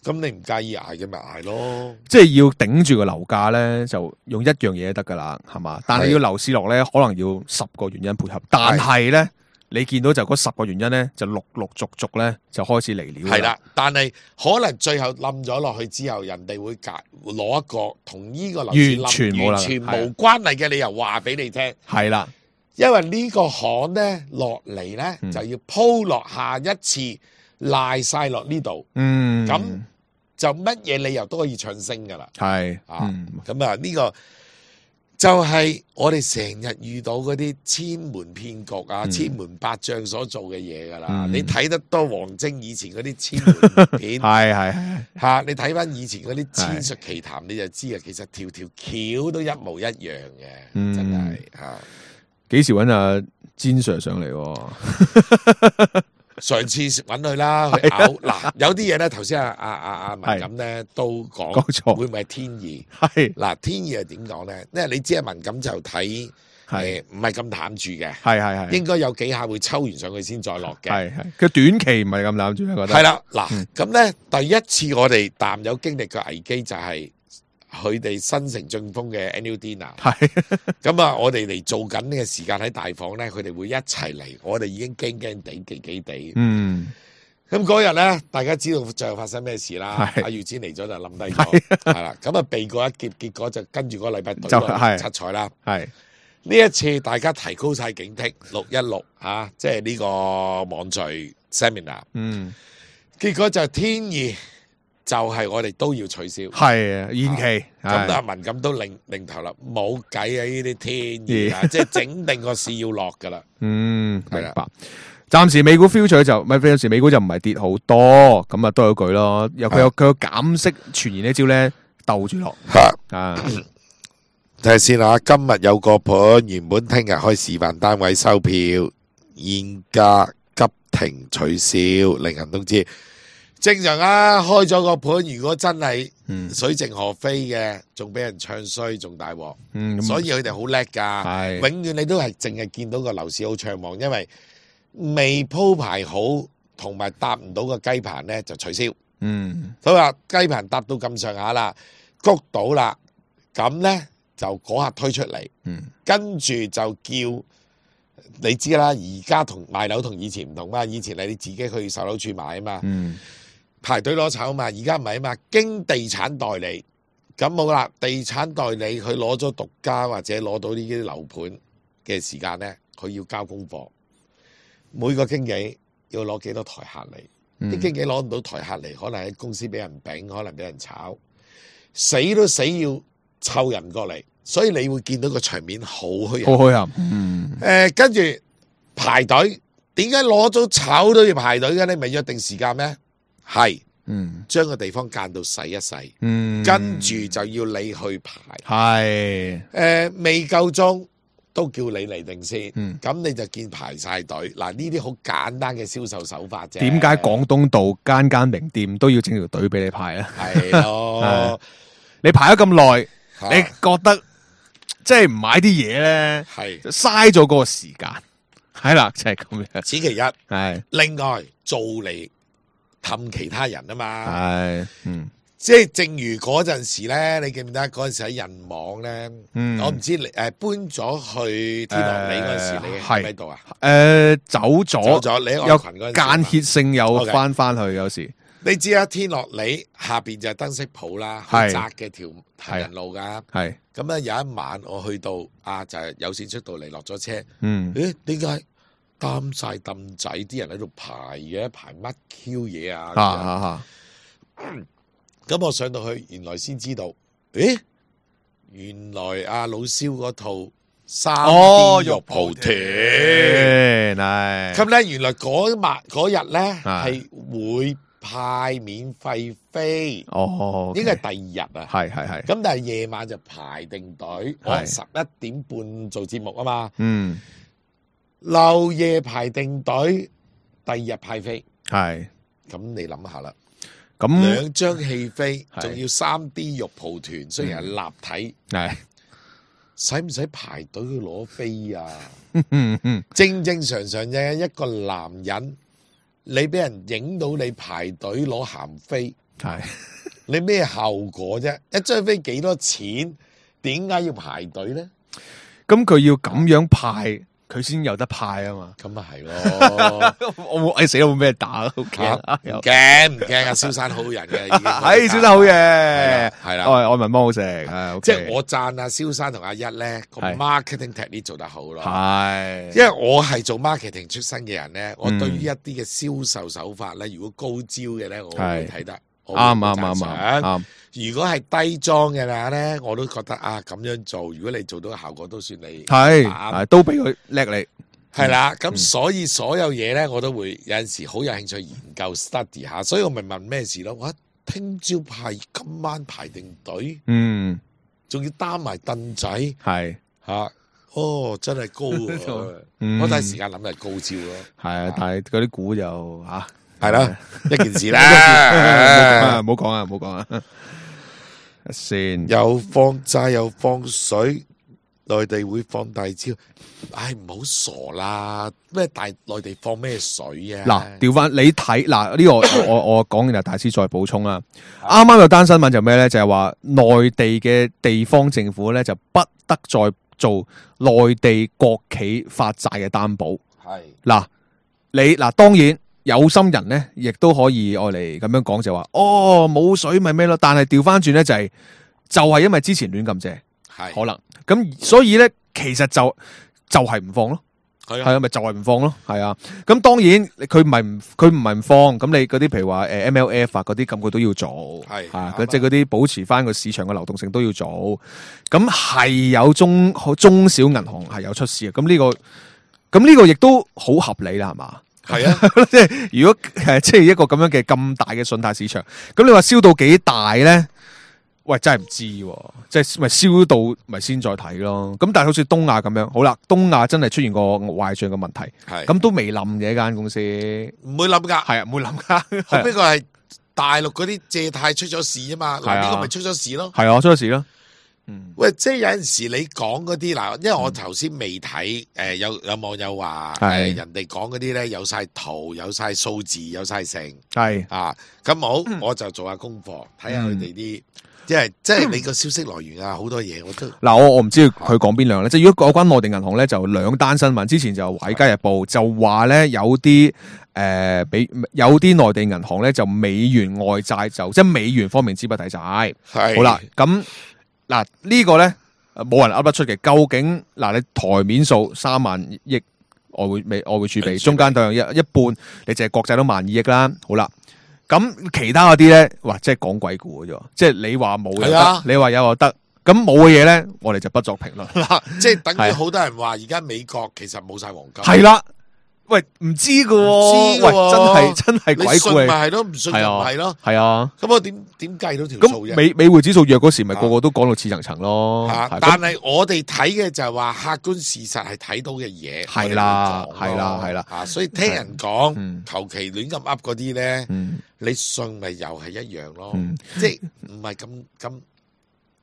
咁你唔介意捱嘅咪捱咯，即係要頂住個樓價咧，就用一樣嘢得噶啦，係嘛？但係要樓市落咧，可能要十個原因配合。但係咧，你見到就嗰十個原因咧，就陸陸續續咧就開始嚟了。係啦，但係可能最後冧咗落去之後，人哋會解攞一個同呢個樓市完全冇完全冇關係嘅理由話俾你聽。係啦，因為呢個行咧落嚟咧就要鋪落下一次。賴晒落呢度，嗯，咁就乜嘢理由都可以唱升噶啦，係啊，咁啊呢個就係我哋成日遇到嗰啲千門騙局啊、嗯、千門百將所做嘅嘢噶啦，嗯、你睇得多王晶以前嗰啲千門片，係係吓，你睇翻以前嗰啲千術奇談，你就知啊，其實條條橋都一模一樣嘅，嗯、真係吓。幾時搵阿詹 Sir 上嚟？上次揾佢啦，去咬嗱，有啲嘢咧，頭先阿阿阿阿文錦咧都講，會唔會係天意？係嗱，天意係點講咧？因為你知阿文錦就睇誒唔係咁淡住嘅，係係係，應該有幾下會抽完上去先再落嘅，係係，佢短期唔係咁淡住，我覺得係啦。嗱，咁咧第一次我哋淡友經歷嘅危機就係佢哋新城晉峰嘅 annual dinner， 係咁啊！我哋嚟做緊呢個時間喺大房咧，佢哋會一齊嚟，我哋已經驚驚地、忌忌地。嗯，咁嗰日咧，大家知道最後發生咩事啦？阿月展嚟咗就冧低咗，係啦。咁啊避過一劫，結果就跟住嗰個禮拜隊落七彩啦。係呢一次大家提高晒警惕，六一六嚇，即係呢個網聚 seminar。嗯，結果就天意。就係我哋都要取消，係啊，延期。咁阿文咁都擰擰頭啦，冇計啊！呢啲天意啊，即係整定個市要落噶啦。嗯，明白。暫時美股 future 就咪，有時美股就唔係跌好多，咁啊都有句咯。有佢有佢有減息傳言呢招咧，鬥住落。啊，睇下先啦。今日有個盤，原本聽日開示範單位收票，現價急停取消，令人都知。正常啊，開咗個盤，如果真係水靜河飛嘅，仲俾人唱衰，仲大鑊。嗯，所以佢哋好叻噶，永遠你都係淨係見到個樓市好暢旺，因為未鋪排好同埋搭唔到個雞盤咧就取消。嗯，所以話雞盤搭到咁上下啦，谷到啦，咁咧就嗰刻推出嚟。嗯，跟住就叫你知啦，而家同賣樓同以前唔同嘛，以前係你自己去售樓處買啊嘛。嗯。排隊攞籌嘛，而家唔係啊嘛，經地產代理咁好啦。地產代理佢攞咗獨家或者攞到呢啲樓盤嘅時間咧，佢要交功課。每個經紀要攞幾多台客嚟？啲、嗯、經紀攞唔到台客嚟，可能喺公司俾人丙，可能俾人炒，死都死要湊人過嚟，所以你會見到個場面好虛，好虛啊。嗯，誒、呃，跟住排隊，點解攞咗籌都要排隊嘅？你咪約定時間咩？係，嗯，將個地方間到細一細，嗯，跟住就要你去排，係，誒、呃，未夠鐘都叫你嚟定先，嗯，咁你就見排晒隊，嗱呢啲好簡單嘅銷售手法啫。點解廣東道間間名店都要整條隊俾你排咧？係咯，你排咗咁耐，你覺得即係唔買啲嘢咧，係嘥咗嗰個時間，係啦，就係咁樣。此其一，係，另外做嚟。氹其他人啊嘛，係，嗯，即係正如嗰陣時咧，你記唔記得嗰陣時喺人網咧？嗯，我唔知你誒搬咗去天樂里嗰陣時，你喺喺度啊？誒，走咗，走咗，你喺我群嗰陣時，間歇性有翻翻去，有時你知啊，天樂里下邊就係燈飾鋪啦，好窄嘅條行人路噶，係，咁咧有一晚我去到啊，就係有線出到嚟落咗車，嗯，誒，點解？擔晒凳仔，啲人喺度排嘅，排乜 Q 嘢啊？咁、啊嗯、我上到去，原來先知道，誒，原來阿老蕭嗰套三 D 肉蒲團，咁咧原來嗰晚嗰日咧係會派免費飛，哦，應該係第二日啊，係係係，咁但係夜晚就排定隊，我十一點半做節目啊嘛，嗯。漏夜排定隊，第二日派飛，係咁你諗下啦。咁兩張戲飛，仲要三 D 肉蒲團，雖然係立體，係使唔使排隊去攞飛啊？正正常常嘅一個男人，你俾人影到你排隊攞鹹飛，係你咩後果啫？一張飛幾多錢？點解要排隊咧？咁佢要咁樣派。佢先有得派啊嘛，咁啊係咯，我冇，哎死啦，冇咩打，好驚，唔驚唔驚啊，蕭生好人嘅，係蕭生好嘢，係啦，愛愛民幫好食，係，即係我讚阿蕭生同阿一咧個 marketing technique 做得好咯，係，因為我係做 marketing 出身嘅人咧，我對於一啲嘅銷售手法咧，如果高招嘅咧，我會睇得。啱啱啱啱，如果係低裝嘅話咧，我都覺得啊咁樣做，如果你做到嘅效果都算你係，都俾佢叻你係啦。咁所以所有嘢咧，我都會有陣時好有興趣研究 study 下，所以我咪問咩事咯。我聽朝排，今晚排定隊，嗯，仲要擔埋凳仔，係吓哦，真係高啊！嗯、我第一時間諗係高招咯。係啊，但係嗰啲股就吓係啦，一件事啦，唔好講啊，唔好講啊，先又放債又放水，內地會放大招，唉，唔好傻啦！咩大內地放咩水啊？嗱，調翻你睇嗱呢個我我講完就大師再補充啦。啱啱有單新聞就咩咧？就係話內地嘅地方政府咧就不得再做內地國企發債嘅擔保。係嗱，你嗱當然有心人咧，亦都可以愛嚟咁樣講就話，哦冇水咪咩咯。但係調翻轉咧就係、是、就係、是、因為之前亂咁借，係可能咁，所以咧其實就就係、是、唔放咯。係啊，咪就係唔放咯，係啊。咁當然佢唔係唔佢唔係唔放，咁你嗰啲譬如話誒 M L F 啊嗰啲咁佢都要做，係啊，即係嗰啲保持翻個市場嘅流動性都要做。咁係有中中小銀行係有出事嘅，咁呢個咁呢個亦都好合理啦，係嘛？係啊，即係如果誒即係一個咁樣嘅咁大嘅信貸市場，咁你話燒到幾大咧？喂，真係唔知，即係咪燒到咪先再睇咯？咁但係好似東亞咁樣，好啦，東亞真係出現個壞賬嘅問題，係咁都未冧嘅一間公司，唔會冧噶，係啊，唔會冧噶。後邊個係大陸嗰啲借貸出咗事啊嘛，嗱呢個咪出咗事咯，係啊，出咗事咯。嗯，喂，即係有陣時你講嗰啲嗱，因為我頭先未睇，誒有有網友話誒人哋講嗰啲咧有晒圖、有晒數字、有晒成，係啊，咁好，我就做下功課，睇下佢哋啲。即係即係你個消息來源啊，好多嘢我都嗱，我我唔知佢講邊兩咧。即係如果有關內地銀行咧，就兩單新聞。之前就《華爾街日報》就話咧有啲誒，俾、呃、有啲內地銀行咧就美元外債就即係美元方面資不抵債。係好啦，咁嗱呢個咧冇人噏得出嘅。究竟嗱你台面數三萬億外匯美外匯儲備，中間當一一半，你淨係國債都萬二億啦。好啦。咁其他嗰啲咧，哇，即係講鬼故嘅啫，即係你話冇又得，你話有又得，咁冇嘅嘢咧，我哋就不作評論。嗱，即係等於好多人話，而家美國其實冇晒黃金。係啦，喂，唔知㗎喎，喂，真係真係鬼故。你信咪係咯，唔信就唔係咯。係啊，咁我點點計到條數啫？美美匯指數弱嗰時，咪個個都講到似層層咯。但係我哋睇嘅就係話客觀事實係睇到嘅嘢。係啦，係啦，係啦。啊，所以聽人講，求其亂咁噏嗰啲咧。你信咪又係一樣咯，嗯、即係唔係咁咁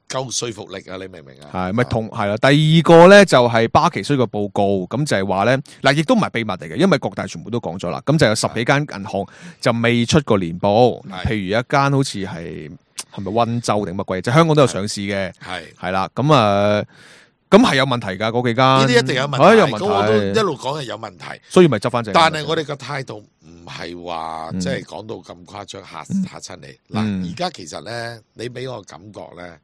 夠說服力啊？你明唔明啊？係咪同係啦？第二個咧就係巴奇衰個報告，咁就係話咧嗱，亦都唔係秘密嚟嘅，因為各大全部都講咗啦。咁就有十幾間銀行就未出過年報，譬如一間好似係係咪溫州定乜鬼，就是、香港都有上市嘅，係係啦。咁啊，咁係有問題噶嗰幾間，呢啲一定有問題。啊、有問題我都一路講係有問題，所以咪執翻正。但係我哋個態度。唔係話即係講到咁誇張嚇嚇親你嗱，而家其實咧，你俾我感覺咧，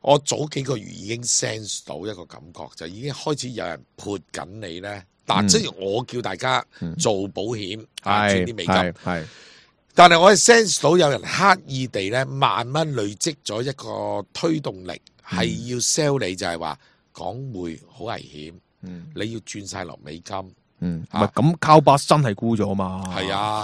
我早幾個月已經 sense 到一個感覺，就已經開始有人潑緊你咧。嗱、嗯，即係我叫大家做保險，啊、嗯，賺啲美金，係。但係我係 sense 到有人刻意地咧，慢慢累積咗一個推動力，係、嗯、要 sell 你，就係話港匯好危險，嗯，你要轉晒落美金。嗯，唔係咁，靠巴真係沽咗嘛？係啊，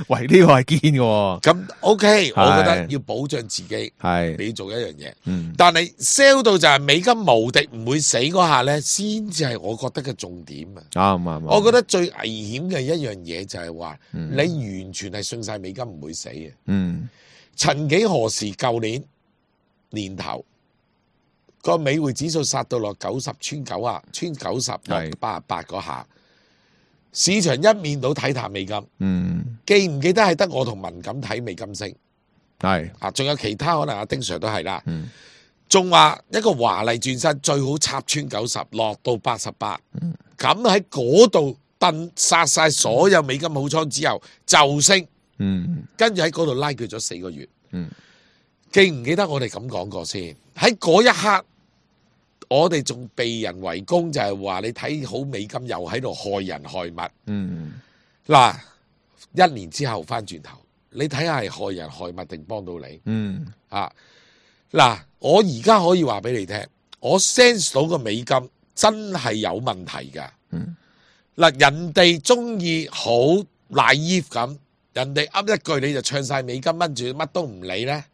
喂，呢、這個係堅嘅。咁 OK，我覺得要保障自己，係你要做一樣嘢。嗯，但係 sell 到就係美金無敵唔會死嗰下咧，先至係我覺得嘅重點啊。啱啱，我覺得最危險嘅一樣嘢就係話，嗯、你完全係信晒美金唔會死嘅。嗯，曾幾何時，舊年年頭個美匯指數殺到落九十穿九啊，穿九十落八十八嗰下。市場一面倒睇淡美金，嗯，記唔記得係得我同文錦睇美金升？係啊，仲有其他可能阿丁 Sir 都係啦，嗯，仲話一個華麗轉身最好插穿九十，落到八十八，咁喺嗰度燉殺晒所有美金好倉之後就升，嗯，跟住喺嗰度拉鋸咗四個月，嗯，記唔記得我哋咁講過先？喺嗰一刻。我哋仲被人圍攻，就係話你睇好美金又喺度害人害物。嗯，嗱，一年之後翻轉頭，你睇下係害人害物定幫到你？嗯，啊，嗱，我而家可以話俾你聽，我 sense 到個美金真係有問題噶。嗯，嗱，人哋中意好 naive 咁，人哋噏一句你就唱晒美金，跟住乜都唔理咧，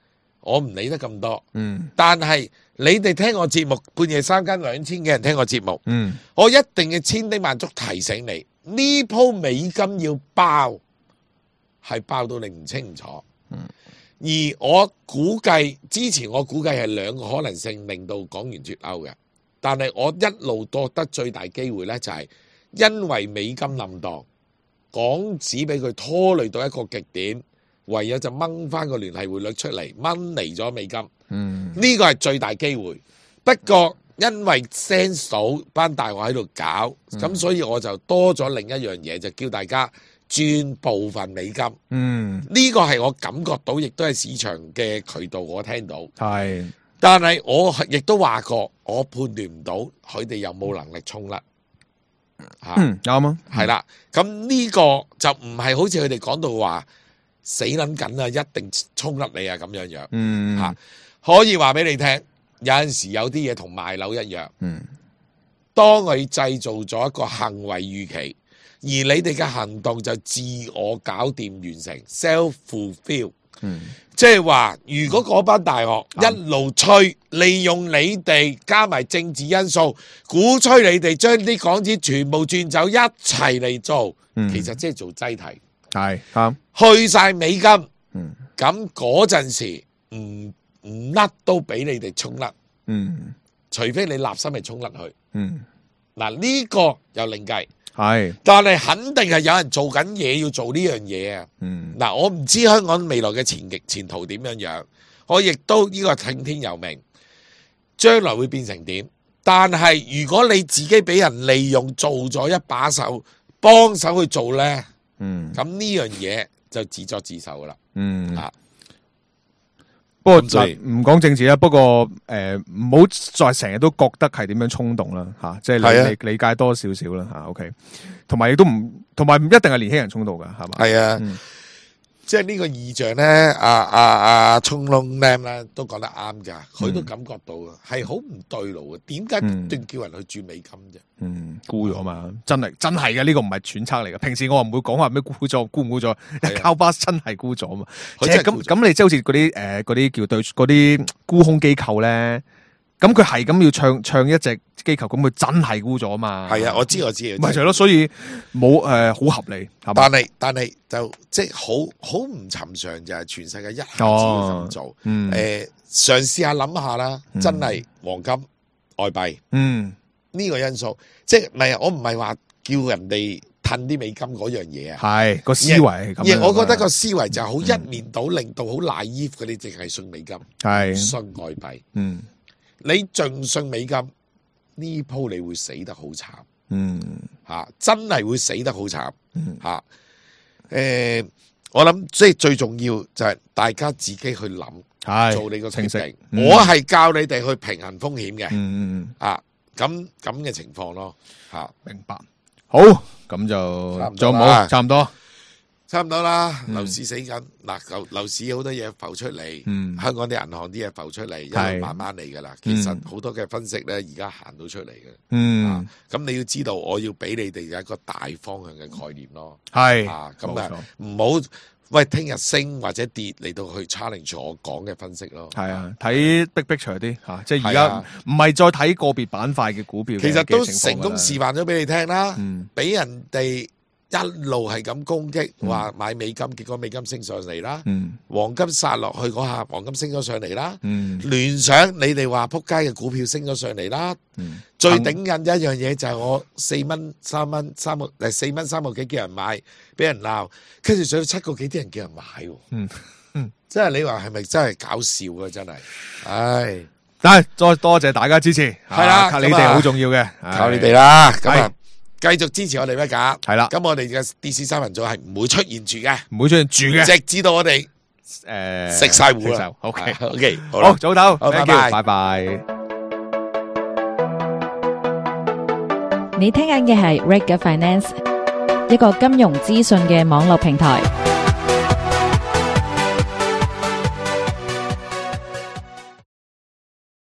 我唔理得咁多。嗯，但係你哋聽我節目，半夜三更兩千幾人聽我節目，嗯，我一定要千叮萬囑提醒你，呢鋪美金要包，係包到你唔清楚。嗯，而我估計之前我估計係兩個可能性令到港元脫歐嘅，但係我一路覺得最大機會呢，就係因為美金冧檔，港紙俾佢拖累到一個極點，唯有就掹翻個聯繫匯率出嚟，掹離咗美金。嗯，呢個係最大機會。不過因為 sense 到班大鱷喺度搞，咁、嗯、所以我就多咗另一樣嘢，就叫大家轉部分美金。嗯，呢個係我感覺到，亦都係市場嘅渠道我聽到。係，但係我亦都話過，我判斷唔到佢哋有冇能力衝甩。吓，嗯，啱啊，係啦。咁呢個就唔係好似佢哋講到話死捻緊啊，一定衝甩你啊咁樣樣。嗯，吓。可以話俾你聽，有陣時有啲嘢同賣樓一樣。嗯，當佢製造咗一個行為預期，而你哋嘅行動就自我搞掂完成 self fulfill。嗯，即係話，如果嗰班大學一路吹，利用你哋加埋政治因素，鼓吹你哋將啲港紙全部轉走，一齊嚟做，嗯、其實即係做擠提。係啱，去晒美金。嗯，咁嗰陣時唔。唔甩都俾你哋衝甩，嗯，除非你立心係衝甩去，嗯，嗱呢個又另計，係，但係肯定係有人做緊嘢要做呢樣嘢啊，嗯，嗱我唔知香港未來嘅前極前途點樣樣，我亦都呢個聽天由命，將來會變成點？但係如果你自己俾人利用做咗一把手，幫手去做咧，嗯，咁呢樣嘢就自作自受噶啦，嗯啊。不過唔講政治啦，不過誒唔好再成日都覺得係點樣衝動啦吓，即係理理解多少少啦吓 ，OK， 同埋亦都唔同埋唔一定係年輕人衝動噶，係嘛？係啊，嗯、即係呢個異象咧，阿阿阿衝窿 Lam 咧都講得啱噶，佢都感覺到啊，係好唔對路啊，點解不斷叫人去轉美金啫？嗯，沽咗嘛，真係真係嘅，呢個唔係揣測嚟嘅。平時我唔會講話咩沽咗沽唔沽咗，交巴真係沽咗嘛。即係咁咁，你即係好似嗰啲誒嗰啲叫對嗰啲沽空機構咧，咁佢係咁要唱唱一隻機構，咁佢真係沽咗嘛。係啊，我知我知。咪就係咯，所以冇誒好合理。但係但係就即係好好唔尋常，就係全世界一下子咁做。誒、嗯，嘗試下諗下啦，真係黃金、外幣。嗯。呢個因素，即係唔係我唔係話叫人哋褪啲美金嗰樣嘢啊，係個思維係咁樣。而我覺得個思維就好一面倒，嗯、令到好 naive 嗰啲淨係信美金，係信外幣。嗯，你盡信美金呢鋪你會死得好慘。嗯，吓、啊、真係會死得好慘。吓、嗯，誒、啊呃，我諗即係最重要就係大家自己去諗，做你個決定。嗯、我係教你哋去平衡風險嘅。嗯嗯啊。咁咁嘅情況咯，吓，明白。好，咁就仲有冇？差唔多，差唔多啦。樓市死緊，嗱，樓樓市好多嘢浮出嚟，嗯，香港啲銀行啲嘢浮出嚟，一路慢慢嚟噶啦。其實好多嘅分析咧，而家行到出嚟嘅，嗯，咁你要知道，我要俾你哋有一個大方向嘅概念咯，係，啊，咁啊，唔好。喂，聽日升或者跌嚟到去 challenge 我講嘅分析咯。係啊，睇 big picture 啲吓，即係而家唔係再睇個別板塊嘅股票。其實都成功示範咗俾你聽啦，俾、嗯、人哋一路係咁攻擊，話、嗯、買美金，結果美金升上嚟啦。嗯、黃金殺落去嗰下，黃金升咗上嚟啦。聯、嗯、想你哋話撲街嘅股票升咗上嚟啦。嗯、最頂癮一樣嘢就係我四蚊三蚊三個誒四蚊三個幾叫人買，俾人鬧，跟住上到七個幾啲人叫人買。嗯嗯，即係你話係咪真係搞笑啊？真係，唉，但係再多謝大家支持，係啦、啊，你哋好重要嘅，靠你哋啦。咁啊，繼續支持我哋咩㗎？係啦，咁我哋嘅 D C 三人組係唔會出現住嘅，唔會出現住嘅，直至到我哋誒食晒糊啦。OK OK，好，早唞，拜拜，拜拜。你聽緊嘅係 Reg Finance，一個金融資訊嘅網絡平台。